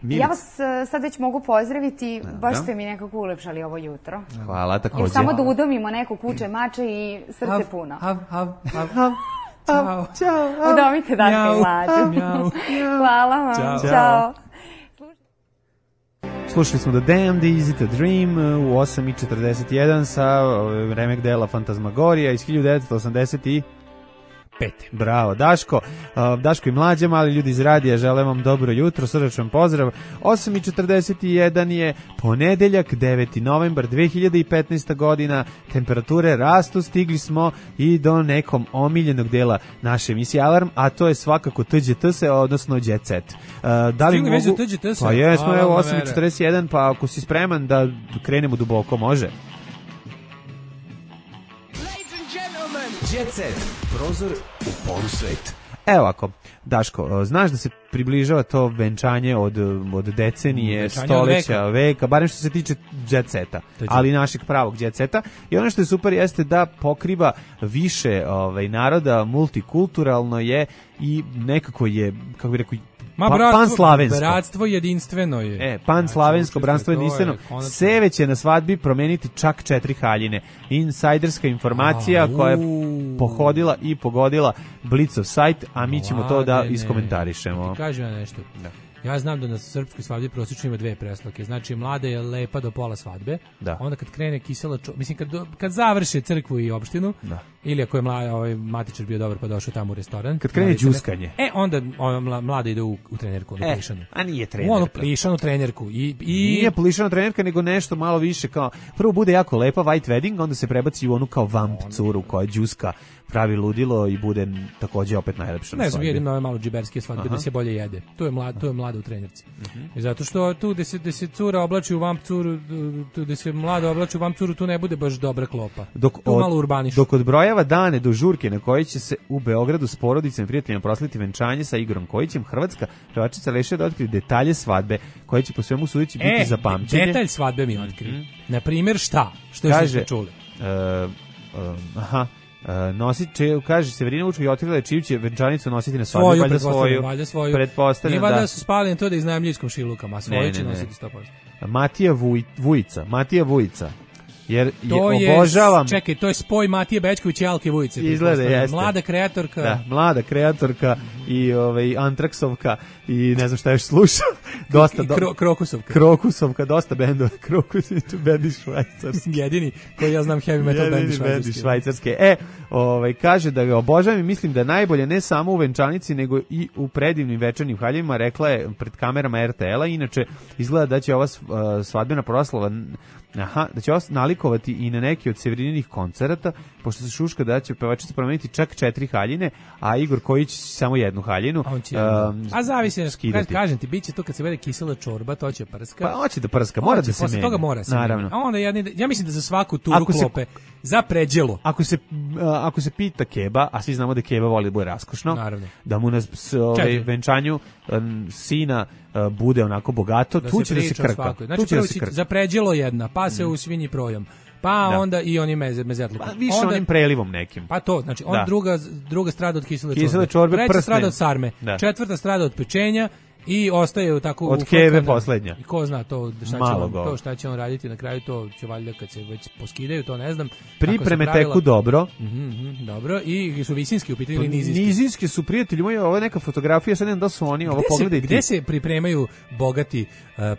Ja vas e, sad već mogu pozdraviti, baš da. ste mi nekako ulepšali ovo jutro. Hvala, Jer takođe. samo da udomimo neko kuće mače i srce puno. Hav, hav, hav, hav. Ćao. Ćao. Udomite Daška i Mjau. Mlađu. Mjau. Hvala vam. Ćao. Ćao. Slušali smo The Damned, Easy to Dream u osam i četrdeset jedan sa ovaj, remek dela Fantasmagorija iz hiljadu devetsto osamdeset Pete. Bravo, Daško. Uh, Daško i Mlađa, mali ljudi iz radija, želim vam dobro jutro, srdačan pozdrav. osam i četrdeset jedan je ponedeljak, deveti novembar dve hiljade petnaesta godina, temperature rastu, stigli smo i do nekom omiljenog dela naše emisije Alarm, a to je svakako T Đ T S, odnosno Jet Set. Uh, da li Stigli već mogu... do T Đ T S-a? Pa jesmo, A, evo, ma osam i mere. četrdeset jedan, pa ako si spreman da krenemo duboko, može? Jet Set. Prozor u polusvet. Evo ovako, Daško, znaš da se približava to venčanje od, od decenije, Venčanje stoleća, od veka. veka. barem što se tiče jet seta, ali našeg pravog jet seta. I ono što je super jeste da pokriva više ovaj, naroda, multikulturalno je i nekako je, kako bih rekao, Ma pa, bratstvo, panslavensko. bratstvo jedinstveno je. E, panslavensko, znači, bratstvo jedinstveno. Seve će na svadbi promeniti čak četiri haljine. Insajderska informacija A, koja je u. pohodila i pogodila Blicov sajt, a mi ćemo to da Mladene, iskomentarišemo. Ti kažem ja nešto. Da. Ja znam da na srpskoj svadbi prosječno ima dve preslake. Znači, mlada je lepa do pola svadbe. Da. Onda kad krene kisela čo... Mislim, kad, do, kad završe crkvu i opštinu, Da. ili ako je mlada, ovaj, matičar bio dobar pa došao tamo u restoran. Kad krene đuskanje. E, onda ona mlada ide u, u trenerku, ono E, plišanu. a nije U trenerka. ono plišanu trenerku. I, i... Nije plišana trenerka, nego nešto malo više kao... Prvo bude jako lepa white wedding, onda se prebaci u onu kao vamp curu koja đuska, pravi ludilo i bude takođe opet najlepša na Ne znam, svadbi. vidim nove malo džiberske svadbe da se bolje jede. Tu je mlada, tu je mlada u trenerci. I zato što tu gde se, gde se cura oblači u vamp curu, tu gde se mlada oblači u vamp curu, tu ne bude baš dobra klopa. Dok tu od, malo urbaniš. Dok odbrojava dane do žurke na kojoj će se u Beogradu s porodicama i prijateljima proslaviti venčanje sa Igorom Kojićem, hrvatska pevačica reše da otkrije detalje svadbe koje će po svemu sudeći biti e, za pamćenje. detalj svadbe mi otkri. Mm-hmm. Na primjer šta? Što Kaže, ste čuli? Uh, uh, aha. Uh, nosit će, kaže Severina Vučković je otkrila čiju će venčanicu nositi na svadbi, Svoju, valjda pretpostavljam, svoju. valjda svoju. Pretpostavljam, Nije da. valjda su spali na to da iznajmljuju iskom šilukama, a svoju Ne, će ne, ne. nositi sto posto. Matija Vuj, Vujica, Matija Vujica. Jer To je, je, obožavam. čekaj, to je spoj Matije Bečković i Alke Vujice. Izgleda, pretpostavljam. jeste. Mlada kreatorka. Da, mlada kreatorka i ovaj Antraksovka i ne znam šta još sluša. Dosta I do... kro, Krokusovka. Krokusovka, dosta bendova. Krokus i bendi švajcarski. Jedini koji ja znam heavy metal band Jedini bendi švajcarski. švajcarske. E, ovaj, kaže da ga obožavam i mislim da je najbolje ne samo u venčanici, nego i u predivnim večernjim haljevima, rekla je pred kamerama er te el-a. Inače, izgleda da će ova svadbena proslava aha, da će vas nalikovati i na neki od Severininih koncerata, pošto se šuška da će pevačica promeniti čak četiri haljine, a Igor Kojić samo jednu haljinu. A, on će, um, a zavisi, skidati. kažem ti, bit će to kad se vede kisela čorba, to će prska. Pa hoće da prska, mora Hoće, da se posle menja. toga mora se Naravno. menja. A onda jedni, ja mislim da za svaku turu Ako se- klope, za pređelo. Ako se, a, ako se pita Keba, a svi znamo da Keba voli da bude raskošno, Naravno. da mu na s- ovaj, Čekaj. venčanju um, sina uh, bude onako bogato, Da tu se će da se priča o krka. svakoj. Tu Znači, će da prvo se će krka. za pređelo jedna, pa se u svinji projom. Pa Da. onda i oni meze, mezetlukom. Pa više onda, onim prelivom nekim. Pa to, znači, on Da. druga, druga strada od kisele čorbe. Kisele čorbe, Treća prsne. strada od sarme. Da. Četvrta strada od pečenja i ostaje tako Od ufrkana. keve poslednja. I ko zna to šta će, Malo on, go. to šta će on raditi na kraju, to će valjda kad se već poskidaju, to ne znam. Pripreme Tako su pravila. teku dobro. Mhm, mhm, dobro, i su visinski u pitanju ili nizinski? Nizinski su prijatelji moji, ovo je neka fotografija, sad ne znam da su oni, ovo Gde se, pogledaj ti. gde se pripremaju bogati uh,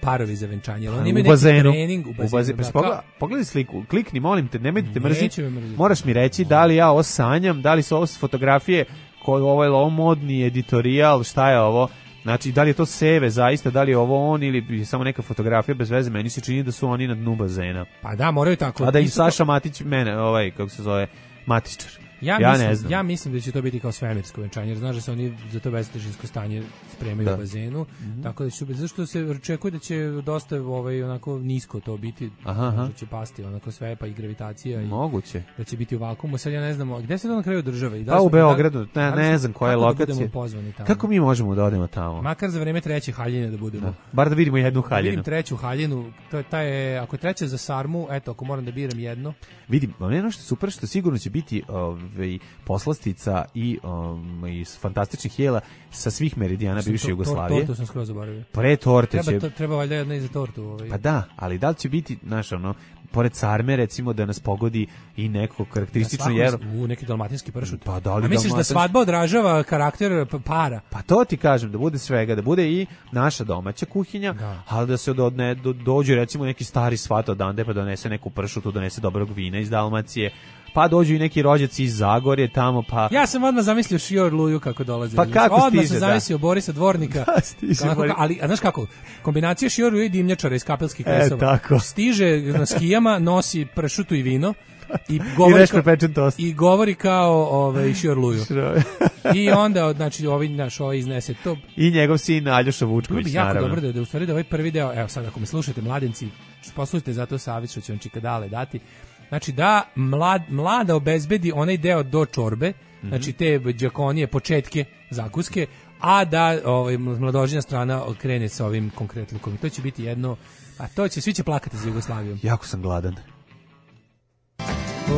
parovi za venčanje? Jel oni u imaju neki bazenu. trening u bazenu? bazenu. da, Pa kao- pogleda- pogledaj sliku, klikni, molim te, nemoj da te mrzi. Neće me mrziti. Moraš mi reći da li ja ovo sanjam, da li su ovo fotografije, ko, ovo je ovo modni editorijal, šta je ovo? Znači, da li je to seve zaista, da li je ovo on ili je samo neka fotografija bez veze, meni se čini da su oni na dnu bazena. Pa da, moraju tako. A da i Isto Saša Matić, mene, ovaj, kako se zove, Matičar. Ja, Ja mislim, ne znam. ja mislim da će to biti kao svemirsko venčanje, jer znaš da se oni za to beztežinsko stanje spremaju Da. u bazenu, tako da će, zašto se očekuje da će dosta ovaj, onako nisko to biti, Aha, aha. možda će pasti onako sve, pa i gravitacija, i Moguće. da će biti u vakuumu, sad ja ne znam, gde se to na kraju država? I da Pa li u smo- Beogradu, da- ne, da li ne smo- znam koja je kako da lokacija. budemo pozvani tamo? Kako mi možemo da odemo tamo? Makar za vreme treće haljine da budemo. Da. Bar da vidimo jednu Da vidim haljinu. treću haljinu, to je taj, ako je treća za sarmu, eto, ako moram da biram jedno, Vidim, ono što je super, što sigurno će biti ovaj, poslastica i um, iz fantastičnih jela sa svih meridijana Sam bivše to- Jugoslavije. To, to sam skroz zaboravio. Pre torte Treba, će... to, treba valjda jedna i za tortu. Ovaj. Pa da, ali da li će biti, znaš, ono, pored sarme, recimo, da nas pogodi i neko karakteristično jelo? U neki dalmatinski pršut. Pa da li A misliš da dalmatinski? svadba odražava karakter p- para? Pa to ti kažem, da bude svega, da bude i naša domaća kuhinja, Da. ali da se do, ne, do, dođe recimo neki stari svat odande pa donese neku pršutu, donese dobrog vina iz Dalmacije, pa dođu i neki rođaci iz Zagorje tamo, pa... Ja sam odmah zamislio Šior Luju kako dolazi. Pa kako odmah stiže, sam da. zamislio Borisa Dvornika. Da, stiže Kako- Boris. ali, a znaš kako? Kombinacija Šior Luju i dimnjačara iz Kapelskih E, kresova. tako. Stiže na skijama, nosi pršutu i vino i govori, veš kao, prepečen tost. i govori kao ovaj, Šior Luju. I onda, znači, ovaj, naš, ovaj iznese to. I njegov sin Aljoša Bilo Vučković, bi jako naravno. dobro da, da u stvari da ovaj prvi deo, evo sad ako me slušate mladenci, poslušajte zato savjet što će vam Čikadale dati. Znači da mlad, mlada obezbedi onaj deo do čorbe, mm-hmm. znači te đakonije, početke zakuske, a da ovaj, mladoženja strana krene sa ovim konkretlukom. I to će biti jedno, a to će, svi će plakati za Jugoslavijom. Jako sam gladan. Oh,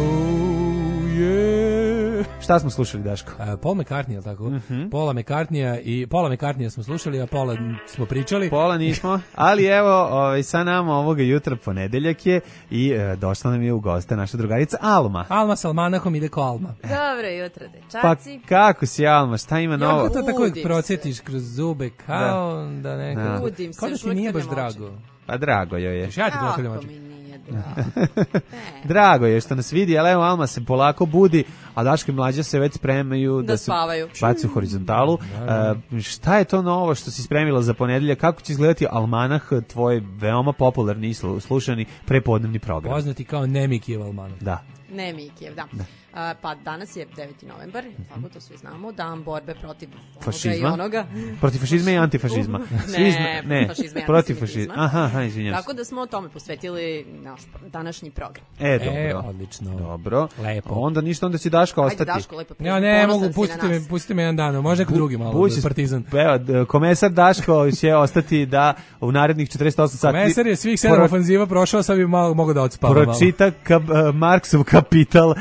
yeah. Šta smo slušali, Daško? Uh, Paul McCartney, je li tako? Mm-hmm. Paula McCartneya i Paula McCartneya smo slušali, a Paula smo pričali. Pola nismo, ali evo, ovaj, sa nama ovoga jutra ponedeljak je i e, došla nam je u goste naša drugarica Alma. Alma s almanahom ide ko Alma. Dobro jutro, dečaci. Pa kako si, Alma, šta ima novo? Kako to tako procetiš kroz zube, kao da, da neko... Da. Budim se, kao da ti nije baš drago. Pa drago joj je. Ja ti Kako oči. mi nije drago. Drago je što nas vidi, ali evo Alma se polako budi, a Daško i Mlađa se već spremaju da, Da se spavaju. baci u horizontalu. Uh, šta je to novo što si spremila za ponedeljak? Kako će izgledati almanah, tvoj veoma popularni i slu- slušani prepodnevni program? Poznati kao Nemikijev almanah. Da. Ne Mikijev, da. da. A, pa danas je deveti novembar, tako to svi znamo, dan borbe protiv onoga Fašizma? i onoga. Protiv fašizma i antifašizma. Svi Ne, zna- ne, fašizma i protiv antisemitizma. fašizma. Aha, aha, izvinjam se. Tako da smo tome posvetili naš današnji program. E, dobro. E, odlično. Dobro. Lepo. Onda ništa, onda će Daško Ajde, ostati. Daško, lepo Ja ne ponosan mogu, si pustite na me, nas. pustite me jedan dan, može neko drugi malo, Bući- partizan. Evo, d- komesar Daško će ostati da u narednih četrdeset osam sati Mesar je svih sedam pro- ofanziva prošao, sad bi malo mogo da odspava malo. pročita kap, uh, Marksov Kapital uh,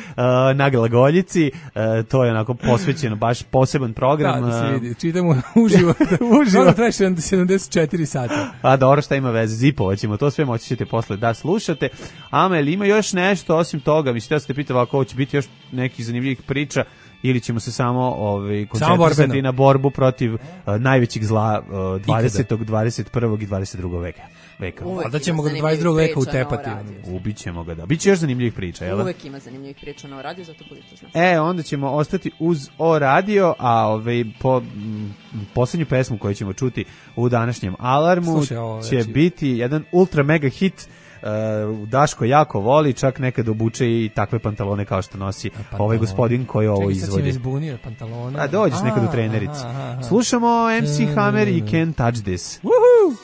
na Glagoljici. Uh, to je onako posvećeno, baš poseban program. Da, da se uh, vidi. Čitamo uživo. Uživo. Ono traje sedamdeset četiri sata. A dobro, šta ima veze, zipovat ćemo, to sve moći ćete posle da slušate. Amel, ima još nešto osim toga, mislim da ste pitali ako će biti još nekih zanimljivih priča ili ćemo se samo ovaj, koncentrisati borbeno. na borbu protiv uh, najvećeg zla uh, dvadesetog, dvadeset prvog i dvadeset drugog veka. veka. Uvek A da ima ćemo ga do zanimljivih dvadeset drugog veka priča na utepati. radiju. Ubićemo ga, da. Biće još zanimljivih priča, jel? Uvek ima zanimljivih priča na radiju, zato budite znači. E, onda ćemo ostati uz O radio, a ovaj, po m, poslednju pesmu koju ćemo čuti u današnjem Alarmu Slušaj, ovo, će znači- biti jedan ultra mega hit. Uh, Daško jako voli, čak nekad obuče i takve pantalone kao što nosi ovaj gospodin koji ovo Čekaj, sad si me izvodi. izbunio, pantalona. A dođeš nekad u trenerici. Slušamo em ce Hammer i Can't Touch This. Woohoo!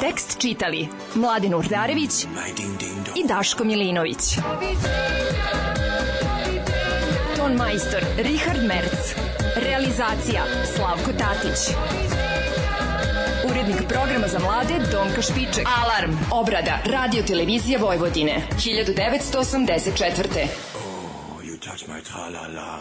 Tekst čitali Mladin Urdarević i Daško Milinović. Ton majstor Richard Merc. Realizacija Slavko Tatić. Urednik programa za mlade Donka Špiček. Alarm. Obrada Radio Televizija Vojvodine. hiljadu devetsto osamdeset četvrte. Oh, you touch my tra-la-la.